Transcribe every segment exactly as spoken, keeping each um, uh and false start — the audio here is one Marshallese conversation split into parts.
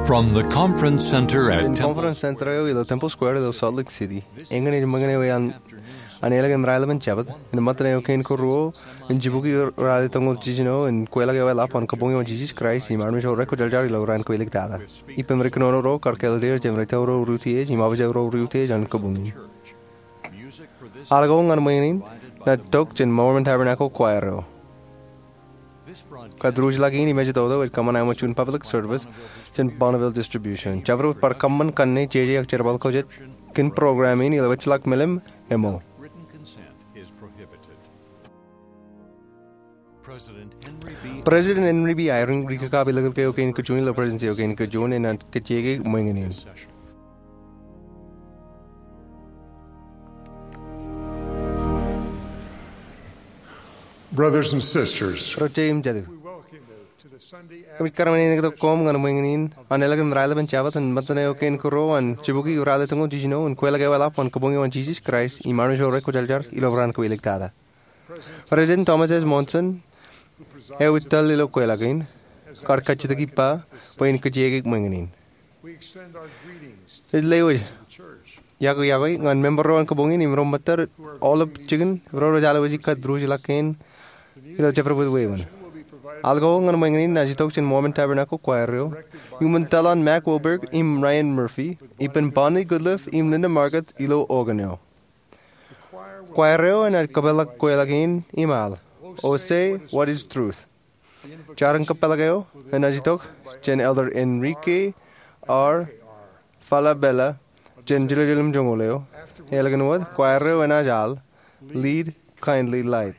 From the conference center at Im Temple conference center eo ilo Temple Square ilo Salt Lake City, eñin ej ṃōñā eo an, an ālikin raelepen Jabōt, im ṃōttan eo kein ko ruo, im jibukwi ralitōñoul jiljino, im kweilọk eoḷapḷọk an kabuñ eo an Jesus Christ, im armej ro rekwōjarjar ilo raan kōj iliktata. Ippām ri kōnono ro, kar kāālōt er jān ri tōl ro ri utiej, im abuj ro ri utiej an kabuñ in. Al ko ñan ṃōñā in, ej tok jān Mormon Tabernacle Choir eo. Kōtḷọk in im ej tok ej kōṃṃan aṃ juon public service jān Bonneville Distribution. Jabdewōt bar kōṃṃan kanne jeje ak jerbal ko jet kōn program in ilo ejjeḷọk melim eṃṃool. President Henry B. Eyring ri kakapeḷḷọk eo kein kajuon ilo Presidency eo kein kajuon enaaj kajjioñ ṃōñā in. Brothers and sisters, Ro jet im jatū, we welcome you to the Sunday kōmij kar ṃōñā tok koṃ ñan ṃōñā in an ālikin raelepen Jabōt im ṃōttan eo kein ko ruo an jibukwi ralitōñoul jiljino im kweilọk eoḷapḷọk an kabuñ eo an Jesus Christ im armej ro rekwōjarjar ilo raan kōj iliktata. President Thomas S. Monson, eo ej tōl ilo kweilọk in, kar kajjitōk ippa bwe en kajjioñ ṃōñā in. Ij lewōj iọkwe iọkwe ñan member ro an kabuñ in im ro ṃōttad aolep jikin ro rej alwōji kōtḷọk in ilo jabdewōt wāween. Al ko ñan ṃōñā in ej tok jān Mormon Tabernacle Choir eo, iuṃwin tōl an Mac Wilberg im Ryan Murphy, ippān Bonnie Goodliff im Linda Margetts ilo organ eo. Choir eo enaaj kōpeḷḷọk kweilọk in im al, "Oh, Say What Is Truth." Jar in kōpeḷḷọk eo enaaj tok jān Elder Enrique R. Falabella jān Jerusalem joñoul eo. Ālikin wōt, choir eo enaaj al, "Lead, Kindly Light."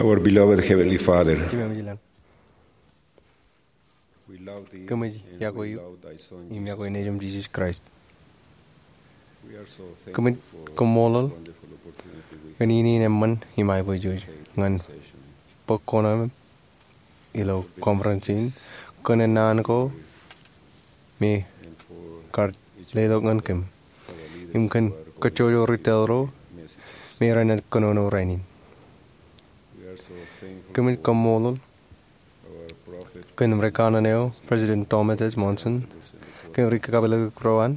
Our beloved Heavenly Father, Jemem ilañ, we love thee kōmij and iọkwe we eok love thy Son, im iọkwe Jesus Nejiṃ Christ. Jisōs Kraist. We are so thankful Kōmij koṃṃool for this wonderful opportunity we kōn iien in eṃṃan im aiboojoj ñan bōk kuṇaō ilo conference in, kōn naan ko me kar letok ñan kōm, im kōn kajjojo ri tōl ro me renaaj kōnono rainin. Kōmij koṃṃool kōn ri kanaan eo, President Thomas S. Monson, kōn ri kakapeḷḷọk ro an,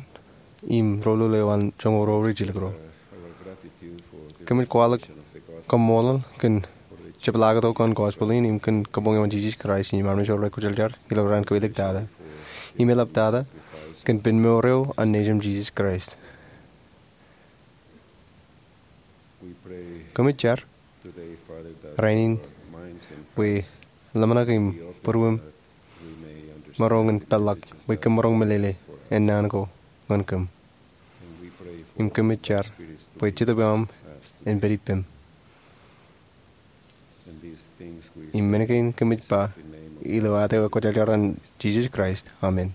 im ro lolo eo an joñoul ro rej jilkintok. Kōmij kwaḷọk kaṃṃoolol kōn jepḷaaktok eo an gospel in im kōn kabuñ eo an Jisōs Kraist im armej ro rekwōjarjar ilo raan kōwilik tata im eḷap tata kōn penmour eo an Nejiṃ Jisōs Kraist. Kōmij jar rainin bwe ḷōmṇak im būruōm maroñ in peḷḷọk bwe kōm maroñ meḷeḷe ennaan ko ñan kōm. Im kōmij jar bwe Jetōb eo aṃ en pād ippem. Im men kein kōmij ba ilo ad eo ekwōjarjar an Jisōs Kraist, amen.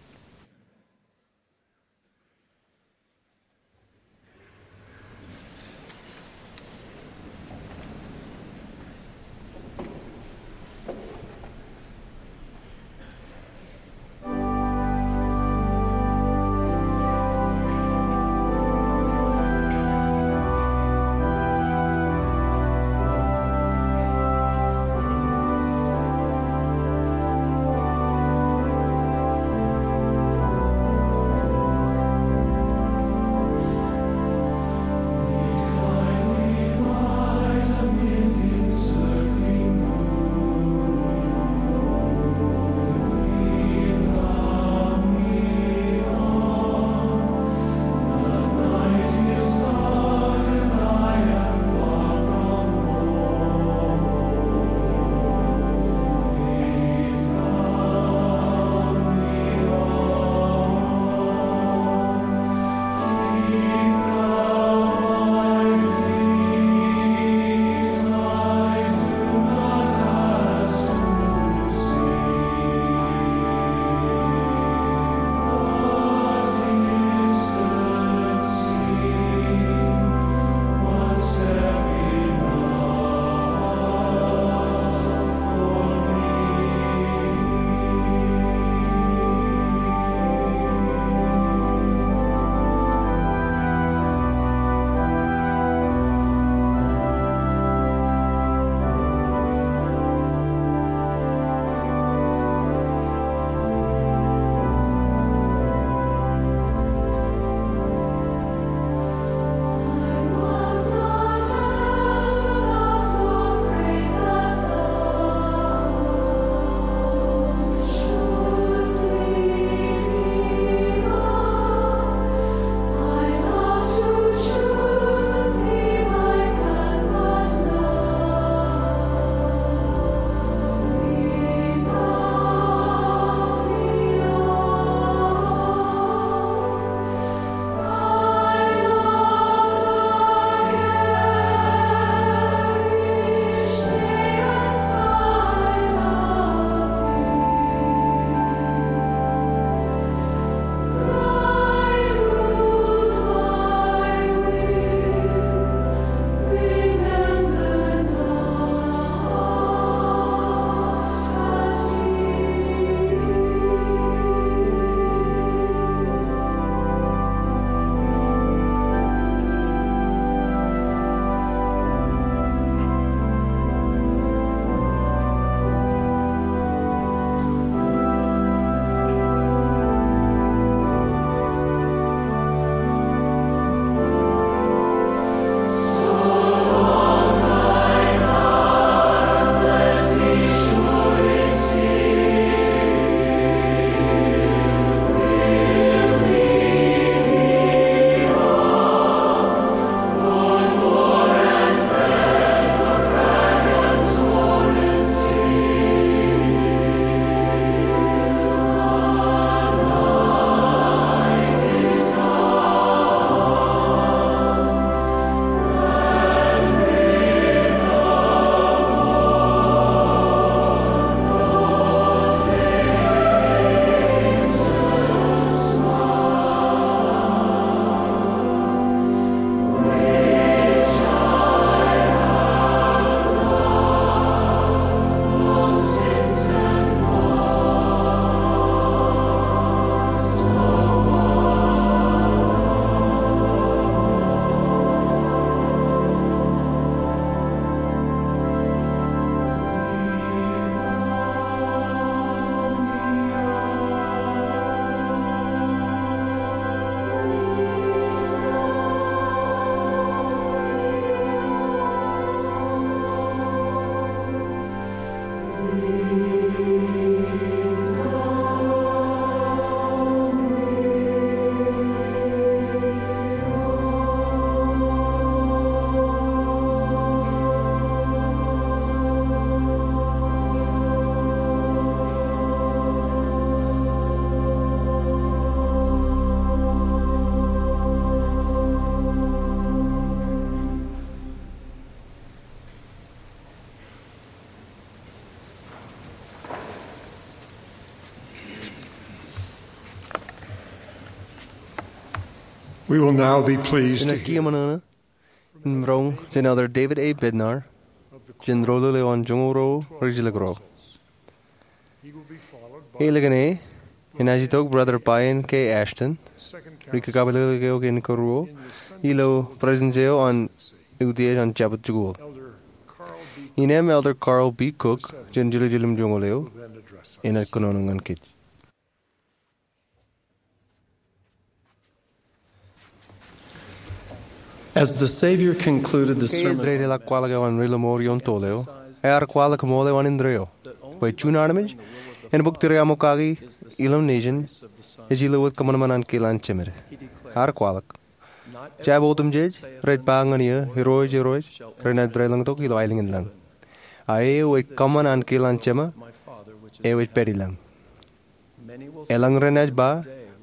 We will now be pleased to Inaaj hear kiiō ṃōṇōṇō im roñ jān Elder David A. Bednar jān Rūtōl eo an Joñoul Ruo Rijjilōk Ruo. Ālikin e, enaaj itok Brother Brian K. Ashton, ri-kakapeḷḷọk eo kein kōruo ilo presence eo an utiej an Jabōt Jikuuḷ. Innem Elder Carl B. Cook jān jiljilimjuonñoul eo enaaj kōnono ñan kōj. As the Savior concluded the Ke sermon, ej dedeḷọk kwaḷọk eo an Ri Lọmọọr Ioon Toḷ eo, ear kwaḷọk ṃool eo an indeeo, bwe juon armej en bōk tūriaṃo kaki ilo nation ej ilo wōt kōṃanṃan an kiil an Jemed. Ear kwaḷọk, jab otemjej rej ba ñan eō, Irooj, Irooj, renaaj deḷọñtok ilo aelōñ in lañ. A eo ej kōṃṃan an kiil an Jema eo ej pād ilañ. Eḷaññe renaaj ba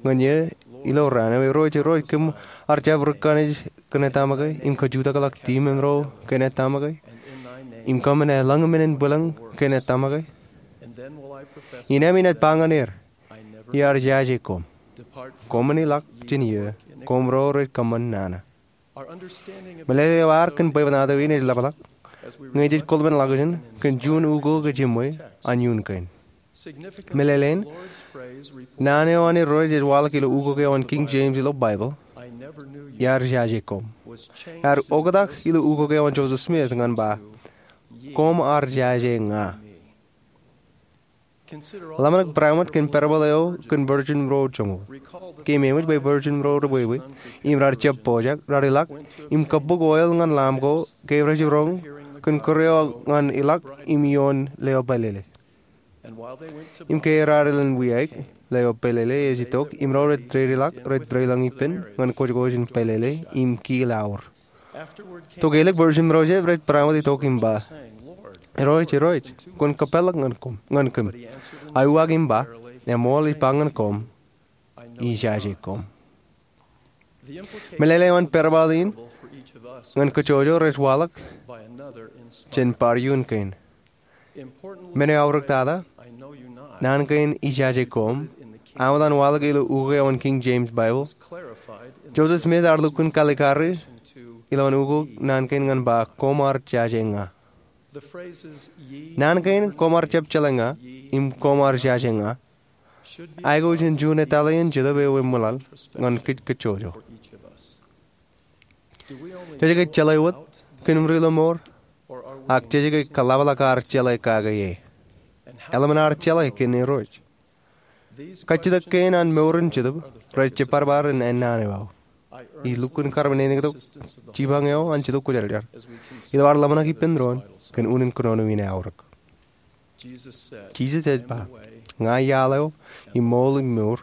ñan eō ilo raan eo, Irooj, Irooj, kōm ar jab ri-kaṇej kōn e tōmak e, im kajutakḷọk demon ro kōn e tōmak e, im kōmin eḷaññe men in bwilōñ kōn e tōmak e? Innem inaaj ba ñan er, iar jaje koṃ. Koṃwin ilọk jān eō, koṃ ro rej kōṃṃan nana. Meḷeḷe eo ad kōn bwebwenato in ej ḷapḷọk ñe jej kōḷmānḷọkjeṇ kōn juon ukok ej jiṃwe an iuun kein. Meḷeḷein, naan eo an Irooj ej waḷọk ilo ukok eo an King James ilo Baibōḷ, iar jaje koṃ, ear oktak ilo ukok eo an Joseph Smith ñan ba, koṃ ar jaje ña. Ḷōmṇak barāinwōt kōn parable eo kōn virgin ro joñoul. Ke eṃōj bwe virgin ro ri-bwebwe im raar jab pojak, raar ilọk im kōbbuk oil ñan lamb ko ke rej jiroñ kōn kūr eo ñan ilọk im ioon leo pālele. Im ke raar len wiaik, leo pālele ej itok im ro rej dedeḷọk rej dedeḷọñ ippān ñan kōjkōj in pālele im kiil aor. Tok ālikin virgin ro jab, rej barāinwōt itok im ba, Irooj, Irooj, kwōn kōpeḷḷọk ñan kōm, ñan kōm. A uwaak im ba, eṃool ij ba ñan koṃ, ijaje koṃ. Meḷeḷe eo an parable in ñan kōjro rej waḷọk jān bar iuun kein. Men eo aorōk tata, naan kein ijaje koṃ, eṃṃan waḷọk ilo ukok eo an King James Bible. Joseph Smith ear lukkuun kalikkari ilo an ukok naan kein ñan ba koṃ ar jaje ña. Naan kein koṃ ar jab jeḷā ña im koṃ ar jaje ña aikuj in juon etale in Jetōb eo eṃṃwilaḷ ñan kōj kōjro. Jej ke jeḷā wōt kōn im Ri Lọmọọr, ak jej ke kōḷapḷọk ar jeḷā kake e? Eḷap an ar jeḷā kōn Irooj? Kajjitōk kein an mour in Jetōb rej jibadbad in ennaan eo aō. Ij lukkuun karmānḷọkjeṇ tok jipañ eo an Jetōb Kwōjarjar ilo ad ḷōmṇak ippān doon kōn unin kōnono in aorōk. Jisōs ej ba, ña iaḷ eo im ṃool im mour.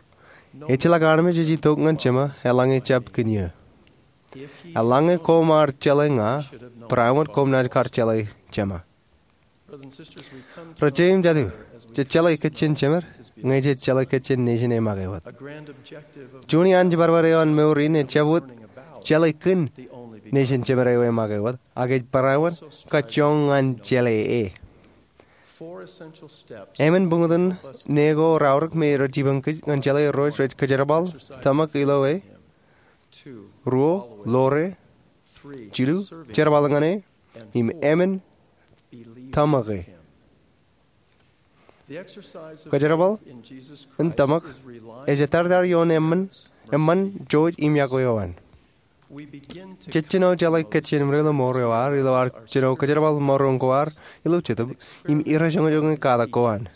Ejjeḷọk armej ej itok ñan Jema eḷaññe ejjab kōn eō. Eḷaññe koṃ ar jeḷā ña, barāinwōt koṃ naaj kar jeḷā Jema. Ri-jeiū im jatū, jej jeḷā kōj jān jemed ñe jej jeḷā kōj jān nation e make wōt. Juon iaan jibadbad eo an mour in ejjab wōt jeḷā kōn nation jemed eo e make wōt, ak ej barāinwōt kajjoñ ñan jeḷā e. Emān buñtōn ne ko raorōk me rej jipañ kōj ñan jeḷā Irooj rej kōjerbal tōmak ilo e. Ruo, ḷoor e. Jilu, jerbal ñan e. Im emān, tōmak e. Kōjerbal in tōmak ej ettārtāt ioon eṃṃan, eṃṃan, jouj im iọkwe eo an. Jej jino jeḷā kōj jān im Ri Lọmọọr eo ad ilo ad jino kōjerbal maroñ ko ad ilo Jetōb im irrejoñojoñe katak ko an.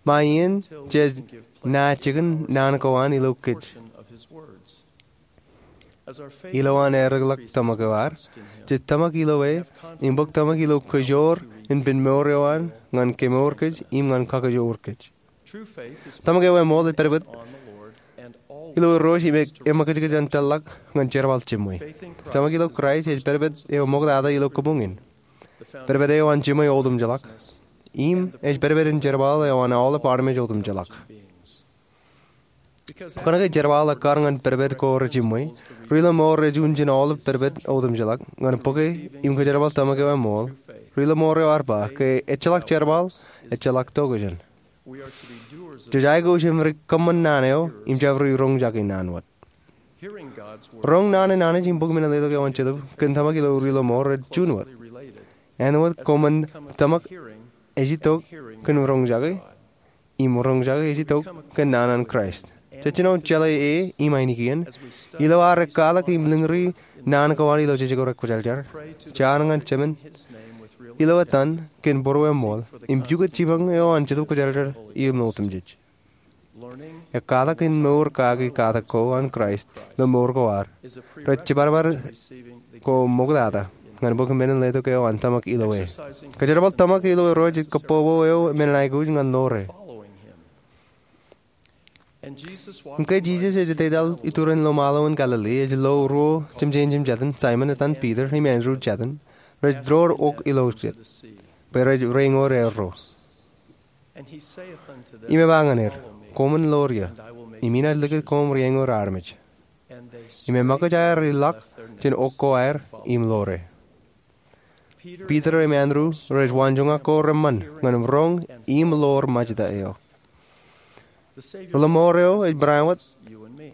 Ṃae iien jej naaj jikin naan ko an ilo kōj. Ilo an eddekḷọk tōmak eo ad, jej tōmak ilo e im bōk tōmak ilo kōjoor in pen mour eo an ñan kemour kōj im ñan kakajoor kōj. Tōmak eo eṃool ej pedped ilo Irooj im eṃōkajkōj an tōllọk ñan jerbal jiṃwe. Tōmak ilo Kraist ej pedped eo ṃoktata ilo kabuñ in, pedped eo an jiṃwe otemjeḷọk, im ej pedped in jerbal eo an aolep armej otemjeḷọk. Kōnke jerbal ekkar ñan pedped ko rejiṃwe, ri-lọmọọr rej unin aolep pedped otemjeḷọk. Ñan bōke im kōjerbal tōmak eo eṃool, ri-lọmọọr eo ar ba ke ejjeḷọk jerbal, ejjeḷọk tokjān. Jej aikuj im ri-kōṃṃan naan eo im jab ri-roñjake naan wōt. Roñ naan in Anij im bōk men in letok eo an Jetōb kōn tōmak ilo ri-lọmọọr rej juon wōt. Āinwōt koṃwin tōmak ej itok kōn roñjake, im roñjake ej itok kōn naan an Kraist. Jejjino jeḷā e im ainikien ilo ad ekkatak im lōñri naan ko an ilo jejko rekwōjarjar. Jaar ñan Jemān ilo ettan kōn būrueṃool im pukot jipañ eo an Jetōb Kwōjarjar im otemjej. Ekkatak in mour kaki katak ko an Kraist ilo mour ko ad rej jibadbad ko ṃoktata ñan bōk men in letok eo an tōmak ilo e. Kōjerbal tōmak ilo Irooj ej kabbokbok eo men in aikuj ñan ḷoore. Im ke Jisōs ej etetal iturin lọmọọr in Galili, ej lo ruo jemjein jejātin, Saimōn etan Piter im Andrew jejātin, rej door ok ilo jet bwe rej rein ḷoore erro. Im ej ba ñan er, Koṃwin ḷoor ie, im inaaj likūt koṃ riein ḷoor armej. Im eṃōkaj aer iḷọk jān ok ko aer im ḷoore. Piter im Andrew rej waanjoñak ko reṃṃan ñan roñ im ḷoor Majta eo. Ri-lọmọọr eo ej bareinwōt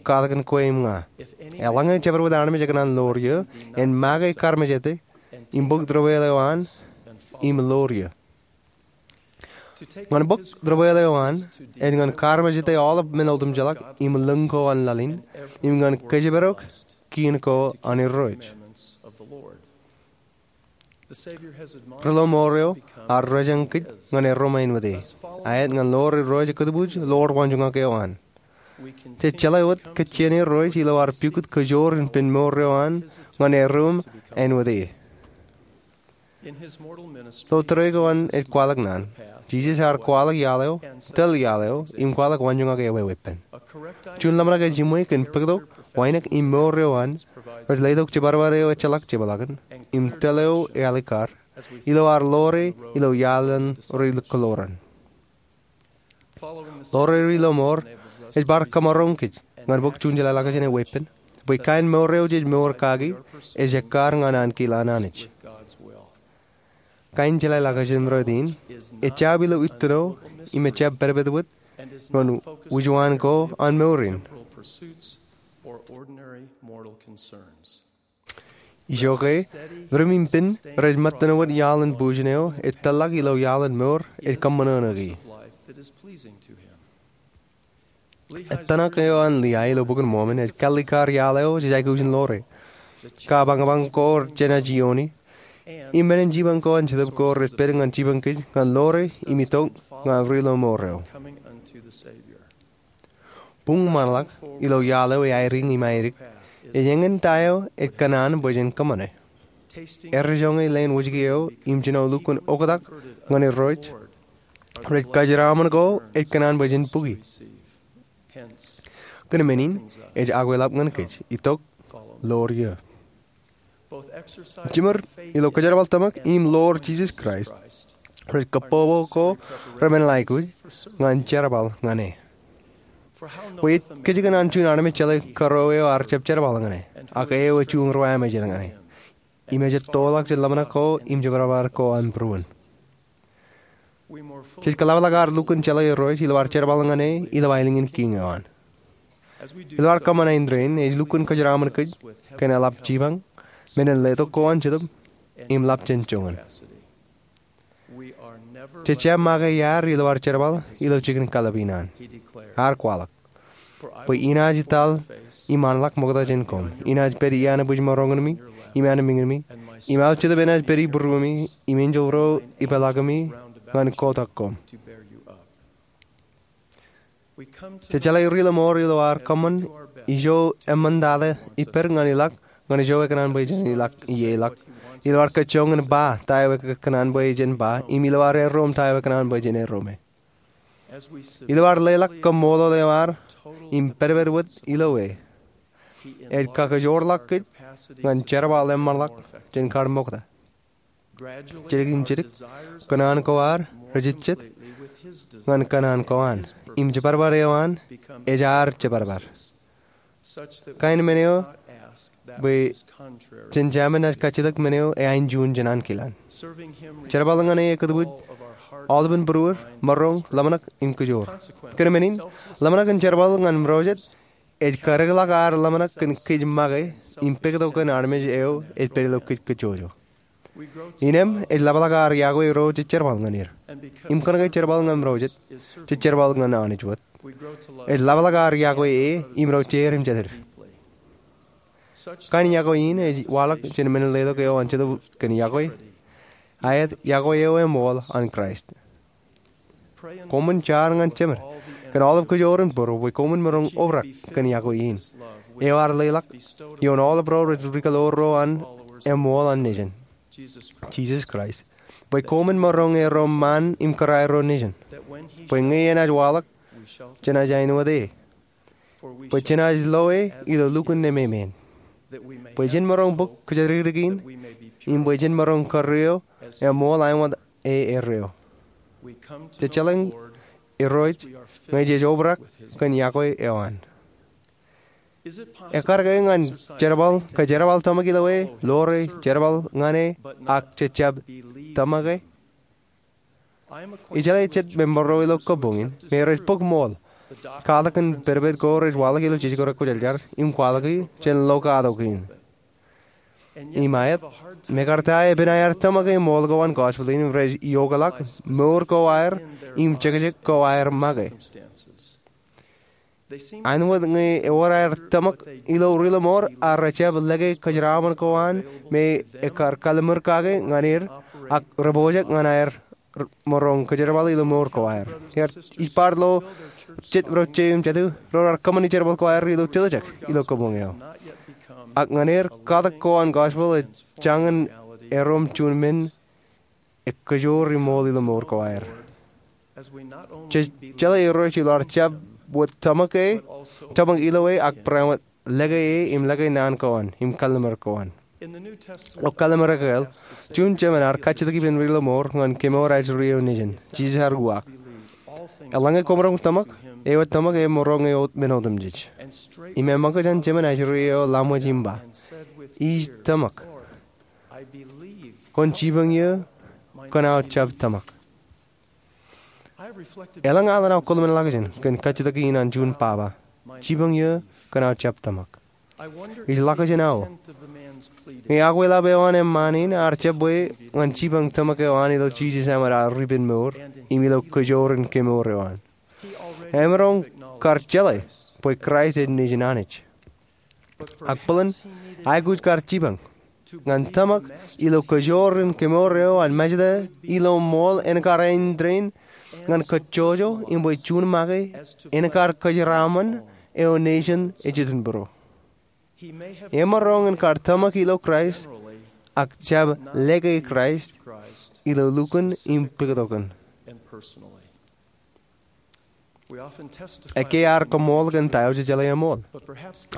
katakin kwe im ña. Eḷaññe jabdewōt armej ekōṇaan ḷoor ie, en make karmejete im bōk debwāāl eo an im ḷoor ie. Ñan bōk debwāāl eo an ej ñan karmejete aolep men otemjeḷọk im lōñ ko an laḷ in, im ñan kōjparok kien ko an Irooj. Ri-lọmọọr eo ear rejañ kōj ñan erro ṃae āinwōt e, aet ñan ḷoor Irooj ekūtbuuj ḷoor waanjoñak eo an. Jej jeḷā wōt kōjjien Irooj ilo ad pukot kajoor in pen mour eo an ñan erro ṃae āinwōt e. Ilo tōre ko an ej kwaḷọk naan, Jisōs ear kwaḷọk iaḷ eo, tōl iaḷ eo, im kwaḷọk waanjoñak eo eweeppān. Juon ḷōmṇak eo jiṃwe kōn bōktok, wānōk im mour eo an rej letok jibadbad eo ejjeḷọk jepḷaakūt im tōl eo eaḷikkar ilo ad ḷoore ilo iaḷ an ri-kōḷoran. Ḷoore ri-lọmọọr ej bar kōmaroñ kōj ñan bōk juon jeḷāḷọkjeṇ eweeppān bwe kain mour eo jej mour kaki ej ekkar ñan ankilaan Anij. Kain jeḷāḷọkjeṇ rot in ejjab ilo ittino im ejjab pedped wōt ñan wūjwaan ko an mour in. Ijoke, ri-ṃōttan rej ṃōttan wōt iaḷ in bujen eo ej tōllọk ilo iaḷ in mour ej kōṃṃan ṇe. Ettōṇak eo an Liai ilo Bok in Mormon ej kallikkar iaḷ eo jej aikuj in ḷoore. Kapañpañ ko jenaaj iiooni, im men in jipañ ko an Jetōb ko rej pād ñan jipañ kōj ñan ḷoore im itok ñan ri-lọmọọr eo. Buñ ṃaanḷọk ilo iaḷ eo eairūṃ im aeddik ej eñin ta eo ej kōṇaan bwe jen kōṃṃane. Errejoñe leen wōjke eo im jino lukkuun oktak ñan Irooj rej kōjeraaṃṃan ko ej kōṇaan bwe jen bukwi. Kōn men in ej akweḷap ñan kōj, itok, ḷoor ie. Jiṃor ilo kōjerbal tōmak im ḷoor Jisōs Kraist rej kabbokbok ko remenḷọkuj ñan jerbal ñan e. Bwe ej kajjien an juon armej jeḷā kōrā eo ear jab jerbal ñan e, ak eo ej juon ro amejeḷ ñan e, im ej ettoḷọk jān ḷōmṇak ko im jibadbad ko an būruon. Jej kōḷapḷọk ad lukkuun jeḷā Irooj ilo ad jerbal ñan e ilo aelōñ in kiiñ eo an. Ilo ad kōṃṃan āindein, ej lukkuun kōjeraaṃṃan kōj kōn eḷap jipañ, men in letok ko an Jetōb, im ḷap jān joñan. Jej jab make iaad ilo ad jerbal ilo jikin kalōb in an. Ear kwaḷọk, bwe inaaj etal im anḷọk ṃokta jān koṃ, inaaj pād iaan bwijmaroñ in mi im anmiiñ in mi, im aō Jetōb enaaj pād ibūruemi, im enjeḷ ro ipeḷaakumi ñan kotak koṃ. Jej jeḷā ri-lọmọọr ilo ad kōṃṃan ijo eṃṃantata ippād ñan ilọk ñan ijo ekōṇaan bwe jen ilọk ie ḷọk. Ilo ad kōjjoñan ba ta eo ekōṇaan bwe jen ba, im ilo ad erom ta eo ekōṇaan bwe jen erome. Ilo ad leḷọk kaṃṃoolol eo ad im pedped wōt ilo e, ej kakajoorḷọk kōj ñan jerbal eṃṃanḷọk jān kar ṃokta. Jidik im jidik, kōṇaan ko ad rej jejjet ñan kōṇaan ko an, im jibadbad eo an ej ad jibadbad. Kain men eo bwe jen jāmin naaj kajjitōk men eo eain juon jān ankilaan. Jerbal ñan e ekūtwōj aolepān būruod, maroñ, ḷōmṇak im kōjoor. Kōn men in, ḷōmṇak in jerbal ñan im ro jet ej kadikḷọk ad ḷōmṇak kōn kōj make im pukot kōn armej eo ej pād ilo kōj kōjjojo. Innem ej ḷapḷọk ad iakwe ro jej jerbal ñan er. Im kōnke jerbal ñan ro jet, jej jerbal ñan Anij wōt, ej ḷapḷọk ad iakwe e im ro jeid im jatid. Kain iakwe in ej waḷọk jān men letok eo an Jetōb kōn Iakwe, aet, iakwe eo eṃool an Kraist. Koṃwin jar ñan Jemed kōn aolep kōjoorin būruod bwe koṃwin maroñ obrak kōn iakwe in eo ad leḷọk ioon aolep ro rej ri-kōḷoorro an eṃool an nejin, Jisōs Kraist, bwe koṃwin maroñ erom ṃaan im kōrā erro nejin, bwe ñe enaaj waḷọk, jenaaj āinwōt e, bwe jenaaj lo e ilo lukkuun nememān, bwe jen maroñ bōk kōjatdikdik in, im bwe jen maroñ kūr eo eṃool āinwōt e erreo. Jej jeḷā Irooj ñe jej obrak kōn iakwe eo an. Ekar ke ñan jerbal, kōjerbal tōmak ilo e, ḷoore jerbal ñan e, ak jejjab tōmake? Ijeḷā jet me mourro ilo kabuñ in, me rej bōk ṃool. Katak in pedped ko rej waḷọk ilo jijik ko rekwōjarjar, im kwaḷọk e jān lo katak in. Im aet, me kar ta epen aer tōmake ṃool ko an gospel in, rej iokḷọk mour ko aer, im jekjek ko aer make. Āinwōt ñe ewōr aer tōmak ilo ri-lọmọọr, ak rejjab lōke kōjeraaṃṃan ko an me ekar kallimur kake ñan er, ak rej pojak ñan aer maroñ kōjerbal ilo mour ko aer. Ej bar lo jet ro jeiū im jatū ro raar kōṃṃani jerbal ko aer ilo tiljek ilo kabuñ eo. Ak ñan er, katak ko an gospel ej jañin erom juon men ekōjoor im ṃool ilo mour ko aer. Jej jeḷā Irooj ilo ad jab wōt tōmak e, tōmak ilo e, ak barāinwōt lōke e im lōke naan ko an im kallimur ko an. Ilo Kallimur Ekōl, juon jemān ear kajjitōk ippān ri-lọmọọr ñan kemour ajri eo nejin, Jisōs ear uwaak, eḷaññe kwōmaroñ tōmak, eo ej tōmak emaroñ e men otemjej. Im eṃōkaj an jemān ajri eo ḷaṃōj im ba, Ij tōmak. Kwōn jipañ eō, kōn aō jab tōmak. Elōñ al enaaj kōḷmenḷọkjeṇ kōn kajjitōk in an juon baba, jipañ eō kōn aō jab tōmak. Ij ḷakjeṇ aō ñe akweḷap eo an eṃṃaan in ear jab bwe ñan jipañ tōmak eo an ilo Jisōs āinwōt ad ripenmour im ilo kōjoorin kemour eo an. Emaroñ kar jeḷā bwe Kraist ej Nejin Anij. Ak bōlen, aikuj kar jipañ ñan tōmak ilo kōjoorin kemour eo an Mājeta ilo ṃool en kar āindein ñan kōjjojo im bwe juon make en kar kōjeraaṃṃan eo nejin ej itok būruō. Emaroñ en kar tōmak ilo Kraist ak jab lōke Kraist ilo lukkuun im pukot kōn. Ekkā ear kaṃool kōn ta eo jejeḷā eṃool.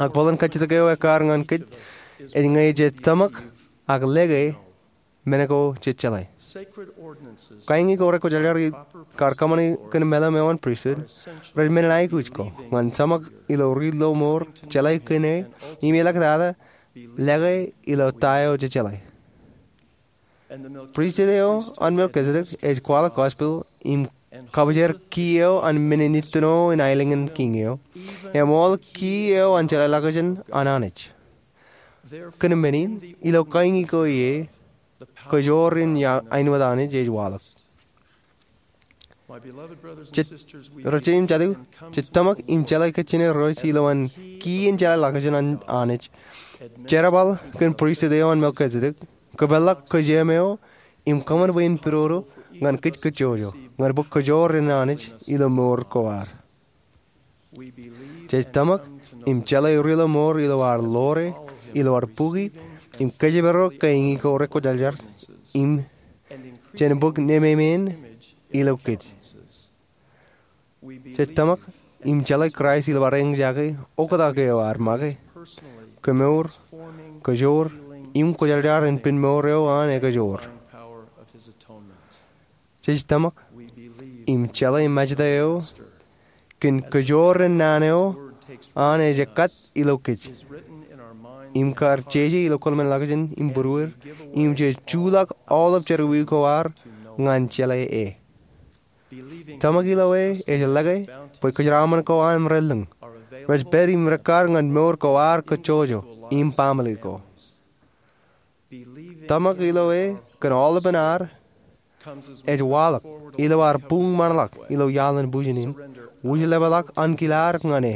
Ak bōlen kajjitōk eo ekkar ñan kōj ej ñe jej tōmak ak lōke men ko jej jeḷā. Kain ko rekwōjarjar kar kōṃṃani kōn meḷeḷe eo an pristut rej men in aikuj ko ñan tōmak ilo ri-lọmọọr jeḷā kōn e im eḷak tata lōke ilo ta eo jejeḷā. Pristut eo an Melkisedek ej kwaḷọk gospel im kabōjrak ki eo an men in ittino in aelōñ in kiiñ eo, eṃool ki eo an jeḷāḷọkjeṇ an Anij. Kōn men in, ilo kain ko ie, kōjoor in āinwōt Anij ej waḷọk. Ro jeiū im jatū, jej tōmak im jeḷā kōj jān Irooj ilowaan kien jeḷāḷọkjeṇ an Anij, jerbal kōn pristut eo an Melkisedek, kōpeḷḷọk kōjām eo, im kōṃṃan bwe en pidodo ñan kōj kōjjojo ñan bōk kōjoor in Anij ilo mour ko ad. Jej tōmak im jeḷā ri-lọmọọr ilo ad ḷoore, ilo ad bukwi, im kōjparok ke eñin ko rekwōjarjar im jān bōk nemāmein ilo kōj. Jej tōmak im jeḷā Kraist ilo ad eñjake oktak eo ad make, kemour, kajoor, im kwōjarjar in pen mour eo an ekajoor. Jej tōmak im jeḷā im ṃōjtok eo kōn kajoor in naan eo an ej ekkat ilo kōj im kar jeje ilo kōḷmānḷọkjeṇ im būruod im jej juḷọk aolep jerọwiwi ko ad ñan jeḷā e. Tōmak ilo e ej lōke bwe kōjeraaṃṃan ko an im relōñ rej pād im rekkar ñan mour ko ad kajjojo im baaṃle ko. Tōmak ilo e kōn aolepen ad ej waḷọk ilo ad buñmanḷọk ilo iaḷ in bujen in, wūjlepḷọk ankilaad ñan e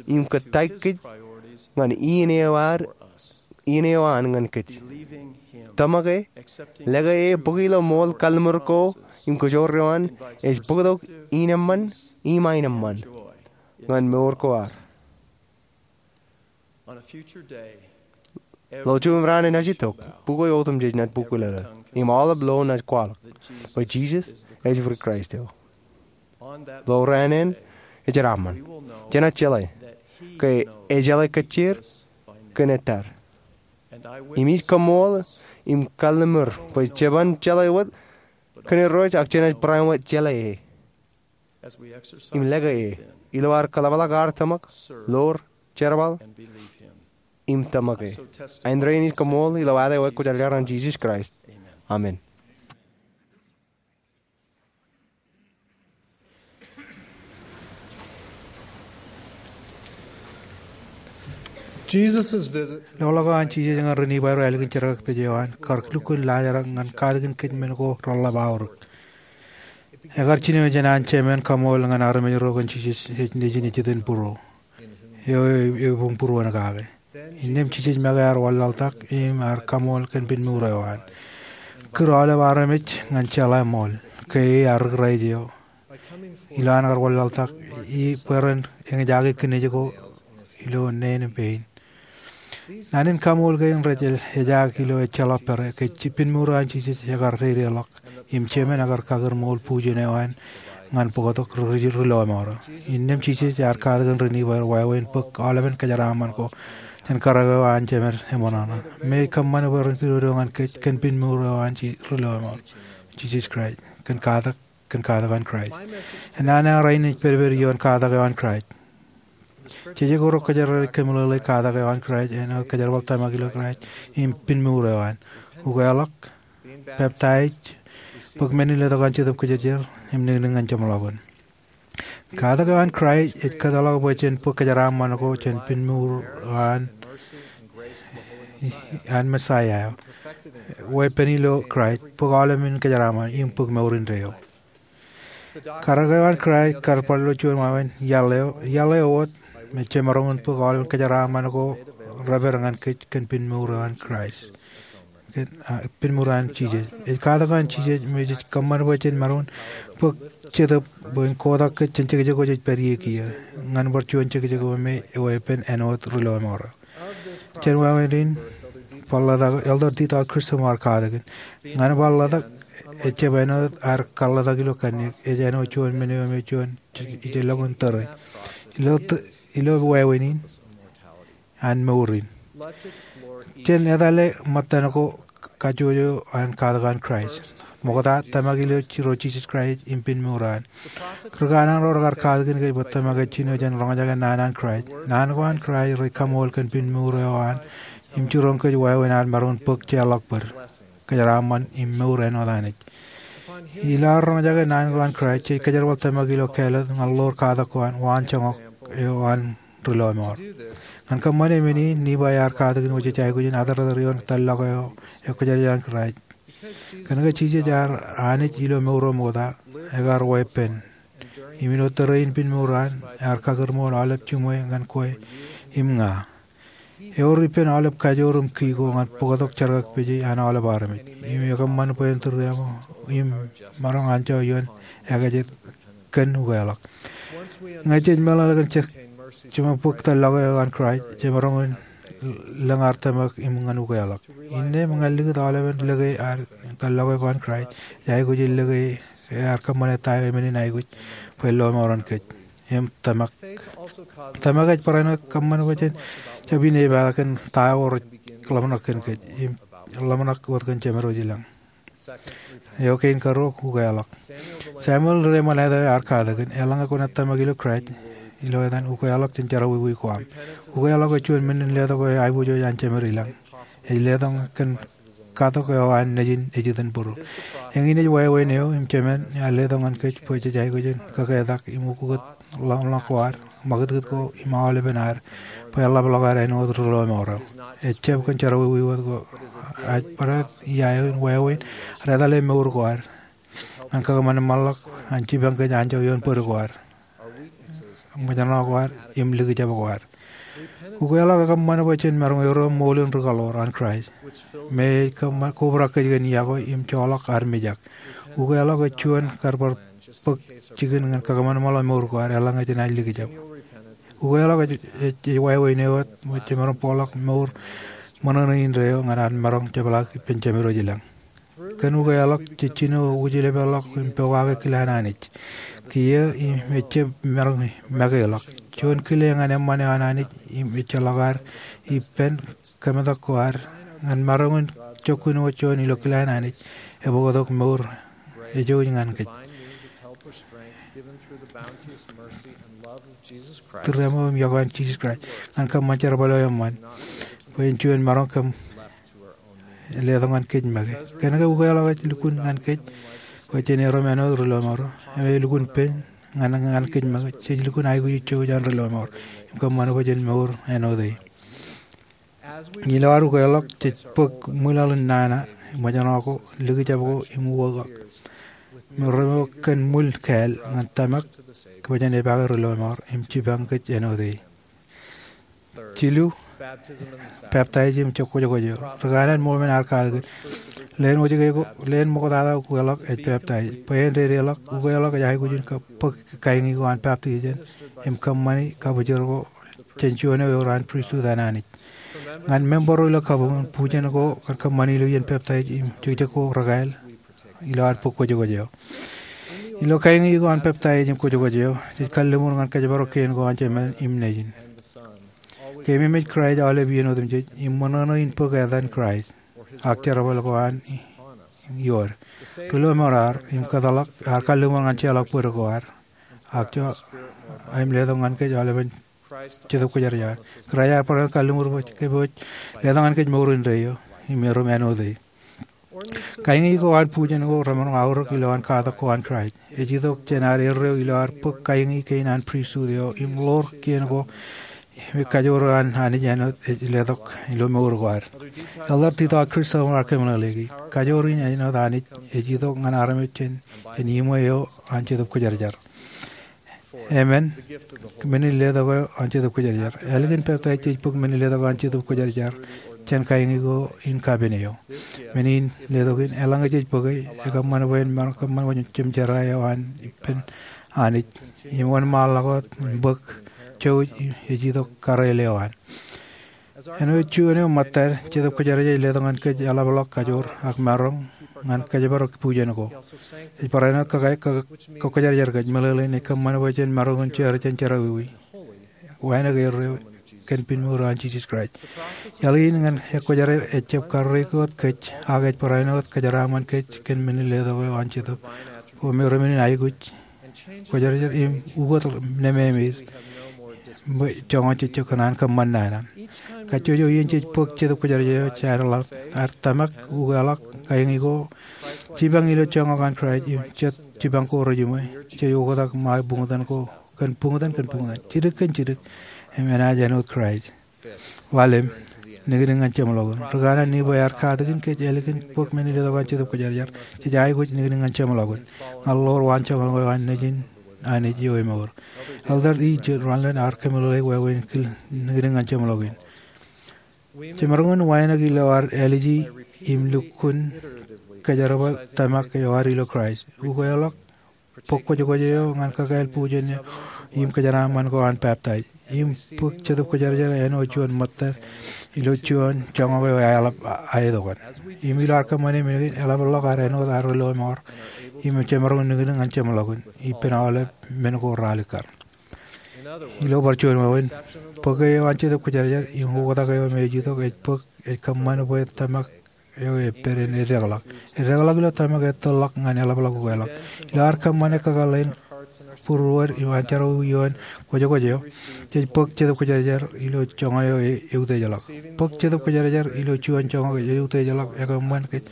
im kōttāik kōj ñan iien eo ad, iien eo an ñan kōj. Tōmak e, lōke e bōk ilo ṃool kalliṃur ko im kajoor eo an ej bōktok ineṃṃan im aenōṃṃan ñan mour ko ad. Ilo juon raan enaaj itok, bukwi otemjej naaj bukwilōḷ im aolep lo naaj kwaḷọk bwe Jisōs ej Kraist eo. Ilo raan eṇ, ejeraṃṃan, jenaaj jeḷā ke ejeḷā kōjjeer kōn ettā. Im ij kaṃṃoolol im kalliṃur bwe jeban jeḷā wōt kōn Irooj ak jenaaj barāinwōt jeḷā e im lōke e ilo ad kōḷapḷọk ad tōmak, ḷoor, jerbal, im tōmak e. Āindein ij kaṃṃoolol ilo ad ekwōjarjar an Jisōs Kraist, amen. Loḷọk eo an Jisōs ñan ri-Nifai ro ālikin jerkakpeje eo an kar lukkuun laajrak ñan katakin kōj men ko reḷḷap aorōk. Ekar jino jān an jemān kaṃool ñan armej ro kōn Jisōs ej nejin ejeten būruo eo ebuñbūruon kake. Innām Jisōs make ear wanlaḷtak im ear kaṃool kōn pinmour eo an. Kūr aolep armej ñan jeḷā ṃool ke ear ri-Kraist eo. Ilo an kar wanlaḷtak, bwe ren eñjake kinej ko ilo neen im pein. Naan in kaṃool kein rej ejaak ilo ejjeḷọk pere ke pinmour eo an Jisōs ekar dedeḷọk im jemān ekar kakūr ṃool bujen eo an ñan bōktok ri-, ri-, ri-lọmọọr eo. Innām Jisōs ear katakin ri-Nifai ro wāween bōk aolepen kōjeraaṃṃan ko jān karōk eo an jemed eṃōṇōṇō. Im ej kōṃṃan bwe ren pidodo ñan kōj kōn pinmour eo an ri-lọmọọr, Jisōs Kraist, kōn katak kōn katak an Kraist. Naan eo rainin ej pedped ioon katak eo an Kraist. Jeje ko rekwojarjar ej kōmeḷeḷeik katak eo an Kraist āinwōt kōjerbal tōmak ilo Kraist im pinmour eo an, ukeḷọk, peptaij, bōk men in letok an Jetōb Kwōjarjar, im niknik ñan jeṃḷọkin. Katak eo an Kraist ej kōtḷọk bwe jen bōk kōjeraaṃṃan ko jān pinmour eo an, an Mesaia eo, weeppān ilo Kraist, bōk aolepen kōjeraaṃṃan im bōk mour indeeo. Karōk eo an Kraist kar bar lo juon wāween iaḷ eo, iaḷ eo wōt me jemaroñ in bōk aolepen kōjeraaṃṃan ko repād ñan kōj kōn pinmour eo an Kraist. Kōn, a, pinmour eo an Jisōs. Ej katak eo an Jisōs me jej kōṃṃan bwe jen maroñ in bōk Jetōb bwe en kotak kōj jān jekjek ko jej pād ie kiiō ñan bar juon jekjek ko me eweeppān āinwōt ri-lọmọọr eo. Jān wāween in, bar ḷotak, Elder D. Todd Chisholm ear katakin. Ñan bar ḷotak, ejjab āinwōt ad kaḷotak ilo kanniōk, ej āinwōt juon men eo me juon ij, ij lọk in tōre. Ilo t-, ilo wāween in, an mour in. Jen etale ṃōttan ko kajjojo an katak an Kraist. Ṃokta, tōmak ilo Ji-, ro Jisōs Kraist im pinmour eo an. Ri kanaan ro rekar katakin kōj bwe tōmak eo jino jān roñjake naan an Kraist. Naan ko an Kraist rej kaṃool kōn pinmour eo an im jiroñ kōj wāween ad maroñ in bōk jeorḷọk bōd, kōjeraaṃṃan im mour āinwōt Anij. Ilo ad roñjake naan ko an Kraist, jej kōjerbal tōmak ilo kāālōt ñan ḷoor katak ko an, waan joñak eo an ri-lọmọọr. Ñan kōṃṃane men in, Nifai ear katakin wōj ej aikuj in atartar ioon tōllọk eo ekwōjarjar an Kraist. Kōnke Jisōs ear Anij ilo mour eo ṃokta, ekar weeppān. Im ilo tōre in pinmour eo an, ear kakūr ṃool aolep jiṃwe ñan kwe im ña. Ewōr ippān aolep kajoor im kiki ko ñan bōktok jerkakpeje an aolep armej. Im ekōṃṃan bwe en tūriaṃo im maroñ anjọ ioon ekajet kōn ukeḷọk. Ñe jej meḷeḷe kōn je-, jemaroñ bōk tōllọk eo an Kraist, jemaroñ in lōñ ear tōmak im ñan ukeḷọk. Innām ñan likūt aolepen lōke ear tōllọke ko an Kraist, ej aikuj in lōke ear kōṃṃane ta eo men in aikuj bwe en lọmọọren kōj. Im tōmak, tōmak ej barāinwōt kōṃṃan bwe jen jab in epaak kōn ta eo rej ḷōmṇak kōn kōj im ḷōmṇak wōt kōn Jemedwōj ilañ. Eo kein karuo, ukeḷọk. Samuel ri-eṃṃan eo ear katakin, eḷaññe kwōnaaj tōmak ilo Kraist, ilo etan ukeḷọk jān jerọwiwi ko aṃ. Ukeḷọk ej juon men in letok eo aiboojoj an Jemed ilañ. Ej letok kōn katok eo an nejin ejitōnbōro. Eñin ej wāween eo im jemān ear letok ñan kōj bwe jej aikuj in kaketak im ukokōt ḷōmṇak ko ad, ṃakūtkūt ko im aolepen ad, bwe eḷapḷọk ad āinwōt ri-lọmọọr eo. Ejjab kōn jerọwiwi wōt ko, ak barāinwōt ia eo in wāween ad etale mour ko ad ñan kōṃanṃanḷọk an jipañ kōj anjọ ioon bōd ko ad, ṃōjṇọ ko ad im likjab ko ad. Ukeḷọk ekōṃṃan bwe jen maroñ erom ṃool in ri-kaḷoor an Kraist me ej kōṃṃan kobrak kōj kōn yokwe im joḷọk armej ak. Ukeḷọk ej juon kar bar bōk jikin ñan kōṃanṃanḷọk mour ko ad eḷaññe jenaaj likjab. Ukeḷọk ej, ej, ej wāween eo wōt bwe jemaroñ bōkḷọk mour ṃōṇōṇō indeeo ñan ad maroñ jepḷaak ippān Jemedwōj ilañ. Kōn ukeḷọk jej jino wūjlepḷọk im pokake kile an Anij. Kiiō im ejjab maroñ makeḷọk. Juon kile ñan eṃṃan eo an Anij im ejjeḷọk ad ippān kōmetak ko ad ñan maroñ in jokkin wōt juon ilo kile an Anij, ebōktok mour ejouj ñan kōj. Tūriaṃo im iọkwe an Jisōs Kraist ñan kōṃṃan jerbal eo eṃṃan bwe en juon maroñ kōm letok ñan kōj make. Kōnke ukeḷọk ej lukkuun ñan kōj bwe jen erom āinwōt ri-lọmọọr eo, im ej lukkuun pen ñan, ñan kōj make. Jej lukkuun aikuj ijjouj an ri-lọmọọr im kōṃṃan bwe jen mour āinwōt e. Ilo ad ukeḷọk jej bōk ṃwilaḷ in nana, ṃōjṇọ ko, likjab ko im uwaak. Im remaroñ kōn ṃwil kāāl ñan tōmak bwe jen epaake ri-lọmọọr im jipañ kōj āinwōt e. Jilu, peptaij im kwōjkwōj eo. Ri kanaan Mormon ear katakin, leen wōjke ko, leen ṃoktata ukeḷọk ej peptaij. Bwe en dedeḷọk, ukeḷọk ej aikuj in bōk kaiñi ko an baptism im kōṃṃani kabwijor ko jān juon eo ewōr an pristut an Anij. Ñan member ro ilo kabuñ, bujen ko kōn kōṃṃani ilo iien peptaij im jekjek ko rekāāl ilo ad bōk kwōjkwōj eo. Ilo kaiñi ko an peptaij im kwōjkwōj eo, jej kalliṃur ñan kōjparok kien ko an Jemān im Nejin. Keememej Kraist aolep iien otemjej im ṃōṇōṇō in bōk etan Kraist ak jerbal ko an iood. Ri-lọmọọr ear im kōtḷọk ear kalliṃur ñan jeorḷọk bōd ko ad ak jọ aemletok ñan kōj aolepen Jetōb Kwōjarjar. Kraist ear barāinwōt kalliṃur bwe kōpooje letok ñan kōj mour indeeo im erom āinwōt e. Kaiñi ko an bujen ko remaroñ aorōk ilowaan katak ko an Kraist. Ej itok jān ad erreo ilo ad bōk kaiñi kein an pristut eo im ḷoor kien ko im kajoor eo an Anij āinwōt ej letok ilo mour ko ad. Elder Dieter Christofel ear kōmeḷeḷeiki, kajoor in āinwōt Anij ej itok ñan armej jān, jān iṃwe eo an Jetōb Kwōjarjar. Emān, men in letok eo an Jetōb Kwōjarjar. Ālikin peptaij jej bōk men in letok eo an Jetōb Kwōjarjar jān kaiñi ko in kapen eo. Men in letok in, eḷaññe jej bōke, ekōṃṃan bwe en maroñ kōṃṃan wōt jemjerā eo an ippān Anij im wōnṃaanḷọk wōt im bōk jouj ej itok kareel eo an. Āinwōt juon eo ṃōttad, Jetōb Kwōjarjar ej letok ñan kōj eḷapḷọk kajoor ak maroñ ñan kōjparok bujen ko. Ej barāinwōt kōkā, kō, kōkwōjarjar kōj, meḷeḷein ej kōṃṃan bwe jen maroñ in jeor jān jerọwiwi, wānōk erreo kōn pinmour eo an Jisōs Kraist. Iaḷ in ñan ekwōjarjar ejjab karreoik wōt kōj, ak ej barāinwōt kōjeraaṃṃan kōj kōn men in letok eo an Jetōb ko me remen in aikuj kwōjarjar im ukōt nemāmeid bwe joñan jejjab kōṇaan kōṃṃan nana. Kajjojo iien jej bōk Jetōb Kwōjarjar eo, jenaaj ḷak ad tōmak, ukeḷọk, kaiñi ko, jipañ ilo joñak an Kraist im jet jipañ ko rejiṃwe, jej oktak ṃae buñtōn ko kōn buñtōn kōn buñtōn, jidik kōn jidik, im enaaj āinwōt Kraist. Ḷalem, niknik ñan jeṃḷọkin. Ri kanaan Nifai ear katakin kōj ālikin bōk men in letok eo an Jetōb Kwōjarjar, jej aikuj niknik ñan jeṃḷọkin ñan ḷoor waanjoñak eo an Nejin Anij eo emour. Elder E. J. Renlund ear kōmeḷeḷeik wāween kile niknik ñan jeṃḷọkin. Jemaroñ in wānōk ilo ad āliji im lukkuun kōjerbal tōmak eo ad ilo Kraist. Ukeḷọk bōk kwōjkwōj eo ñan kakāāl bujen eo im kōjeraaṃṃan ko an peptaij. Im bōk Jetōb Kwōjarjar āinwōt juon ṃōttad ilo juon joñak eo eḷap aetok an. Im ilo ad kōṃṃane men kein, eḷapḷọk ad āinwōt ad ri lọmọọr im jemaroñ in niñniñ ñan jeṃḷọkin ippān aolep men ko raar likkar. Ilo bar juon wāween, bōk eo an Jetōb Kwōjarjar im oktak eo me ej itok ej bōk ej kōṃṃan bwe tōmak eo ej pād in eddekḷọk. Eddekḷọk ilo tōmak ej tōrḷọk ñan eḷapḷọk ukeḷọk. Ilo ad kōṃṃane kakōḷḷe in būruod im an jerọwiwi ioon kwōjkwōj eo, jej bōk Jetōb Kwōjarjar ilo joñak eo ej eutiejḷọk. Bōk Jetōb Kwōjarjar ilo juon joñak eo ej eutiejḷọk ekōṃṃan kōj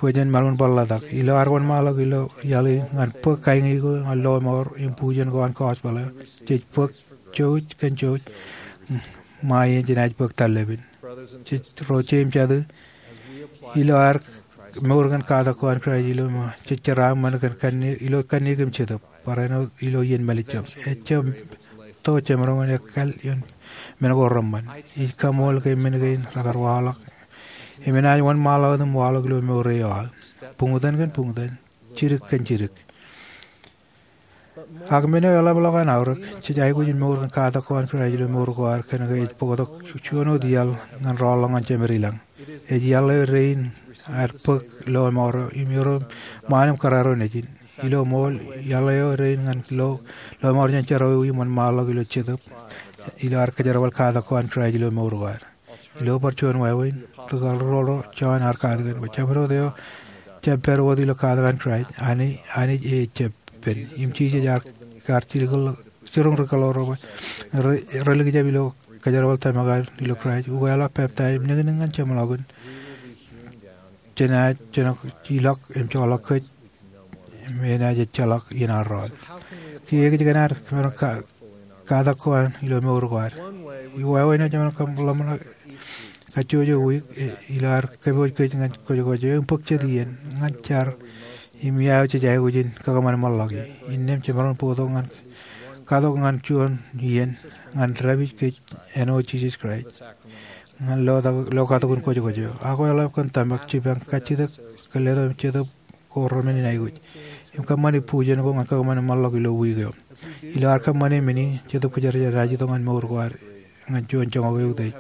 bwe jen maroñ in bar ḷotak. Ilo ad wōnṃaanḷọk ilo iaḷ in ñan bōk kaiñi ko ñan lọmọọr im bujen ko an gospel eo, jej bōk jouj kōn jouj ṃae in jenaaj bōk tarlepin. Jej ro jeiū im jatū, ilo ad mour kōn katak ko an Kraist ilo mour, jej jeraaṃṃan kōn kanniōk, ilo kanniōk im jetōb, barāinwōt ilo iien mālejjoñ. Ejjab to jemaroñ in ekkal ioon men ko reṃṃan. Ij kaṃool ke men kein rekar waḷọk im enaaj wōnṃaanḷọk wōt im waḷọk ilo mour eo aō, buñtōn kōn buñtōn, jidik kōn jidik. Ak men eo eḷapḷọk an aorōk, jej aikuj in mour kōn katak ko an Kraist ilo mour ko ad kōnke ej bōktok juon wōt iaḷ ñan rọọlḷọk ñan Jemedelañ. Ej iaḷ eo dein ad bōk lọmọọr eo im irooj ṃaan im kōrā ro nejin. Ilo ṃool, iaḷ eo dein ñan lo, lọmọọr jān jerọwiwi im wōnṃaanḷọk ilo jetōb ilo ad kōjerbal katak ko an Kraist ilo mour ko ad. Ilo bar juon wāween, ri kaḷroḷ ro, Jon ear katakin bwe jabdewōt eo ejjab pād wōt ilo katak an Kraist, Anij, Anij ejjab pen. Im Jisōs ear, ear jiroñ ri kaḷroḷ ro bwe re, relikjab ilo kōjerbal tōmak ad ilo Kraist, ukeḷọk, peptaij, im niñniñ ñan jeṃḷọkin, jenaaj, jenaaj ilọk im joḷọk kōj im enaaj ejjeḷọk iien ad rọọl. Kiiō kōj kōn ad kōṃṃan ka, katak ko an ilo mour ko ad. Wāween eo jemaroñ in kōṃṃan kajjojo wiik, e, ilo ad kōpooj kōj ñan kwōjkwōj eo im bōk jet iien ñan jar im ia eo jej aikuj in kakōṃanṃanḷọki. Innām jemaroñ in bōktok ñan, katok ñan juon iien ñan dāpij kōj āinwōt Jisōs Kraist ñan lo, lo katok in kwōjkwōj eo. Ak eḷap kōn tōmak, jipañ, kajjitōk, kōn letok im jetōb ko reṃṃan in aikuj im kōṃṃani bujen ko ñan kakōṃanṃanḷọk ilo wiik eo. Ilo ad kōṃṃane men in, Jetōb Kwōjarjar enaaj itok ñan mour ko ad ñan juon joñak eutiej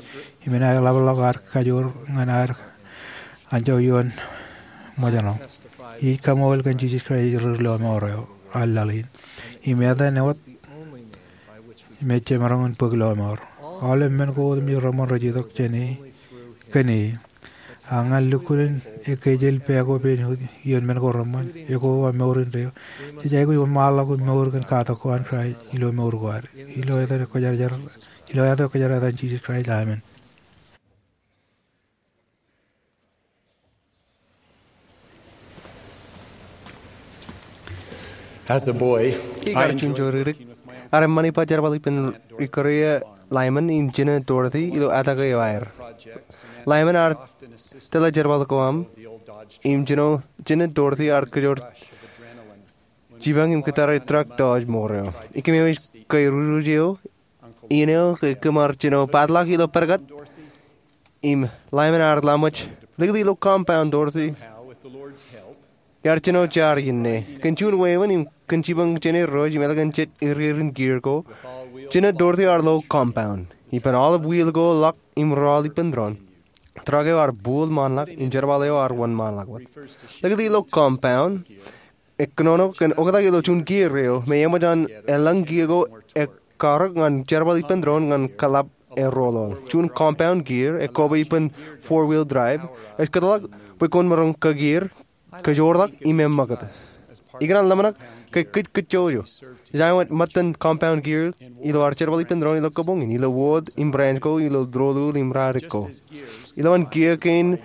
im enaaj eḷapḷọk ad kajoor ñan ad anjọ ioon ṃōjṇọ. Ij kaṃool kōn Jisōs Kraist ri lọmọọr eo an laḷ in im etan wōt me jemaroñ in bōk lọmọọr. Aolep men ko wōt im reṃṃan rej itok jān e, kōn e. Ak ñan lukkuun ekkejel pā ko pād ioon men ko reṃṃan, ekoba mour indeeo, jej aikuj wōnṃaanḷọk im mour kōn katak ko an Kraist ilo mour ko ad. Ilo etan Kwōjarjar, ilo etan Kwōjarjar, etan Jisōs Kraist, amen. As a boy, ikar juon jodikdik, iar eṃṃan ippa jerbal ippān Rikoria Lyman im jino Dorothy ilo atak eo aer. Lyman ear tōl jerbal ko aṃ im jino, jino Dorothy ear kōjoor jipañ im kōttar truck Dodge ṃoor eo. Ikōmeoj ke rūruj eo, iien eo ke kōm ar jino padlak ilo pād kat, im Lyman ear laṃōj, likūt ilo compound, Dorothy. Iar jino jar iien ṇe. Kōn juon wāween im kōn jipañ jān Irooj im ālikin jet erierin gear ko, jino Dorothy ear lo compound. Ippān aolep wheel ko ḷọk im rọọl ippān doon, truck eo ear buuḷ ṃaanḷọk im jerbal eo ear wōnṃaanḷọk wōt. Likūt ilo compound, ekōnono kōn oktak ilo juon gear eo me eṃōj an elōñ gear ko ekkarōk ñan jerbal ippān doon ñan kōḷap eroḷoḷ. Juon compound gear, ekkoba ippān four-wheel drive, ej kōtḷọk bwe kwōn maroñ kagear, kajoorḷọk im eṃṃakūt. Ikōṇaan ḷōmṇak ke kōj kōjjojo. Ej āinwōt ṃōttan compound gear ilo ad jerbal ippān doon ilo kabuñ in, ilo wōt im branch ko, ilo doulul im ralitōk ko. Ilowaan gear kein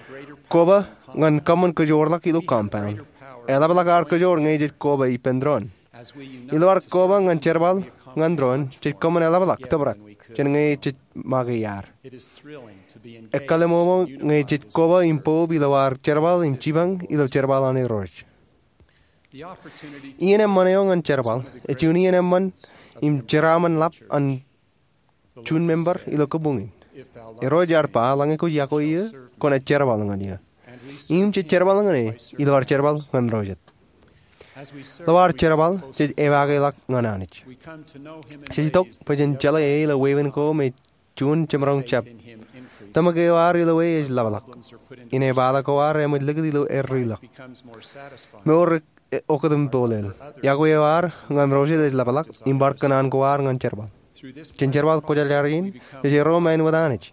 koba ñan kōṃṃan kajoorḷọk ilo compound. Eḷapḷọk ad kajoor ñe jej koba ippān doon. Ilo ad koba ñan jerbal ñan doon, jej kōṃṃan eḷapḷọk tōprak jān ñe jej make iaad. Ekkālemomo ñe jej koba im bōb ilo ad jerbal im jipañ ilo jerbal an Irooj. Iien eṃṃan eo ñan jerbal ej juon iien eṃṃan im jeraaṃṃan ḷap an juon member ilo kabuñ in. Irooj ear ba, eḷaññe kwōj yokwe eō, kwōnaaj jerbal ñan eō. Im jej jerbal ñan e ilo ad jerbal ñan ro jet. Ilo ad jerbal, jej ewaakḷọk ñan Anij. Jej itok bwe jen jeḷā E ilo wāween ko me juon jemaroñ jab. Tōmak eo ad ilo E ej ḷapḷọk. Inepata ko ad eṃōj likūt ilo erreo ḷọk. Mour ej oktak im polel. Yokwe eo ad ñan Ro Jisōs ej ḷapḷọk im bar kōṇaan ko ad ñan jerbal. Jān jerbal kwōjarjar in, jej erom āinwōt Anij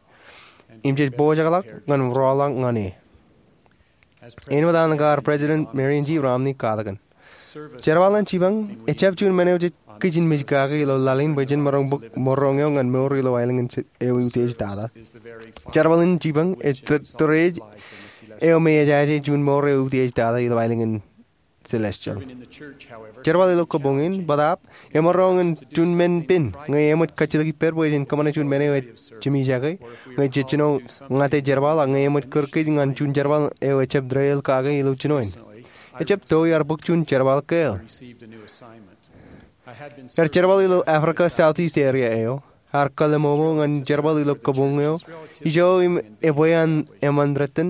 im jej pojak ḷọk ñan rọọlḷọk ñan E. Āinwōt an kar President Marion G. Romney katakin, jerbal in jipañ ejjab juon men eo jej kijenmej kake ilo laḷ in bwe jen maroñ bōk mour eo ñan mour ilo aelōñ in eutiej tata. Jerbal in jipañ ej tōreej eo me ejaje juon mour eo eutiej tata ilo aelōñ in celestial. Jerbal ilo kabuñ in bōtaab emaroñ in juon men pen ñe eṃōj kajjitōk ippād bwe jen kōṃṃane juon men eo ej jiṃijake, ñe jej jino ñate jerbal, ak ñe eṃōj kūr kōj ñan juon jerbal eo ejjab deḷọñ kake ilo jino in. Ejjab to iar bōk juon jerbal kāāl. Iar jerbal ilo Africa Southeast area eo, iar kōḷmānḷọk ñan jerbal ilo kabuñ eo ijo im ebwe an eṃṃan rūtto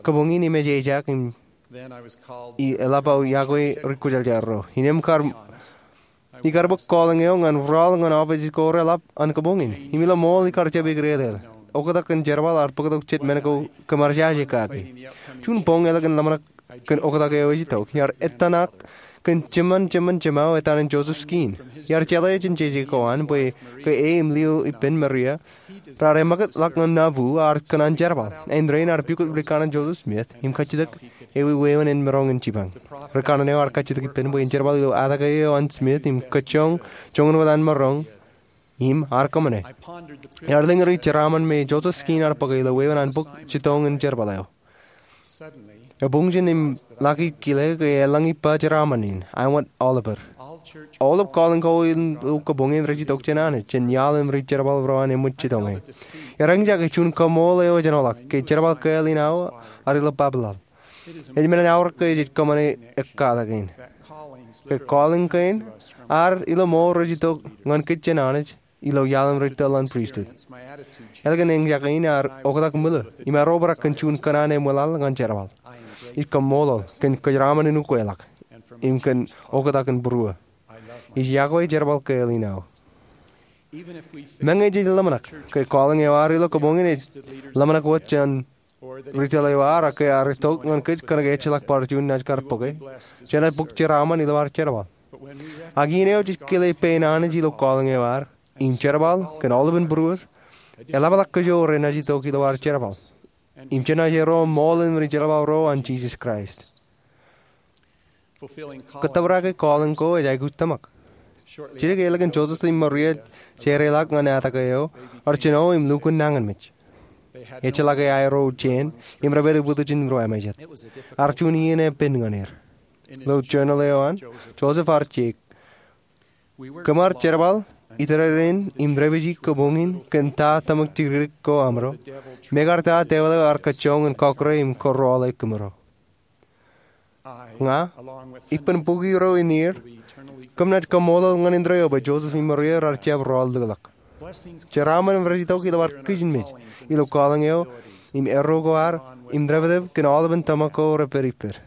kabuñ in im ej ejaak im eḷap aō yokwe ri kwōjarjar ro. Innām kar ikar bōk calling eo ñan rọọl ñan office ko reḷap an kabuñ in. Im ilo ṃool ikar jab eklōkḷọk. Oktak kōn jerbal iar bōktok jet men ko kōṃṃan jerbal kake. Juon boñ eḷap kōn ḷōmṇak kōn oktak eo ej itok, iar ettōṇak kōn jeṃṃan jeṃṃan jemāo etan in Joseph Skeen. Iar jeḷā jān jeje ko an bwe ke e im lio ippān Maria raar eṃōkaj ḷọk ñan Nauvoo, iar kōṇaan jerbal. Āindein iar pukot rikaṇan Joseph Smith im kajjitōk ewi wāween en maroñ in jipañ. Rikaṇan eo iar kajjitōk ippān bwe en jerbal ilo atake eo an Smith im kajjoñ joñan wōt an maroñ im iar kōṃṃane. Iar lōñ ri jeraaṃṃan me Joseph Skeen ear bōke ilo wāween an bōk jitōñ in jerbal eo. Ebuñjin im ḷak ikile ke eḷaññe ippa jeraaṃṃan in, āinwōt aolep er. Aolep calling ko ilo kabuñ in rej itok jān Anij, jān iaḷ im ri jerbal ro an eṃōj jitōñe. Eñjake juon kaṃṃoolol eo ejenoḷọk ke jerbal kāāl in aō ad ilo bab laḷ. Ej men in aorōk ke jej kōṃṃane ekkatakin ke calling kein ad ilo ṃool rej itok ñan kōj jān Anij ilo iaḷ im ri tōl an pristut. Ālikin eñjake in ear oktak ṃwilo im ear obrak kōn juon kōṇaan eṃwilaḷ ñan jerbal. Ij kaṃṃoolol kōn kōjeraaṃṃan in ukweḷọk im kōn oktak in būruō. Ij yokwe jerbal kāāl in aō. Meñe jej ḷōmṇak ke calling eo ad ilo kabuñ in ej ḷōmṇak wōt jān ri tōl eo ad, ak ke ear itok ñan kōj kōnke ejjeḷọk bar juon naaj kar bōke, jenaaj bōk jeraaṃṃan ilo ad jerbal. Ak iien eo jej kile pein Anij ilo calling eo ad im jerbal kōn aolepān būruod, eḷapḷọk kōj eo renaaj itok ilo ad jerbal im jenaaj erom ṃool in ri jerbal ro an Jisōs Kraist. Kōttōpar ake calling ko ej aikuj tōmak. Jidik ālikin Joseph im Maria jereḷọk ñan atake eo, ear jino im lukkuun nañinmej. Ejjeḷọk aerro jāān im rej pād ippaṃ ijin ruo emājet. Ear juon iien epen ñan er. Ilo journal eo an, Joseph ear jeiū, kōm ar jerbal itōrerein im dāpiji kabuñ in kōn ta tōmak jidikdik ko amro, mekarta devil eo ear kajjoñ in kọkkure im kōrọọle kōmro. Ña, ippān bukwi ro in ier, kōm naaj kaṃṃoolol ñan indeeo bwe Joseph im Maria raar jab rọọl likḷọk. Jeraaṃṃan rej itok ilo ad kijenmej ilo calling eo im erro ko ad im dāpdep kōn aolepān tōmak ko rej pād ippād.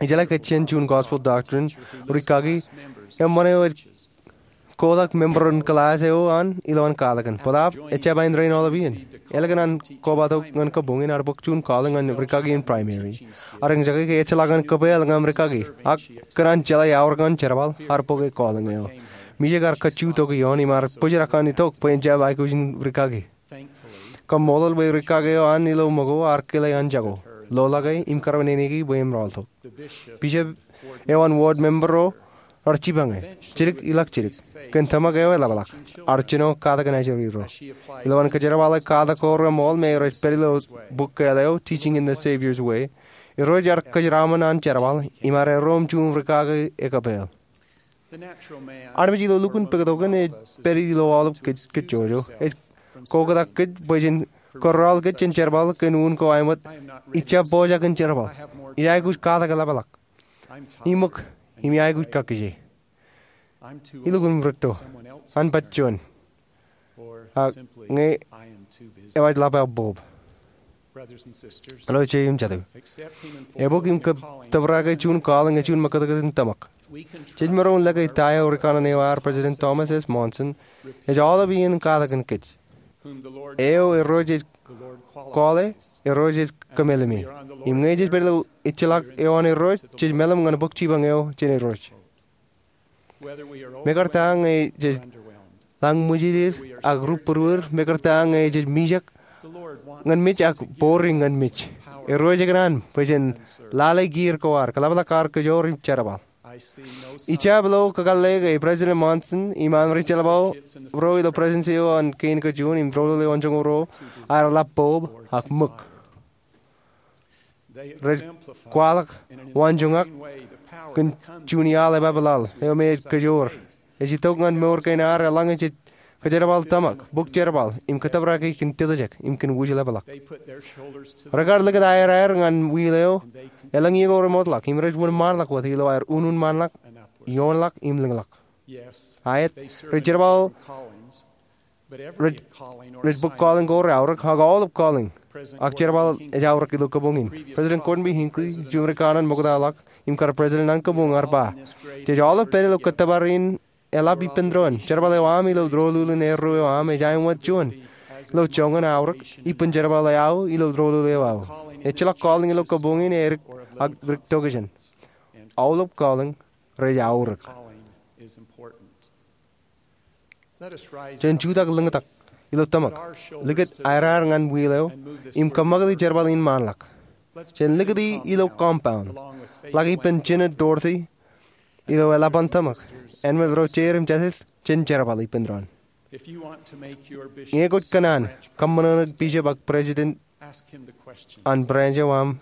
Ijeḷā ke jān juon Gospel Doctrine rikaki eṃṃan eo ej kotak member in class eo an ilowaan katakin. Bōtaab ejjab āindein aolep iien. Ālikin an kobatok ñan kabuñ in, ear bōk juon calling ñan rikaki in primary. Ear eñjake ke ejjeḷọk an kōpeḷḷọk ñan rikaki, ak kōn an jeḷā aorōk ñan jerbal, ear bōke calling eo. Mijak ear kajju tok ioon im ear bōjrak an itok bwe en jab aikuj in rikaki. Kaṃṃoolol bwe rikaki eo an ilo ṃōko ear kile an jako, loḷọke im karveneneki bwe im rọọltok. Bishop eo an ward member ro raar jipañe, jidik ilọk jidik, kōn tōmak eo eḷapḷọk. Ear jino katakin ajri ro. Ilowaan kōjerbale katak ko reṃool me rej pād ilo bok kāāl eo Teaching in the Savior's Way, Irooj ear kōjeraaṃṃan an jerbal im ear erom juon rikaki ekōpeḷ. Armej ilo lukkuun pād tok in ej pād ilo aolep kōj, kōj jojo. Ej koktak kōj bwe jen kōrọọl kōj jān jerbal kōn unin ko āinwōt, ij jab pojak in jerbal. Ij aikuj katak eḷapḷọk. Iṃōk, im ij aikuj kakkije. Ilukkuun rūtto. An baj juon. Ak ñe ewōr ḷap aō bōb. Āinwōt eo im jatū, ebuk im kōttōpar ḷọk juon calling eo juon ṃōkōtkōt in tōmak. Jej maroñ lōke ta eo rikanaan eo ad, President Thomas S. Monson, ej aolep iien katak kōn kōj. Eo Irooj ej call e, Irooj ej kōmeḷeḷe. Im ñe jej pād ilo ejjeḷọk eo an Irooj, jej meḷeḷe ñan bōk jipañ eo jān Irooj. Mekarta ñe jej lañ ṃwijin ak rūpūrwūr, mekarta ñe jej mijak ñan mej ak bōri ñan mej, Irooj ekōṇaan bwe jen lale kiiō ko ad, kōḷapḷọk ad kōjoor im jerbal. Ij jab lo kakōḷḷe ke President Monson im an ri jeḷbal ro ilo Presidency eo an Kein Kajjojo im Doulul eo an Joñoul Ruo aer ḷap bōb ak ṃōk. Rej kwaḷọk waanjoñak kōn juon iaḷ epapeḷaḷ eo me ej kōjoor. Ej itok ñan mour kein ad eḷaññe jej kōjerbal tōmak, bōk jerbal, im kōttōpar ḷọk kōn tiljek im kōn wūjlepḷọk. Rekar likūt aer aer ñan wheel eo elōñ iiō ko remootḷọk, im rej wōnṃaanḷọk wōt ilo aer unuuṃṃanḷọk, ioonḷọk im lōñḷọk. Aet, rej jerbal, rej, rej bōk calling ko reaorōk, ak aolep calling ak jerbal ej aorōk ilo kabuñ in. President Gordon B. Hinckley, juon rikanaan ṃoktaḷọk im kar president an kabuñ, ear ba, jej aolep pād ilo kōttōpar in eḷap ippān doon. Jerbal eo aṃ ilo doulul in erreo eo aṃ ej aemwōj juon ilo joñan aorōk ippān jerbal eo aō ilo doulul eo aō. Ejjeḷọk calling ilo kabuñ in edik ak dik tokjān. Aolep calling rej aorōk. Jen jutak lōñtak ilo tōmak, likūt aer aer ñan wheel eo, im kōṃṃakūt jerbal in ṃaanḷọk. Jen likūti ilo compound ḷọk ippān Jinōd Dorothy ilo eḷap an tōmak. Āinwōt ro jeid im jatid, jen jerbal ippān doon. Ñe kwōj kōṇaan kōṃṃan eo bishop ak president an branch eo aṃ,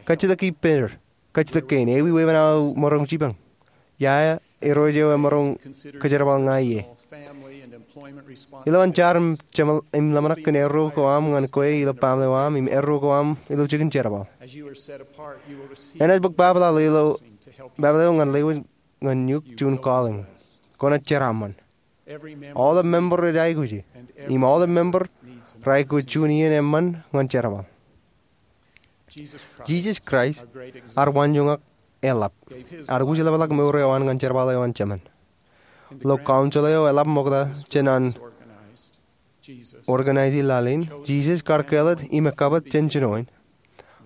kajjitōk ippāer, kajjitōk kein, ewi wāween aō maroñ jipañ? Ia Irooj eo emaroñ kōjerbal ña ie? Ilowaan jar im, im ḷōmṇak kōn erreo ko aṃ ñan kwe ilo baaṃle eo aṃ im erreo ko aṃ ilo jikin jerbal. Enaaj bōk babaḷaḷ ilo, babaḷaḷ eo ñan lewōj ñan eok juon calling. Kwōnaaj jeraaṃṃan. Aolep member rej aikuji, im aolep member rej aikuj juon iien eṃṃan ñan jerbal. Jisōs Kraist, ad waanjoñak, eḷap ad wūjlepḷọk mour eo an ñan jerbal eo an Jemān. Ilo council eo eḷap ṃokta jān an organize laḷ in, Jisōs kar kāālōt im ekkapot jān jino in,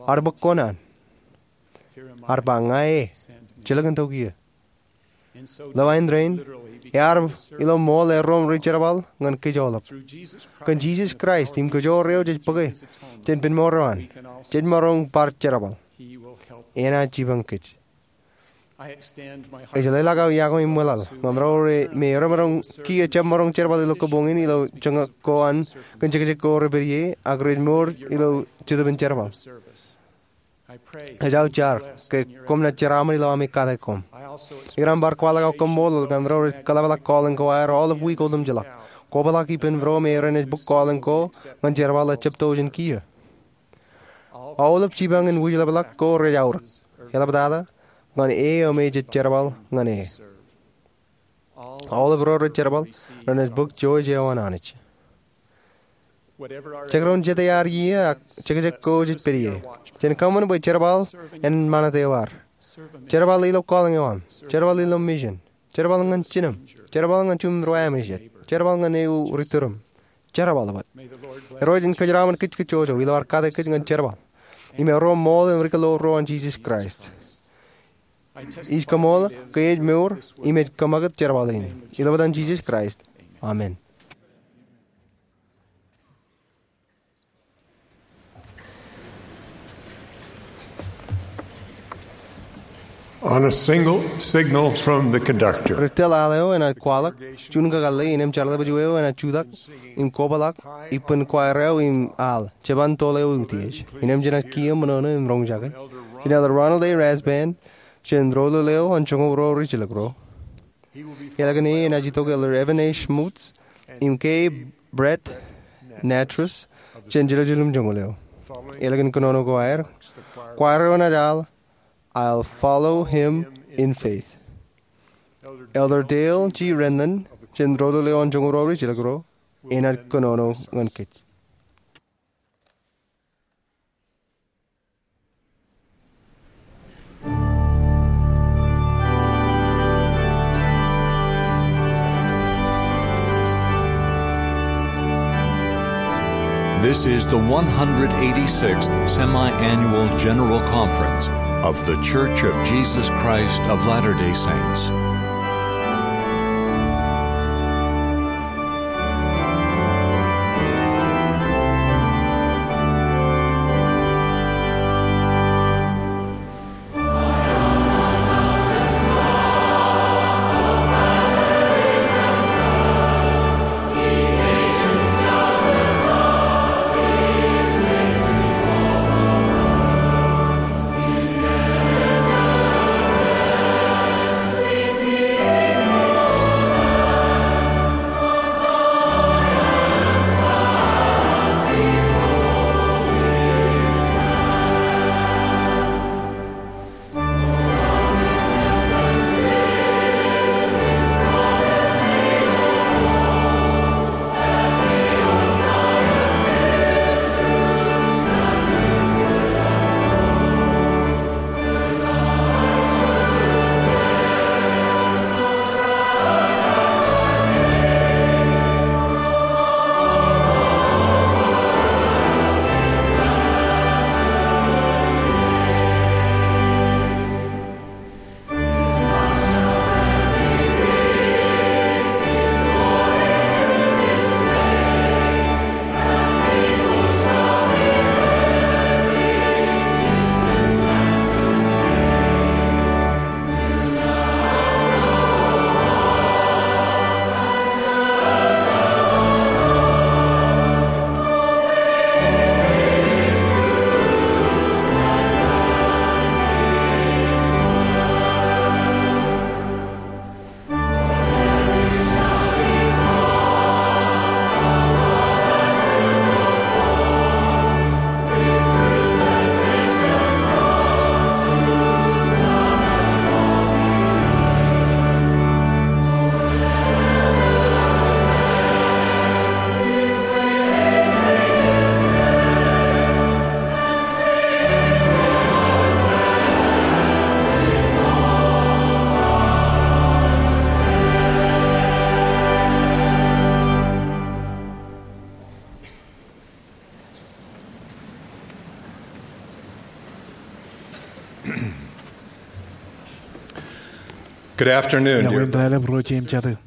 ad bōk kōṇaan. Ad ba, ña e, jelōkintok eō. Ilo āindein, ear ilo ṃool erro im ri jerbal ñan kōj aolep. Kōn Jisōs Kraist im kōjoor eo jej bōke jān pen mour eo an, jej maroñ bar jerbal. Enaaj jipañ kōj. Ej leḷọk aō iọkwe im ṃwilaḷ ñan ro me erro maroñ kiiō jab maroñ jerbal ilo kabuñ in ilo joñak ko an kōn jekjek ko rej pād ie ak rej mour ilo Jetōb in Jerbal. Ej aō jar ke koṃ naaj jeraaṃṃan ilo ami kate koṃ. Ikōṇaan bar kwaḷọk aō kaṃṃoolol ñan ro rej kōḷapḷọk calling ko aer aolep wiik otemjeḷọk. Kwōpḷọk ippān ro me renaaj bōk calling ko ñan jerbal ejjab to jān kiiō. Aolep jipañ in wūjlepḷọk ko rej aorōk, eḷaptata ñan e eo me jej jerbal ñan e. Aolep ro rej jerbal renaaj bōk jouj eo an Anij. Jekdọọn jete ad iiō ak jekjek ko jej pād ie, jen kōṃṃan bwe jerbal en ṃanit eo ad. Jerbal ilo calling eo aṃ. Jerbal ilo mission. Jerbal ñan jinem. Jerbal ñan jimjuon ro āmejet. Jerbal ñan ewi ri turuṃ. Jerbal wōt. Irooj en kōjeraaṃṃan kōj kōjjojo ilo ad kate kōj ñan jerbal im erro ṃool im ri kōḷḷoor ro an Jisōs Kraist. Ij kaṃṃoolol ke ej mour im ej kōṃakūt jerbal in. Ilo etan Jisōs Kraist, amen. On a single signal from the conductor, ri tōl al eo enaaj kwaḷọk, juon kakōḷḷe innem jarlepju eo enaaj jutak im kwōpḷọk ippān choir eo im al, jeban tōl eo utiej. Innem jenaaj kiiō ṃōṇōṇō im roñjake jān Elder Ronald A. Rasband, jān doulul eo an Joñoul Ruo Rijjelōk Ruo. Ālikin e enaaj itok Elder Evan A. Schmutz im K. Brett Nattress jān Jerusalem Joñoul eo. Ālikin kōnono ko aer, choir eo enaaj al I'll Follow Him in Faith. Elder Dale G. Renlund jān doulul eo an Joñoul Ruo Rijjelōk Ruo enaaj kōnono ñan kōj. This is the one hundred eighty-sixth Semi-Annual General Conference of The Church of Jesus Christ of Latter-day Saints. Good afternoon, dear friends. Iọkwe in raelep ro jeiū im jatū.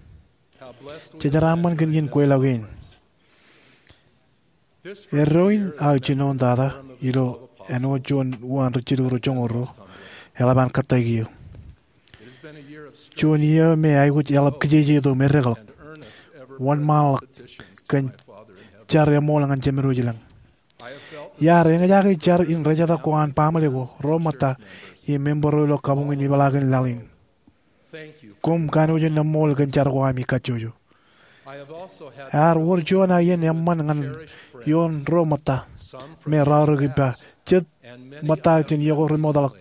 Jejeraṃṃan kōn iien kweilọk in. Erro in aō jinoin tata ilo āinwōt juon uwaan ri jilu ro joñoul ruo eḷap an kōttāik eō. Juon iiō me aikuj eḷap kijeje tok me reklọk, wōnṃaanḷọk kōn jar eṃool ñan Jemedwōj ilañ. Iar eñjake jar in rejetak ko an baaṃle ko, ro ṃōtta, im member ro ilo kabuñ in ipeḷaakin laḷ in. Koṃ kanooj in eṃool kōn jar ko ami kajjojo. Ear wōr juon aō iien eṃṃan ñan ioon ro ṃōtta me raorōk ippa, jet ṃōtta jān iiō ko remootḷọk,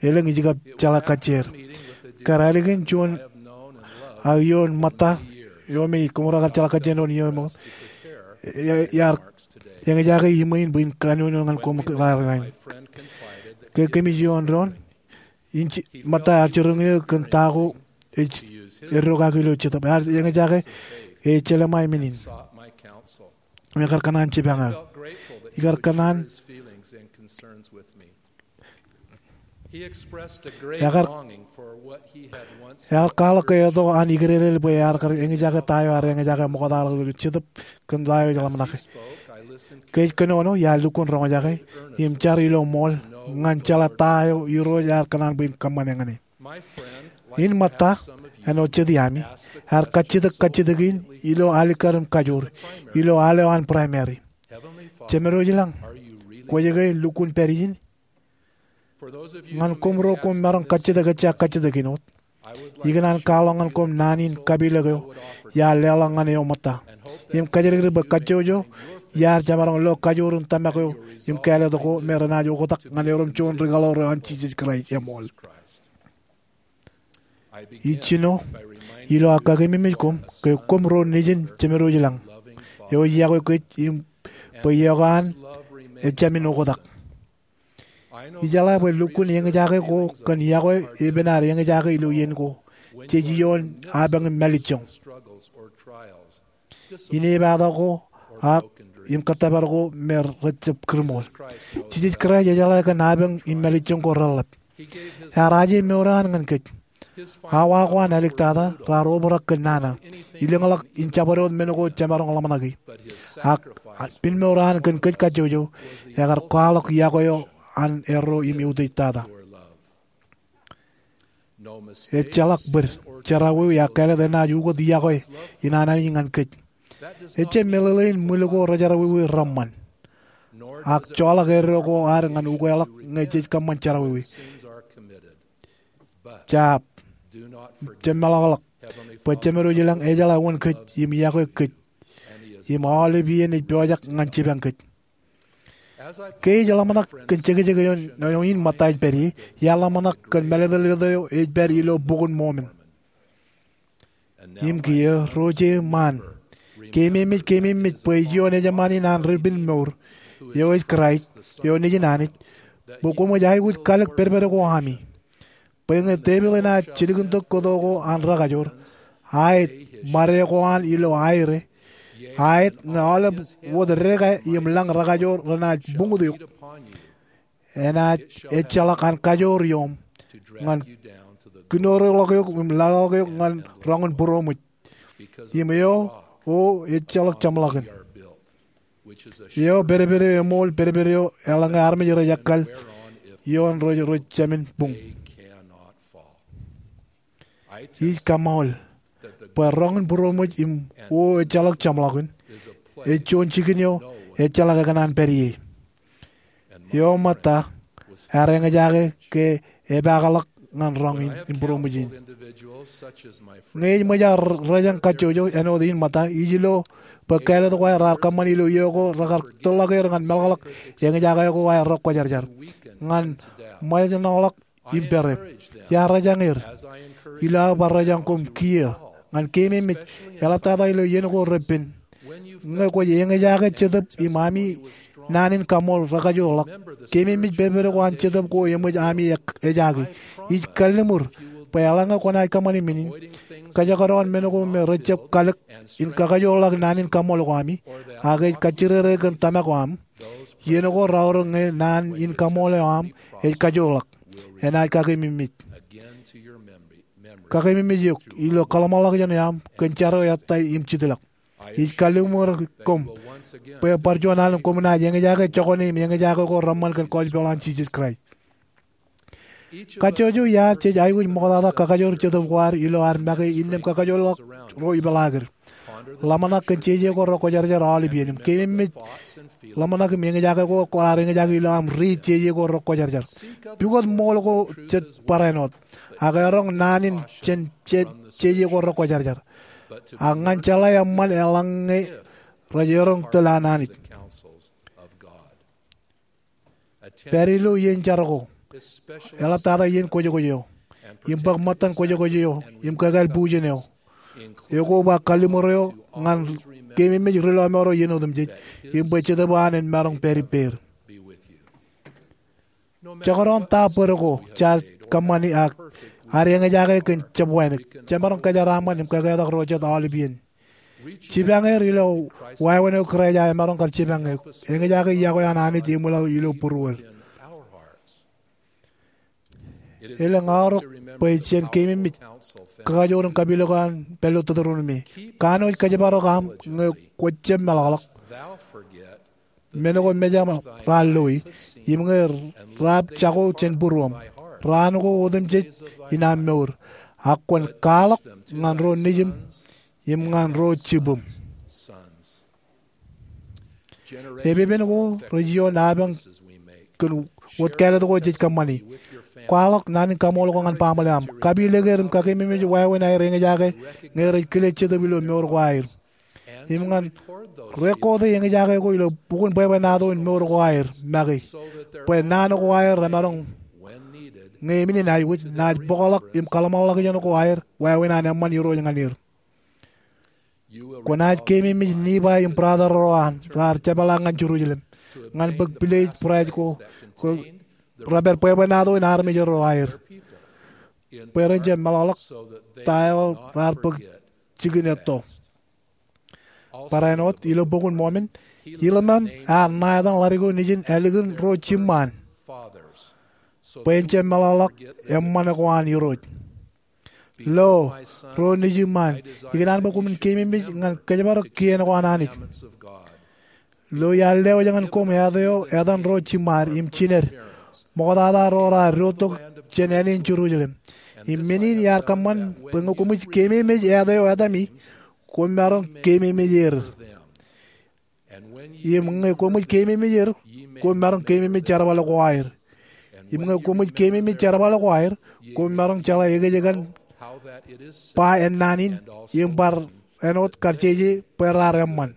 elōñ ij kab jeḷā kajjier. Kar ālikin juon aō iien ṃōtta eo me koṃro kar jeḷā kajjier doon iiō ṃōk, iar eñjake iṃwin bwe in kanooj ñan koṃ raar rainin. Ke kōmij ioon doon, ṃōtta ear jiroñ eō kōn ta ko ej erro kaki ilo Jetōb. Ear eñjake e jeḷā ṃae men in im ekar kōṇaan jipañ eō. Ekar kōṇaan, ekar, ear kwaḷọk ke eto an ikdedeḷ bwe ear kar eñjake ta eo ear eñjake ṃoktaḷọk ilo Jetōb kōn ta eo ej ḷōmṇake. Ke ej kōnono, iar lukkuun roñjake im jar ilo ṃool ñan jeḷā ta eo Irooj ear kōṇaan bwe in kōṃṃane ñan e. In ṃōtta, āinwōt jet iaami, ear kajjitōk kajjitōk in ilo alikkar im kajoor ilo al eo an Primary. Jemedwōj ilañ, kwōj ke lukkuun pād ijin? Ñan koṃro koṃ maroñ kajjitōk ejja kajjitōk in wōt, ikōṇaan kwaḷọk ñan koṃ naan in kapilōk eo iar leḷọk ñan eō ṃōtta im kōjatdikdik bwe kajjojo iar jemaroñ lo kajoor in tōmak eo im kāālōt ko me renaaj oktak ñan erom juon ri kaḷoor eo an Jisōs Kraist eṃool. Ij jino ilo aō kakememej koṃ ke koṃ ro nejin Jemedwōj ilañ eo ej iọkwe kōj im bwe iọkwe an ejāmin oktak. Ijeḷā bwe lukkuun eñjake ko kōn iọkwe epen ad eñjake ilo iien ko jej ioon apañ im mālejjoñ, inepata ko, ak im kōttōpar ko me rejjab kūrṃool. Jisōs Kraist ejeḷā kōn apañ im mālejjoñ ko reḷap. Ear aje mour eo an ñan kōj. Awa ko an āliktata raar obrak kōn nana, ilōñḷọk in jabdewōt men ko jemaroñ ḷōmṇaki. Ak pinmour eo an kōn kōj kajjojo ekar kwaḷọk iọkwe eo an erro im eutiej tata. Ejjeḷọk bōd, jerọwiwi ak kāālōt enaaj ukōt iọkwe in an Anij ñan kōj. Ejjab meḷeḷein ṃwil ko rejerọwiwi reṃṃan, ak joḷọk eddo ko ad ñan ukeḷọk ñe jej kōṃṃan jerọwiwi. Jab, jab meḷọkḷọk bwe Jemedwōj ilañ ejeḷā wōn kōj im iọkwe kōj, im aolep iien ej pojak ñan jipañ kōj. Ke ij ḷōmṇak kōn jekjek eo in ṃōtta in pād ie, iar ḷōmṇak kōn mālōtlōt eo ej pād ilo Bok in Mormon. Im kiiō, ro je ṃaan, keememej, keememej bwe ij ioon ejṃaan in an Ri-pinmour, eo ej Kraist, eo Nejin Anij, bwe koṃij aikuj kalōk pedped ko ami, bwe ñe tepil enaaj jilkintok kōto ko an rekajoor, aet, ṃade ko an ilo aire, aet, ñe aolep wōt deka im lañ rekajoor renaaj buñut eok, enaaj ejjeḷọk an kajoor ioṃ ñan kinoreḷọk eok im laḷḷọk eok ñan roñ in būroṃōj. Im eo, o ejjeḷọk jeṃḷọkin. Eo pedped eo eṃool, pedped eo eḷaññe armej rej ekkal ioon ro rej jemān buñ. Ij kaṃṃool bwe roñ in būroṃōj im o ejjeḷọk jeṃḷọkin ej juon jikin eo ejjeḷọk ekōṇaan pād ie. Eo ṃōtta ear eñjake ke epaakḷọk ñan roñ in būroṃōj in. Ñe ij ṃōj aō rejañ kajjojo āinwōt in ṃōtta, ij lo bwe kāālōt ko aer raar kōṃṃani ilo iiō ko rekar tōrḷọk er ñan meḷọkḷọk eñjake ko aer rekwōjarjar ñan ṃōjṇọḷọk im pere. Iar rejañ er, ilo aō bar rejañ koṃ kiiō, ñan keememej, eḷaptata ilo iien ko repen, ñe kwōj eñjake Jetōb im ami naan in kaṃool rekajoorḷọk, keememej pedped ko an Jetōb ko eṃōj ami ejaki. Ij kalliṃur bwe eḷaññe kwōnaaj kōṃṃani men in, kōjekdọọn men ko me rejjab kalōk in kakajoorḷọk naan in kaṃool ko ami, ak ej kajjirere kōn tōmak ko am, iien ko raorōk ñe naan in kaṃool eo aṃ ej kajoorḷọk, enaaj kakeememej, kakeememej eok ilo kōḷmānḷọkjeṇ eo aṃ kōn jar eo ettā im jitḷọk. Ij kalliṃur koṃ bwe bar juon alen koṃ naaj eñjake jokwane im eñjake ko reṃṃan kōn gospel an Jisōs Kraist. Kajjojo iaad jej aikuj ṃoktata kakajoor Jetōb ko ad ilo ad make innām kakajoorḷọk ro ipeḷaakid. Ḷōmṇak kōn jeje ko rekwōjarjar aolep iien im keememej ḷōmṇak im eñjake ko kwōnaaj eñjake ilo aṃ riit jeje ko rekwōjarjar. Pukot ṃool ko jet barāinwōt, ak eroñ naan in jān jeje ko rekwōjarjar, ak ñan jeḷā eṃṃan eḷaññe rej eroñ tōl an Anij. Pād ilo iien jar ko, eḷaptata iien kwōjkwōj eo, im bōk ṃōttan kwōjkwōj eo im kōkāāl bujen eo, ekwe ba kalliṃur eo ñan keememej ri lọmọọr eo iien otemjej, im bwe Jetōb eo an en maroñ pād ippāer. Jekdọọn ta bōd ko jaar kōṃṃani ak ad eñjake kōn jab wānōk, jemaroñ kōjeraaṃṃan im kōketak ro jet aolep iien. Jipañ er ilo wāween eo Kraist eo emaroñ kar jipañ eok. Eñjake iọkwe an Anij eṃwilaḷ ilo būruod. Elōñ aorōk bwe jen keememej kakajoor in kapilōk eo an pād ilo Teuteronomi: Kanooj kōjparok aṃ ñe kwōj jab meḷọkḷọk, men ko mejaṃ raar loi, im ñe raab jako jān būruōṃ, raan ko otemjej in aṃ mour, ak kwōn kwaḷọk ñan ro nejiṃ im ñan ro jibūṃ. Epepen ko rej ioon apañ kōn wōt kāālōt ko jej kōṃṃani. Kwaḷọk naan in kaṃool ko ñan baaṃle aṃ. Kapilōk er im kakeememej wāween aer eñjake ñe rej kile Jetōb ilo mour ko aer. Im ñan rekooti eñjake ko ilo bukun bwebwenato in mour ko aer make, bwe naan ko aer remaroñ, ñe men in aikuj, naaj bōkḷọk im kōḷmānḷọkjeṇ ko aer wāween an eṃṃan Irooj ñan er. Kwōnaaj keememej Nifai im brother ro an raar jepḷaak ñan Jerusalem ñan bōk pilej būraij ko, ko repād bwebwenato in armej ro aer, bwe ren jab meḷọkḷọk ta eo raar bōk jikin etto. Barāinwōt ilo Bok in Mormon, Iḷmeṇ ear ṇa etan ḷadik eo nejin ālikin ro jimṃaan bwe en jab meḷọkḷọk eṃṃan ko an Irooj. Lo, ro nejimṃaan, ikōṇaan bwe koṃwin keememej ñan kōjparok kien ko an Anij. Lo iar lewōj ñan koṃ āt eo etan ro jimṃaad im jined, ṃoktata ro raar diwōjtok jān āne in Jerusalem. Im men in iar kōṃṃan bwe ñe koṃij keememej āt eo etami, koṃ maroñ keememej er. Im ñe koṃij keememej er, koṃ maroñ keememej jerbal ko aer. Im ñe koṃij keememej jerbal ko aer, koṃ maroñ jeḷā ekōjkan ba ennaan in, im bar āinwōt kar jeje bwe raar eṃṃan.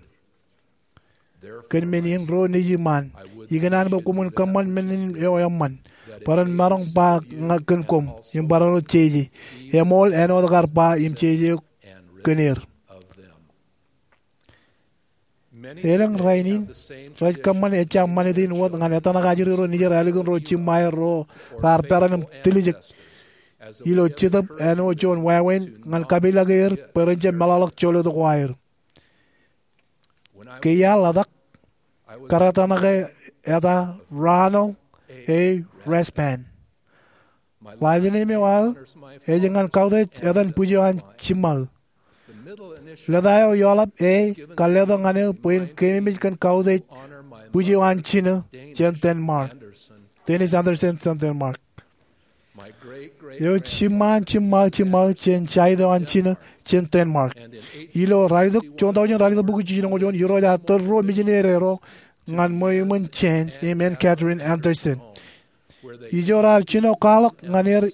Kōn men in ro nejimṃaan, ikōṇaan bwe koṃwin kōṃṃan men in eo eṃṃan, bwe ren maroñ ba ña kōn koṃ, im bar āinwōt jeje, eṃool āinwōt kar ba im jeje kōn er. Elōñ rainin, rej kōṃṃan ejja ṃanit in wōt ñan etōṇak ajri ro nejier ālikin ro jimṃae ro raar peran im tiljek ilo jetōb āinwōt juon wāween ñan kapilōk er bwe ren jab meḷọkḷọk joḷọt ko aer. Ke iar ḷotak, kōrā tōṇake eta Ronald A. Rasband. Last name eo aō ej ñan kautiej etan bwij eo an jimṃaō. Lōta eo eḷap A kar letok ñan eō bwe en keememej kōn kautiej bwij eo an jinō jān Denmark, Dennis Andersen jān Denmark. Eo jimṃaan jimṃaō jimṃaō jān side eo an jinō jān Denmark. Ilo ralitōk, juon tọujin ralitōk bukwi jiljino juon, Irooj ear tōl ruo misineri ro ñan ṃweo iṃōn Jens im Ann Catherine Andersen. Ijo raar jino kwaḷọk ñan er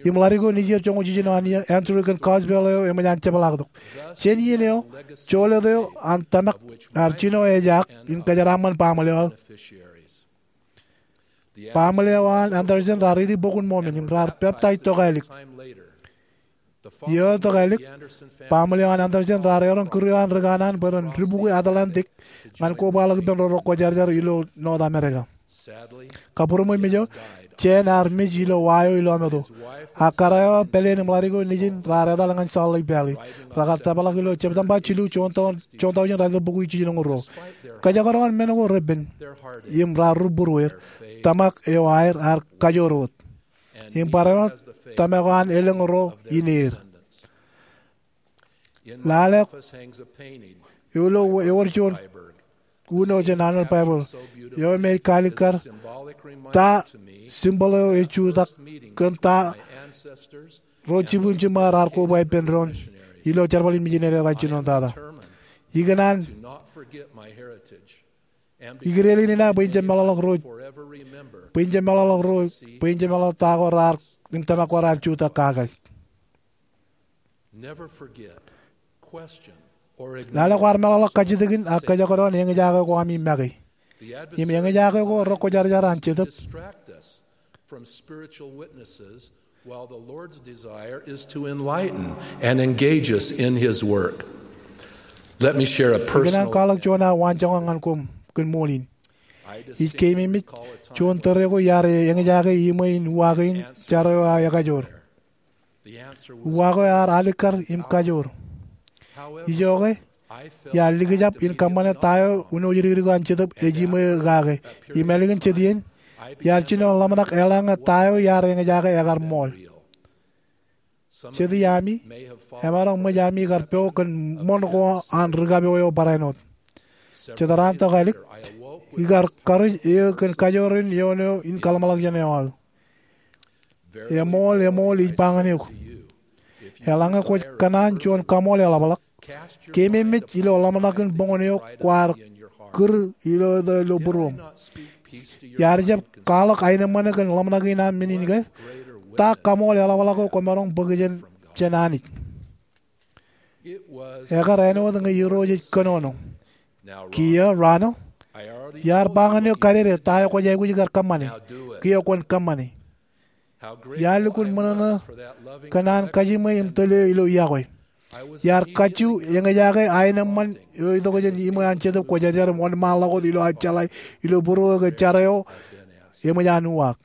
im ḷadik eo nejier joñoul jiljino an Andrew kōn gospel eo eṃōj an jepḷaaktok. Jān iien eo, joḷọt eo an tōmak ear jino ejaak in kōjeraaṃṃan baaṃle eo aō. Baaṃle eo an Andersen raar riiti Bok in Mormon im raar peptaij tokālik. Iiō tokālik, baaṃle eo an Andersen raar erom kūr eo an ri kanaan bwe ren dibukwi Atlantic ñan kobaḷọk ippān ro rej kwōjarjar ilo North America. Kabbūrmej, Jens ear mej ilo wa eo ilo ameto. Ak kōrā eo, pāleen im ḷadik eo nejin raar etal ñan Salt Lake Valley. Rekar tōprak ilo September jilu, juon tọujin ralitōk bukwi jiljino ruo. Kōjekdọọn men ko repen im raar rūbūruer, tōmak eo aer ear kajoor wōt. Im barāinwōt tōmak eo an elōñ ro in er. Lale eo ilo, ewōr juon uno jān Arnold Baebbler eo im ej kaalikkar ta symbol eo ej jutak kōn ta ro jibwin jiṃṃae raar koba ippān doon ilo jerbal in misineri eo rej jinoin tata. Ikōṇaan ikōṇaan in ṇa bwe in jab meḷọkḷọk ro, bwe in jab meḷọkḷọk ro, bwe in jab meḷọkḷọk ta ko raar, im tōmak ko raar jutak kake. Lale kwaar meḷọkḷọk kajjitōkin ak kōjekdọọn eñjake ko ami make. Im eñjake ko rekwōjarjar an Jetōb. While the Lord's desire is to enlighten and engage us in His work. Let me share a personal. Ikōṇaan kwaḷọk juon aō waanjoñak ñan koṃ kōn ṃool in. Ij keememej juon tōre ko iar eñjake iṃwe in uwaak in jar eo aō ekajoor. Uwaak eo ear alikkar im kajoor. Ijoke, iar likjab in kōṃṃane ta eo uno jidikdik eo an Jetōb ej iṃwe kake. Im ālikin jet iien, iar jino ḷōmṇak eḷaññe ta eo iar eñjake ekar ṃool. Jet iaami emaroñ ṃōj ami kar pok kōn ṃoṇ ko an ri kapo eo barāinwōt. Jet raan tokālik, ikar karuj eō kōn kajoor in eoon eo in kaḷōmṇak jān eo aō. Eṃool, eṃool, ij ba ñan eok, eḷaññe kwōj kōṇaan juon kaṃool eḷapḷọk, keememej ilo ḷōmṇak in boñōn eo kwaar kūr ilo, ilo būruōṃ. Iar jab kwaḷọk aenōṃṃane kōn ḷōmṇak in aṃ men in ke, ta kaṃool eḷapḷọk eo kwōmaroñ bōk jān, jān Anij. Ekar āinwōt ñe Irooj ej kōnono. Kiiō, Ronald, iar ba ñan eok kadede ta eo kwōj aikuj kar kōṃṃane. Kiiō kwōn kōṃṃane. Iar lukkuun ṃōṇōṇō kōn an kajiṃwe im tōl eo ilo iọkwe. Iar kajju eñjake aenōṃṃan eo itok jān iṃwe an Jetōb Kwōjarjar im wōnṃaanḷọk wōt ilo aō jeḷā ilo būruō ke jar eo eṃōj an uwaak.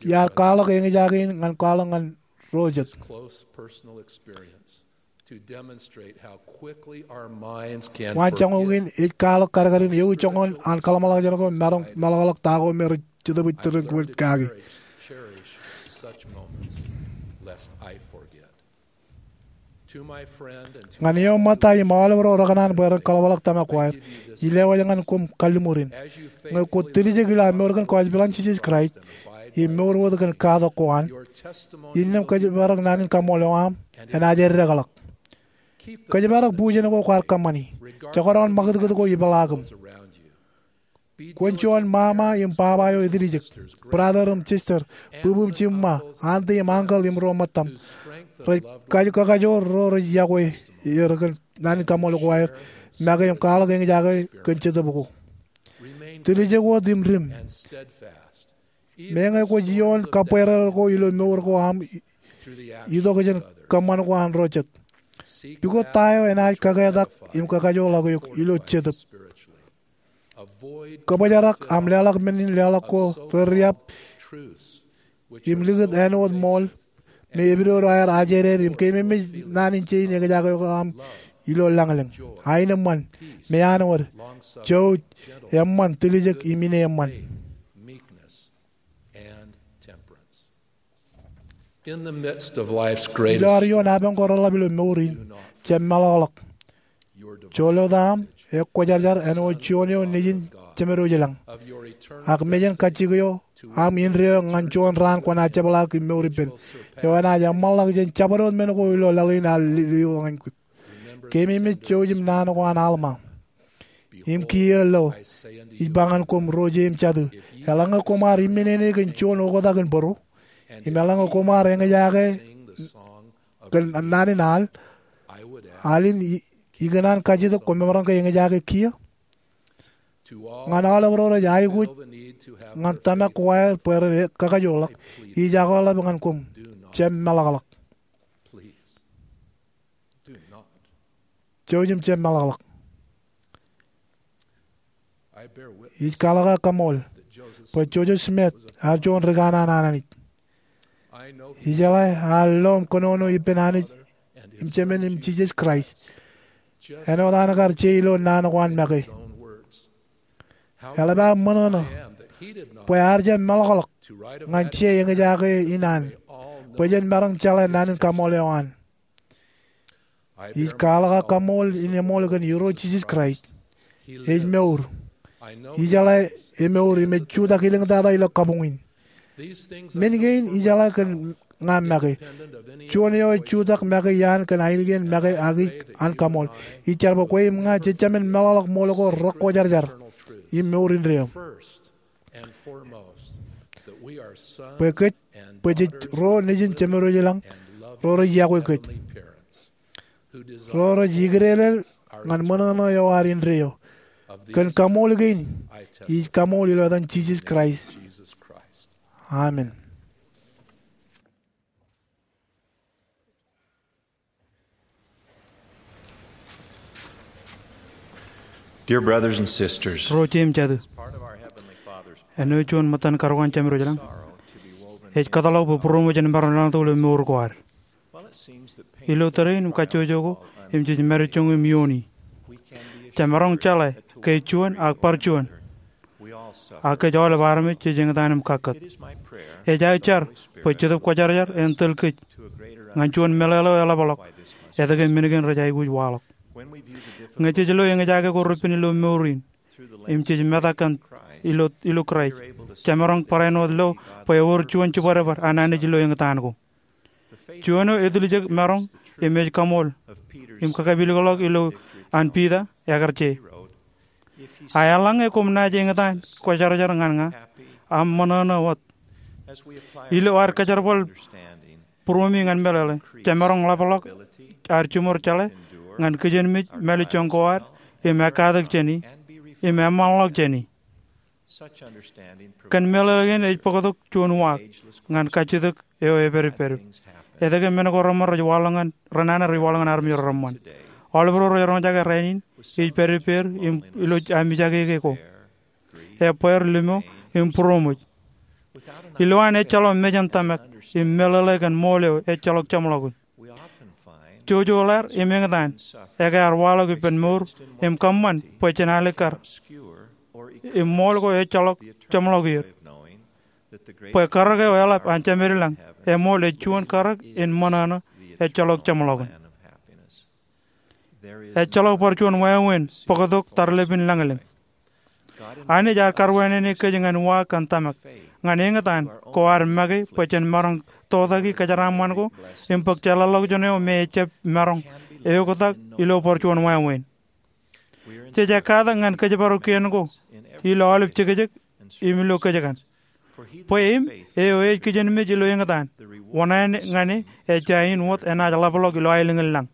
Iar kwaḷọk eñjake in ñan kwaḷọk ñan ro jet. Waan joñoul kein ej kwaḷọk kadkadin ewi joñan an kaḷmānḷọkjeṇ ko maroñ meḷọkḷọk ta ko me rej Jetōb ej tōre in kōṃṃan kaki. Ñan eo ṃōtta im aolep ro rekōṇaan bwe ren kaḷapḷọk tōmak ko aer, ij lewōj ñan koṃ kalliṃur in. Ñe kwō tiljek ilo aṃ mour kōn gospel an Jisōs Kraist im mour wōt kōn katak ko an, innām kōjparok naan in kaṃṃool eo aṃ enaaj eddekḷọk. Kōjparok bujen ko kwaar kōṃṃani. Jekdọọn ṃakūtkūt ko ipeḷaakiṃ. Kwōn juon ṃaṃa im baba eo etiljek, brother im sister, bwibwi im jimṃa, auntie im uncle im ro ṃōttaṃ, rej kaj- kakajoor ro rej yokwe er kōn naan in kaṃṃool ko aer make im kwaḷọk eñjake kōn Jetōb ko. Tiljek wōt im dim. Meñe kwōj ioon kabwereer ko ilo mour ko aṃ itok jān kōṃṃan ko an ro jet, pukot ta eo enaaj kaketak im kakajoorḷọk eok ilo Jetōb? Kōbōjrak aṃ leḷọk men in leḷọk ko reriab im likūt āinwōt ṃool me epidodo aer ajeder im keememej naan in jein eñjake ko aṃ ilo lañlōñ. Aenōṃṃan, meanwōd, jouj, eṃṃan, tiljek im ineeṃṃan. Ilo ad ioon apañ ko reḷap ilo mour in, jab meḷọkḷọk. Joḷọk aṃ ekwōjarjar āinwōt juon eo nejin Jemed ilañ, ak mejān kajjik eo aṃ indeeo ñan juon raan kwōnaaj jepḷaak im mour ippān, eo enaaj eṃṃanḷọk jān jabdewōt men ko ilo laḷ in ear lio ñan kwe. Keememej jouj im naan ko an Alma. Im kiiō lo, ij ba ñan koṃ ro je im jatū, eḷaññe koṃ ar imminene kōn juon oktak in bōro, im eḷaññe koṃ ar eñjake kōn naan in al, al in i- ikōṇaan kajjitōk koṃ maroñ ke eñjake kiiō? Ñan aolep ro rej aikuj ñan tōmak ko aer bwe ren kakajoorḷọk, ij akōḷḷap ñan koṃ, jab meḷọkḷọk. Jouj im jab meḷọkḷọk. Ij kwaḷọk aō kaṃṃool bwe Joseph Smith ear juon ri kanaan an Anij. Ijeḷā ear lo im kōnono ippān Anij im Jemān im Jisōs Kraist āinwōt an kar je ilo naan ko an make. Eḷap aō ṃōṇōṇō bwe ear jab meḷọkḷọk ñan je eñjake in an bwe jen maroñ jeḷā naan in kaṃṃool eo an. Ij kwaḷọk aō kaṃṃool in eṃool kōn Irooj Jisōs Kraist. Ej mour. Ijeḷā emour im ej jutak iliñtata ilo kabuñ in. Men kein ijeḷā kōn ña make. Juon eo ej jutak make iaan kōn ainikien make ak ij an kaṃṃool. Ij jar bwe kwe im ña jejāmin meḷọkḷọk ṃool ko rekwōjarjar im mour indeeo. Bwe kōj, bwe jej ro nejin Jemed ilañ, ro rej yokwe kōj, ro rej ikdeḷeḷ ñan ṃōṇōṇō eo ad indeeo. Kōn kaṃṃool kein, ij kaṃṃool ilo etan Jisōs Kraist. Amen. Dear brothers and sisters, ro je im jatū, āinwōt juon ṃōttan karukan Jemed ilañ, ej kōtḷọk bwe būroṃōj en maroñ leḷọk ilo mour ko ad. Ilo tōre in im kajjojo ko im jej mārijoñ im iiooni, jemaroñ jeḷā ke juon ak bar juon, ak kōj aolep armej jej eñtaan im kakkōt. Ej aō jar bwe Jetōb Kwōjarjar en tōl kōj ñan juon meḷeḷe eo eḷapḷọk etke men kein rej aikuj waḷọk. Ñe jej lo eñjake ko repen ilo mour in im jej metak kōn ilo, ilo Kraist, jemaroñ barāinwōt lo bwe ewōr juon jibadbad an Anij ilo eñtaan ko. Juon eo etiljek maroñ im ej kaṃool im kakapilōkḷọk ilo an Piter, ekkar je, a eḷaññe koṃ naaj eñtaan kwōjarjar ñan ña, aṃ ṃōṇōṇō wōt. Ilo ad kōjerbal būroṃi ñan meḷeḷe, jemaroñ ḷapḷọk ad jiṃor jeḷā ñan kijenmej mālejjoñ ko ad im ekkatak jāni im eṃṃanḷọk jāni. Kōn meḷeḷe kein ej bōktok juon uwaak ñan kajjitōk eo epedped. Etke men ko reṃṃan rej waḷọk ñan, renana rej waḷọk ñan armej ro reṃṃan. Aolep ro rej roñjake rainin, ij pād ippāer im ilo amijake ke ko, ebbeer, limo, im būroṃōj. Ilowaan ejjeḷọk mejān tōmak im meḷeḷe kōn ṃool eo ejjeḷọk jeṃḷọkin. jojoḷāār im eñtaan, ekar waḷọk ippān mour im kōṃṃan bwe jen alikkar im ṃool ko ejjeḷọk jeṃḷọk er, bwe karōk eo eḷap an Jemedlañ eṃool ej juon karōk in ṃōṇōṇō ejjeḷọk jeṃḷọkin. Ejjeḷọk bar juon wāween bōktok tarlepin lañlōñ. Anij ear karwānene kōj ñan wa kōn tōmak, ñan eñtaan ko ad make bwe jen maroñ tokjān kōjeraaṃṃan ko im bōk jeḷāḷọkjeṇ eo me ejab maroñ eoktak ilo bar juon wāween. Jej ekkatak ñan kōjparok kien ko ilo aolep jekjek im ilo kōjkan. Bwe im eo ej kijenmej ilo eñtaan, wōṇāān ñan e ejja in wōt enaaj ḷapḷọk ilo aelōñ in lañ.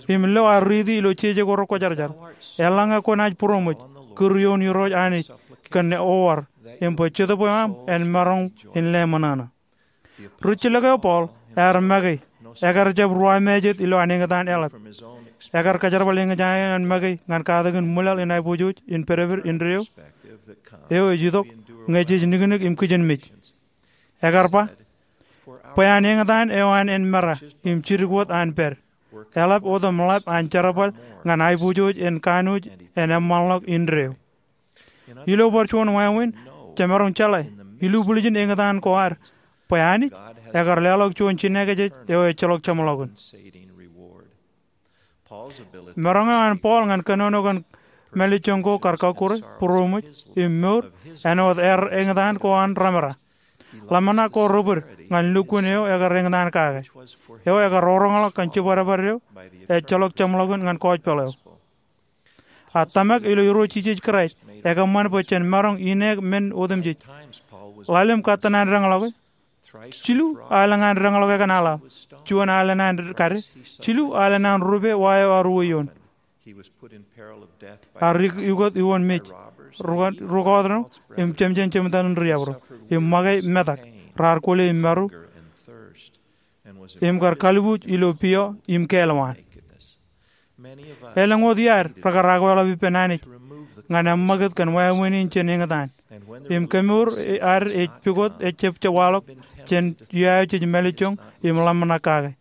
Im lo ad riiti ilo jeje ko rekwōjarjar, eḷaññe kwōnaaj būroṃōj, kūr ioon Irooj Anij kōn oor, im bwe Jetōb eo aṃ en maroñ in leṃōṇōṇō. Rijjilōk eo Paul ear make, ekar jab ruwamāejet ilowaan eñtaan eḷap. Ekar kōjerbal eñjake eo an make ñan katakin ṃwilaḷ in aiboojoj in pedped indeeo eo ej itok ñe jej niknik im kijenmej. Ekar ba, bwe an eñtaan eo an en mera im jidik wōt an pād, eḷap otemḷap an jerbal ñan aiboojoj en kanooj en eṃṃanḷọk indeeo. Ilo bar juon wāween, jemaroñ jeḷā, ilubwiljin eñtaan ko ad, bwe Anij ekar leḷọk juon jinōkjeej eo ejjeḷọk jeṃḷọkin. Maroñ eo an Paul ñan kōnono kōn mālejjoñ ko kar kọkkure, būroṃōj, im mour, āinwōt er eñtaan ko an remera. Ḷōmṇak ko rebōd ñan lukkuun eo ekar eñtaan kake, eo ekar roñḷọk kōn jibadbad eo ejjeḷọk jeṃḷọkin ñan kọjpeḷ eo. A tōmak ilo Irooj Jisōs Kraist ekōṃṃan bwe jen maroñ ineek men otemjej. Ḷalem katten an deñḷọke, jilu al ñan deñḷọke kōn aḷap, juon al ñan kade, jilu al ñan rupe wa eo ear uwe ioon. Ear ukōt iwōn mej, rūkautno, im jemjen jemtan in riabdōk, im ṃake metak, raar kwōle im maru, im kar kalbuuj ilo pio im kāālwaan. Elōñ wōt iaad rekar akweḷap ippān Anij ñan eṃṃakūt kōn wāween in jān eñtaan. Im kemour ad ej pukot ejjab waḷọk jān iuaio jej mālejjoñ im ḷōmṇak kake.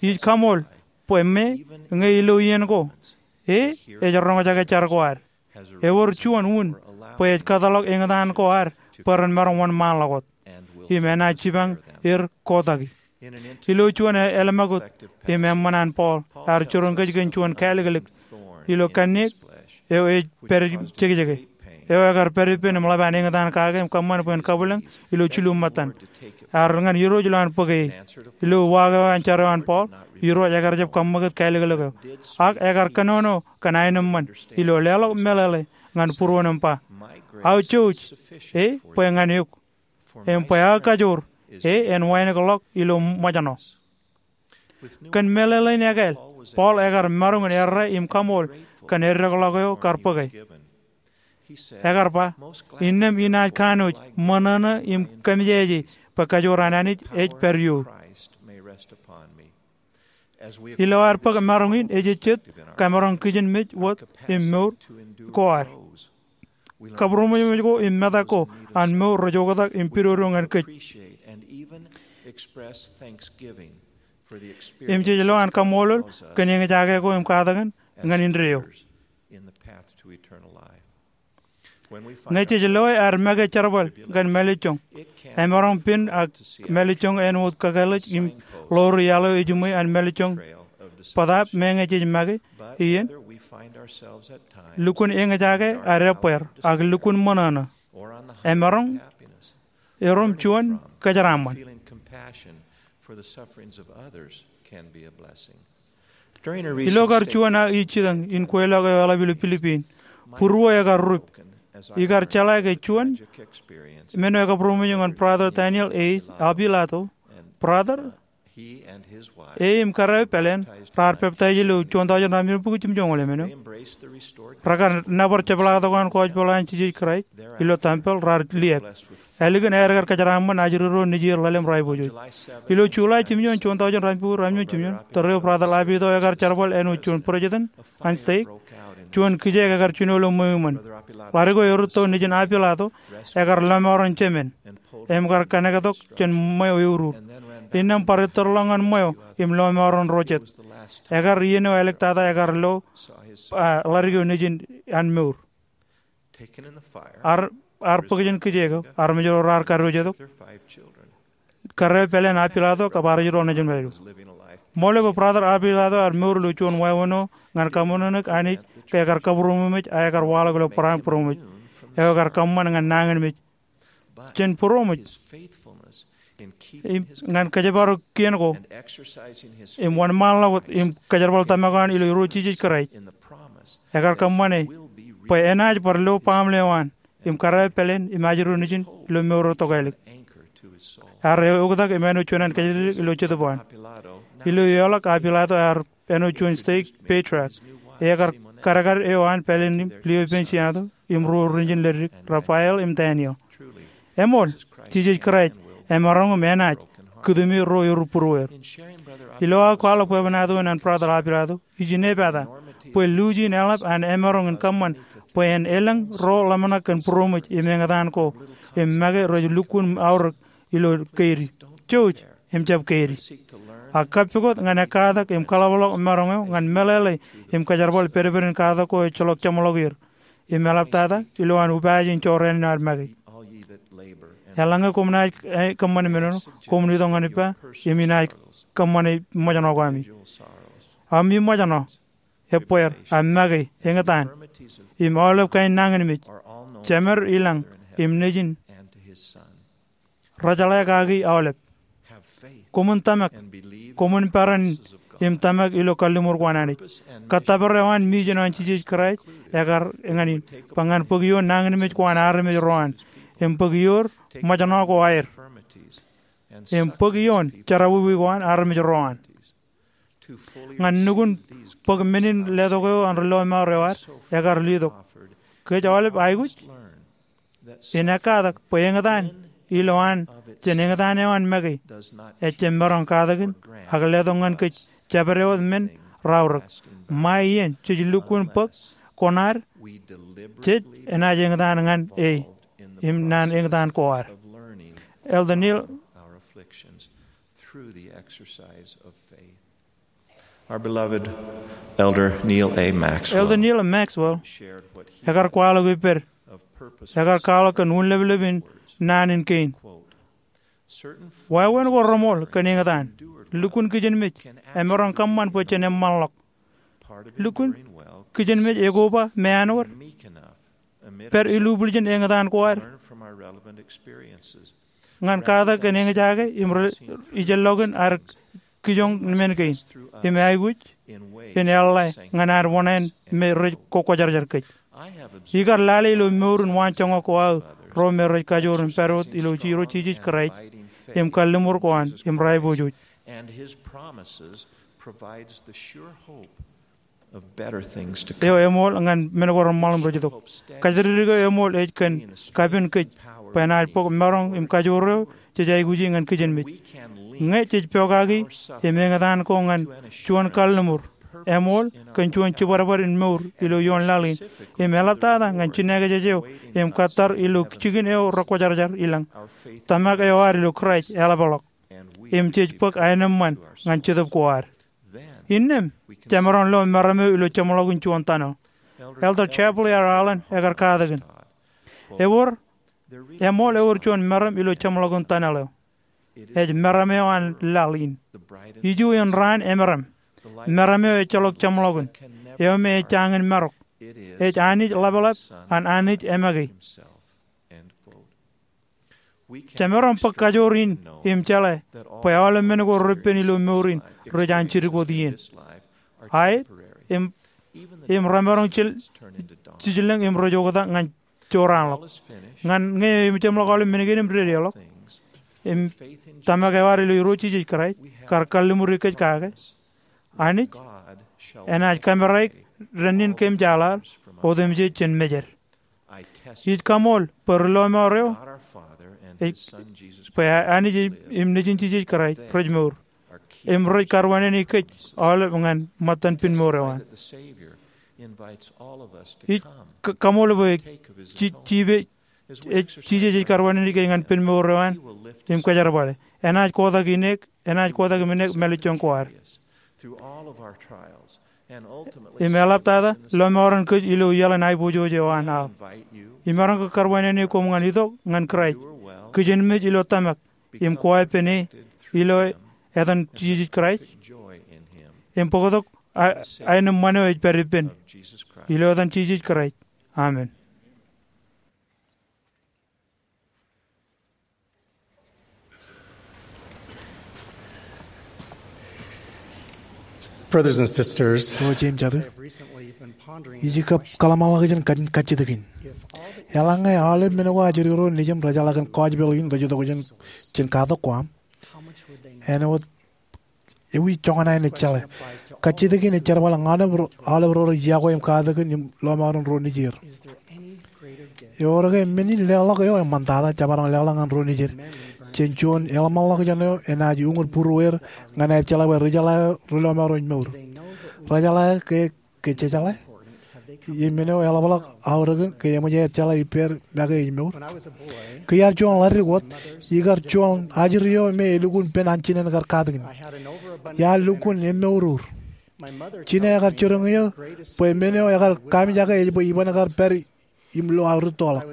Ij kaṃool bwe me ñe ilo iien ko, e ej roñjake jar ko ad. Ewōr juon un bwe ej kōtḷọk eñtaan ko ad bwe ren maroñ wōnṃaanḷọk wōt. Im enaaj jipañ er kotaki. Ilo juon e-, eḷmākūt im eṃṃan an Paul, ear jiroñ kōj kōn juon kāliklik ilo kanniōk eo ej pād jekjeke, eo ekar pād ippān im ḷap an eñtaan kake im kōṃṃan bwe en kabwilōñ ilo jilu ṃōttan. Ear ñan Irooj ilowaan bōk e. Ilo uwaak eo an jar eo an Paul, Irooj ekar jab kaṃṃakūt kāliklik eo. Ak ekar kōnono kōn aenōṃṃan ilo leḷọk meḷeḷe ñan būruon im ba, aō jouj e bwe ñan eok, im bwe aō kajoor e en wānōkḷọk ilo ṃōjṇọ. Kōn meḷeḷein ekāāl, Paul ekar maroñ in errā im kaṃool kōn eddekḷọk eo kar bōke. Ekar ba, innām inaaj kanooj, ṃōṇōṇō im kōmmejeje bwe kajoor an Anij ej pād iour. Ilo ad bōk maroñ in, ejejjet kamaroñ kijenmej wōt im mour ko ad. Kabūroṃōj ko im metak ko an mour rej oktak im pidodo ñan kōj. Im jej lo an kaṃṃoolol kōn eñjake ko im katakin ñan indeeo. Ñe jej loe ad make jerbal kōn mālejjoñ, emaroñ pen ak mālejjoñ āinwōt kakālōj im ḷoor iaḷ eo ejiṃwe an mālejjoñ bōtaab meñe jej make iien. Lukkuun eñjake ad ebbeer ak lukkuun ṃōṇōṇō, emaroñ erom juon kōjeraaṃṃan. Ilo kar juon aō jitōñ in kweilọk eo eḷap ilo Pilipin, būruō ekar rup. Ikar jeḷā ke juon men eo ekabūroṃōj ñan Brother Daniel A. Apilato, brother e im kōrā eo pāleen raar peptaij ilo juon taujin ratimjuon bukwi jimjuonñoul emān eo. Rekar nōbar jepḷaaktok an kọjpeḷ an Jisōs Kraist ilo tempel, raar liab. Ālikin aer kar kōjeraaṃṃan ajri ro nejier ḷalem ro aiboojoj. Ilo July jimjuon, juon taujin ratimjuon bukwi ratimjuon jimjuon, tōre eo Brother Lapidō ekar jerbal āinwōt juon president an stake. Juon kijeek ekar jino ilo ṃweo iṃōn. Ḷadik eo erūtto nejin Apilato ekar lọmọọren jemān im kar kōnektok jān ṃweo eurur. innām bar ettōrḷọk ñan ṃweo im lọmọọren ro jet. Ekar iien eo āliktata ekar lo, a, ḷadik eo nejin an mour. Ear, ear bōk jān kijeek eo, armej ro raar kadiwōjtok. Kōrā eo pāleen Apilato kab ear ej ro nejin pād eo. Ṃool eo bwe Brother Apilato ear mour ilo juon wāween eo ñan kaṃōṇōṇōik Anij ke ekar kabūroṃōj, a ekar waḷọk ilo barāinbūroṃōj eo ekar kōṃṃan ñan nañinmej jān būroṃōj im ñan kōjparok kien ko im wōnṃaanḷọk wōt im kōjerbal tōmak eo an ilo Irooj Jisōs Kraist. Ekar kōṃṃane bwe enaaj bar lo baaṃle eo an im kōrā eo pāleen im ajri ro nejin ilo mour eo tokālik. Ear eoktak im āinwōt juon ānkijerjer ilo jetōb eo an. Ilo eoḷọk Apilato ear āinwōt juon stake patriarch. Ekar kadkad eo an pāleen im lio ippān senator im ruo rijin leddik, Rafael im Daniel. Eṃool, Jisōs Kraist emaroñ im enaaj kūtumi ro erubūrueir. Ilo aō kwaḷọk bwebwenato in an Brother Apilato, ij inepata bwe luuj in eḷap an emaroñ in kōṃṃan bwe en elōñ ro ḷōmṇak kōn būroṃōj im eñtaan ko im make rej lukkuun aorōk ilo keidi, jouj im jab keidi. A kappukot ñan ekkatak im kaḷapḷọk maroñ eo ñan meḷeḷe im kōjerbal pedped in katak ko ejjeḷọk jeṃḷọk er im eḷaptata ilowaan upaaj in jorrāān in ad make. Eḷaññe koṃ naaj, e, kōṃṃane men eo, koṃwin itok ñan ippa im inaaj kōṃṃane ṃōjṇọ ko ami. Ami ṃōjṇọ, ebbeer, a make, eñtaan, im aolep kain nañinmej, jemed, ilañ im nejin, rejeḷā kaki aolep. Koṃwin tōmak, koṃwin peran im tōmak ilo kalliṃur ko an Anij. Kōttōpar eo an, mijin eo an Jisōs Kraist ekar ñan in, bwe ñan bōk ioon nañinmej ko an armej ro an, im bōk ioon ṃōjṇọ ko aer, im bōk ioon jerọwiwi ko an armej ro an. Ñan nukun bōk men in letok eo an ri lọmọọr eo ad, ekar letok kōj aolep aikuj in ekkatak bwe eñtaan ilowaan jān eñtaan eo an make ejjab maroñ katakin ak letok ñan kōj jabdewōt men raorōk. Ṃae iien jej lukkuun bōk koṇaad, jej enaaj eñtaan ñan e im naan eñtaan ko ad. Elder Neal Our beloved Elder Neal A. Maxwell. Elder Neal A. Maxwell ekar kwaḷọk ippād, ekar kwaḷọk kōn un leplep in naan in kein. Wāween ko reṃool kōn eñtaan. Lukkuun kijenmej emaroñ kōṃṃan bwe jen eṃṃanḷọk. Lukkuun kijenmej ekoba meanwōd pād ilubwiljin eñtaan ko ad ñan katak kōn eñjake im ri ijeḷọkin ad kijoñ men kein im aikuj in eḷḷā ñan ad wōṇāān me rej kokwōjarjar kōj. Ikar lale ilo mour in waanjoñak ko aō ro me rej kajoor im pād wōt ilo Irooj Jisōs Kraist im kalliṃur ko an im raipojoj. Eo eṃool ñan men ko reṃṃan im rej itok. Kōjatdikdik eo eṃool ej kōn kapen kōj bwe enaaj bōk maroñ im kajoor eo jej aikuji ñan kijenmej. Ñe jej pokaki im eñtaan ko ñan juon kalliṃur, eṃool kōn juon jibadbad in mour ilo ioon laḷ in, im eḷaptata ñan jinakjej eo im kōttar ilo jikin eo rekwōjarjar ilañ, tōmak eo ad ilo Kraist eḷapḷọk, im jej bōk aenōṃṃan ñan jetōb ko ad. Innām jemaroñ lo meram eo ilo jeṃḷọkin juon tunnel. Elder Chappell R. Allen ekar katakin, ewōr, eṃool ewōr juon meram ilo jeṃḷọkin tunnel eo. Ej meram eo an laḷ in. Ijo in raan emeram. Meram eo ejjeḷọk jeṃḷọkin, eo me ejjañin marok. Ej Anij ḷapḷap an Anij emake. Jemaroñ bōk kajoor in im jeḷā bwe aolep men ko repen ilo mour in rej an jidik wōt iien. Aet, im, im remaroñ jil, jijilōñ im rej oktak ñan joraanḷọk. Ñan ñe ejeṃḷọk aolep men kein im dedeḷọk, im tōmak eo ad ilo Irooj Jisōs Kraist kar kalliṃuri kōj kake, Anij enaaj kameraik dān in kōm jeḷā otemjej jān mejed. Ij kaṃool bwe ri lọmọọr eo, ej, bwe Anij im Nejin Jisōs Kraist rej mour im rej karuwānānōk kōj aolep ñan ṃōttan pinmour eo an. Ij ka-, kaṃool bwe ji-, jipe, ej, Jisōs ej karuwānānōk kōj ñan pinmour eo an im kōjerbale. Enaaj kotak ineek enaaj kotak im enaaj mālejjoñ ko ad. Im eḷaptata, lọmọọren kōj ilo iaḷ in aiboojoj eo an aō. Imaroñ ke karwaineneik koṃ ñan itok ñan Kraist, kijenmej ilo tōmak, im koweeppān e ilo etan Jisōs Kraist, im bōktok a-, aenōṃṃan eo ej pād ippān. Ilo etan Jisōs Kraist. Amen. Brothers and sisters, O jeiū im jatū, ij kab kōḷmānḷọkjeṇ kajjitōk in. Eḷaññe aolep men ko ajri ro nejūṃ rejeḷā kōn gospel in rej itok jān, jān katak ko aṃ, āinwōt ewi joñan aer ejjeḷā? Kajjitōk in ej jerbal ñan aolep ro, aolep ro rej iọkwe im katakin im lọmọọren ro nejier. Ewōr ke men in leḷọk eo eṃṃantata jemaroñ leḷọk ñan ro nejier jān juon eḷmānḷọkjeṇ eo enaaj uñūr būrueir ñan aer jeḷā bwe ri jeḷā eo ri lọmọọr ro ej mour? Ri jeḷā eo ke, ke jejeḷā? Im men eo eḷapḷọk aorōkin ke eṃōj aer jeḷā ippāer make ej mour? Ke iar juon ḷaddik wōt, ikar juon ajri eo me elukkuun pen an jinen kar katakin. Iar lukkuun emmour ur. Jinō ekar jiroñ eō bwe men eo ekar kamijake ej bwe iban kar pād im lo aō rūttoḷọk.